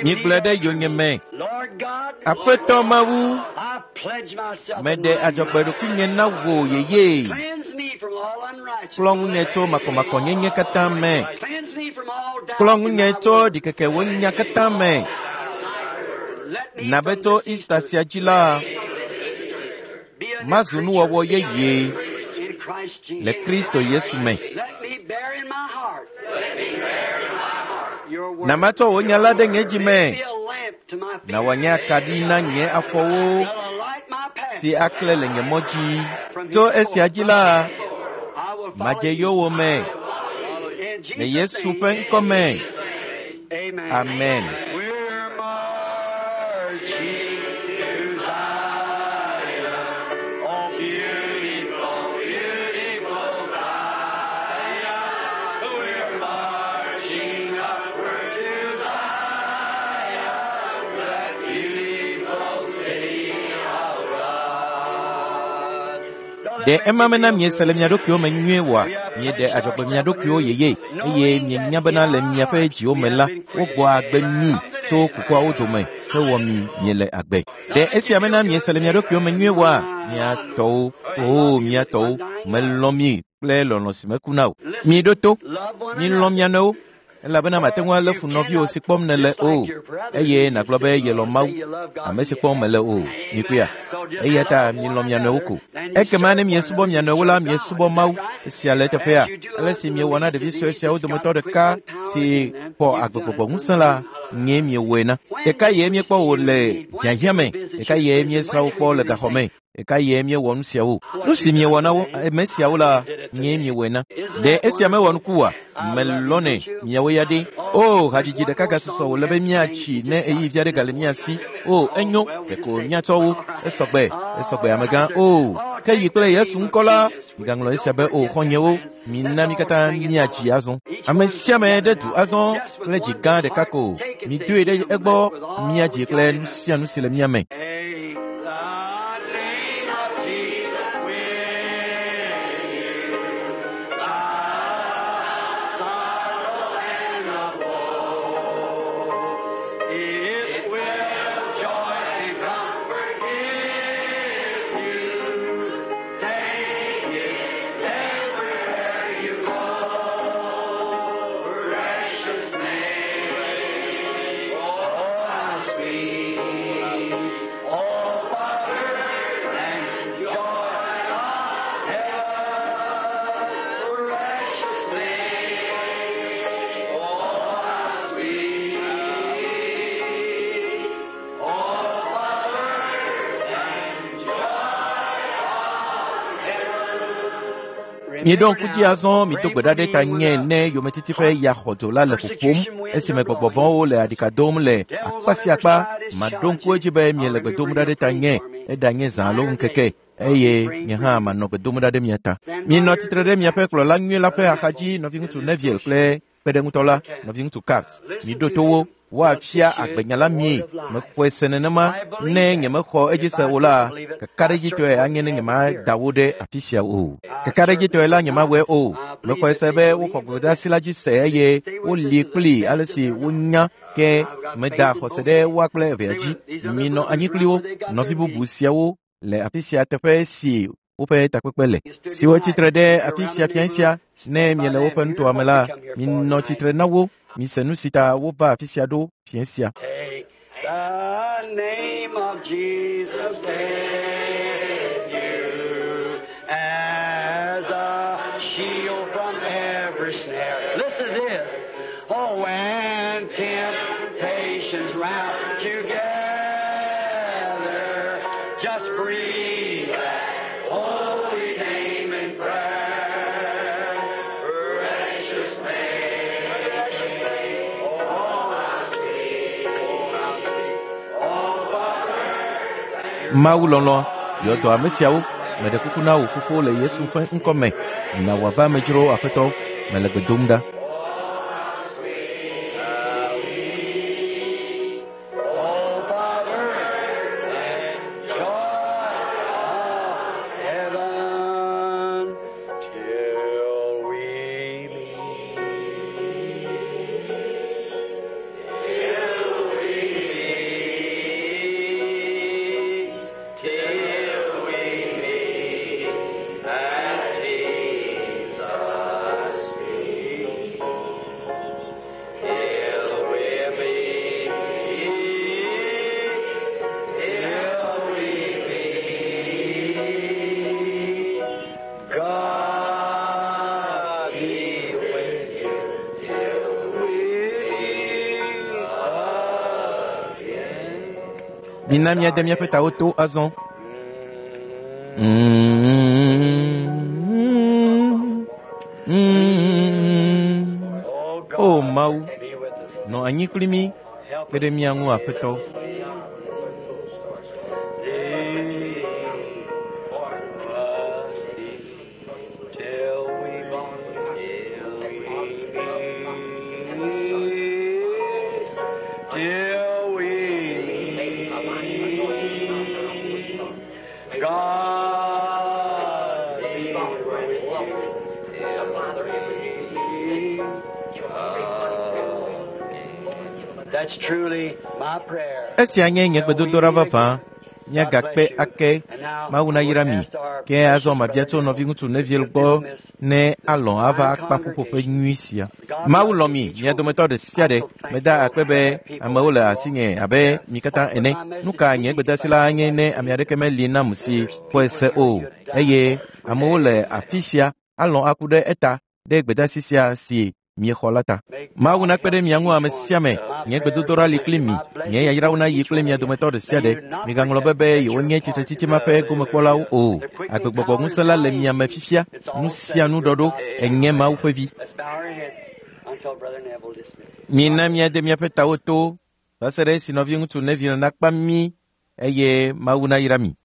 Migblɔe ɖe yonyeme. Lord God, Aƒetɔ Mawu, I pledge myself in meɖe thine adzɔgbe ɖokuinye na wò yeye. Cleanse me from all unrighteousness. Klɔ ŋunye tso makɔmakɔnyenye katã me. Cleanse me from all doubt. Klɔ in ŋunye my tso word. ɖikeke wo nya katã me. Let me Na be from tso this Easter sia dzi la, be a new mazu nuwɔwɔ yeye creature in Christ Jesus. le Kristo Yesu me. Let me bear in my heart your word. Na matsɔ wò nya la ɖe nye dzi me. Be a lamp to my feet. Na wòanye akaɖi na nye afɔwo That'll light my path. si aklẽ le nye mɔ dzi. Tso esia dzi la, I will follow madze you. yowòme In le Jesus' Yesu name. ƒe ŋkɔ me. Amen. Amen. We're marching to Zion, oh beautiful, beautiful Zion. We're marching upward to Zion, that beautiful city of God. Ɖe ema mena miese le mia ɖokuiwo me nyuie oa? Mieɖe adzɔgbe mia ɖokuiwo yeye eye mienya bena le miaƒe dziwo me la, wogbɔ agbe mi tso kukuawo dome hewɔ mi miele agbe. Ɖe esia mena miese le mia ɖokuiwo me nyuie oa? Mia tɔwo, oo mia tɔwo, melɔ̃ mi kple lɔlɔ̃ si mekuna o. Miɖo to, Love one milɔ̃ another. mia nɔewo. Elabena mate ŋu alé fu nɔviwò si kpɔm nèle o, eye nàgblɔ be yelɔ̃ Mawu, ame si kpɔm mèle o. Mikpɔea? Eya ta milɔ̃ mia nɔewo ko. Ekema ne miesubɔ mia nɔewo la, miesubɔ Mawu. Esia le eteƒea. Ale si miewɔ na ɖevi sue siawo dometɔ ɖeka si xɔ agbegbɔgbɔ ŋusẽ la, nyee miewɔe na. Ɖeka ye míekpɔ wò le hiahiã me, ɖeka ye míesrã wò kpɔ le gaxɔ me, ɖeka ye míewɔ nu siawo. Nu si miewɔ na wo ame siawo la, nyee miewɔe na. Ɖe esia mewɔ nuku oa? Melɔ̃nɛ, miawo ya ɖe. O, hadzidzi ɖeka gasusɔ wòle be míatsi ne ɣeyiɣi vi aɖe gale mía si. O, enyo, ɖeko míatsɔ wo. Esɔgbe, esɔgbe amegã. O, ke yi kple Yesu ŋkɔ la, migaŋlɔ esia be o, xɔ̃nyewo, mina mí katã míadzi azɔ. Ame sia ame ɖe du azɔ kple dzi gã ɖeka ko. Midoe ɖe egbɔ míadzi kple nu sia nu si le mía me. Take the name of Jesus with you. The sorrow and the woe. It will joy and comfort give you. Take it everywhere you go. Precious name, oh how sweet. Oh, Father, and joy of heaven, precious name, oh how sweet. Oh, Father, and joy of heaven. Mieɖo ŋku dzi azɔ mido gbe ɖa ɖe ta nye ne yometiti ƒe ya xɔdzo la le ƒoƒom esime gbɔgbɔ vɔ̃wo le aɖika dom le akpa sia akpa. Maɖo ŋku edzi be miele gbe dom ɖa ɖe ta nye, eɖanye zã alo ŋkeke, eye nye hã manɔ gbe dom ɖa ɖe mia ta. Mienɔ tsitre ɖe miaƒe kplɔla nyui la ƒe axadzi, nɔviŋutsu Neville kple kpeɖeŋutɔ la, nɔviŋutsu Caps. Miɖo to wo, woafia agbenya la mie. Mexɔe se nenema, ne nyemexɔ edzi se o la, kakaɖedzitɔe anye ne nyemada wo ɖe afi sia o. Kakaɖedzitɔe la nyemawɔe o. Mexɔe se be woxɔ gbedeasi la dzi se eye woli kpli ale si wonya ke meda xɔse ɖe woa kple evea dzi. Minɔ anyi kpli wo, nɔvi bubu siawo le afi sia teƒe si woƒe takpekpe le, siwo tsitre ɖe afi sia fiẽ sia. Ne miele woƒe nutoa me la, minɔ tsitre na wo. Mise nu si ta wova afi sia ɖo fiẽ sia. Take the name of Jesus with you as a shield from every snare. Listen to this. Oh, when temptations round you gather, just breathe that holy name in prayer. Precious name, precious name. Oh, how sweet, oh, how sweet. Oh, Father. Mawu lɔlɔ̃, yɔ dɔ ame siawo. Meɖe kuku na wò fofo le Yesu ƒe ŋkɔ me. Na wòava amedzro Aƒetɔ, mele gbe dom ɖa. Oh, Father, and joy of heaven, till we meet. Till we meet. Till we meet at Jesus' feet. Till we meet, till we meet, God be with you till we meet again. Mina míade míaƒe tawo to azɔ. Oh, God, O Mawu, be with us. nɔ anyi kpli mí, kpe ɖe mía ŋu Aƒetɔ. Till we meet, God be with you. That's truly my prayer. Esia nye nye gbedodoɖa vavã. Míagakpe ake. Mawu nayra mi. Ke azɔ mabia tso nɔviŋutsu Neville gbɔ ne alɔ̃ ava akpa ƒuƒoƒe nyui sia. Mawu lɔ̃ mi, mia dometɔ ɖe sia ɖe. Meda akpe be amewo le asinye abe mi katã ene. Nu ka nye gbedeasi la anye ne ame aɖeke meli nam si xɔe se o eye amewo le afi sia alɔ̃ aku ɖe eta ɖe gbedeasi sia si miexɔ la ta. Mawu nakpe ɖe mia ŋu ame sia ame. Nye gbedodoɖa li kpli mi. Nye yayrawo nayi kple mia dometɔ ɖe sia ɖe. Migaŋlɔ be be yewonye tsitretsitsi ma ƒe gomekpɔlawo o. Agbegbɔgbɔ ŋusẽ la le mia me fifia. Nu sia nu ɖɔɖo enye Mawu ƒe vi. Mina míade míaƒe tawo to va se ɖe esi nɔviŋutsu Neville nakpa mí eye Mawu nayra mi.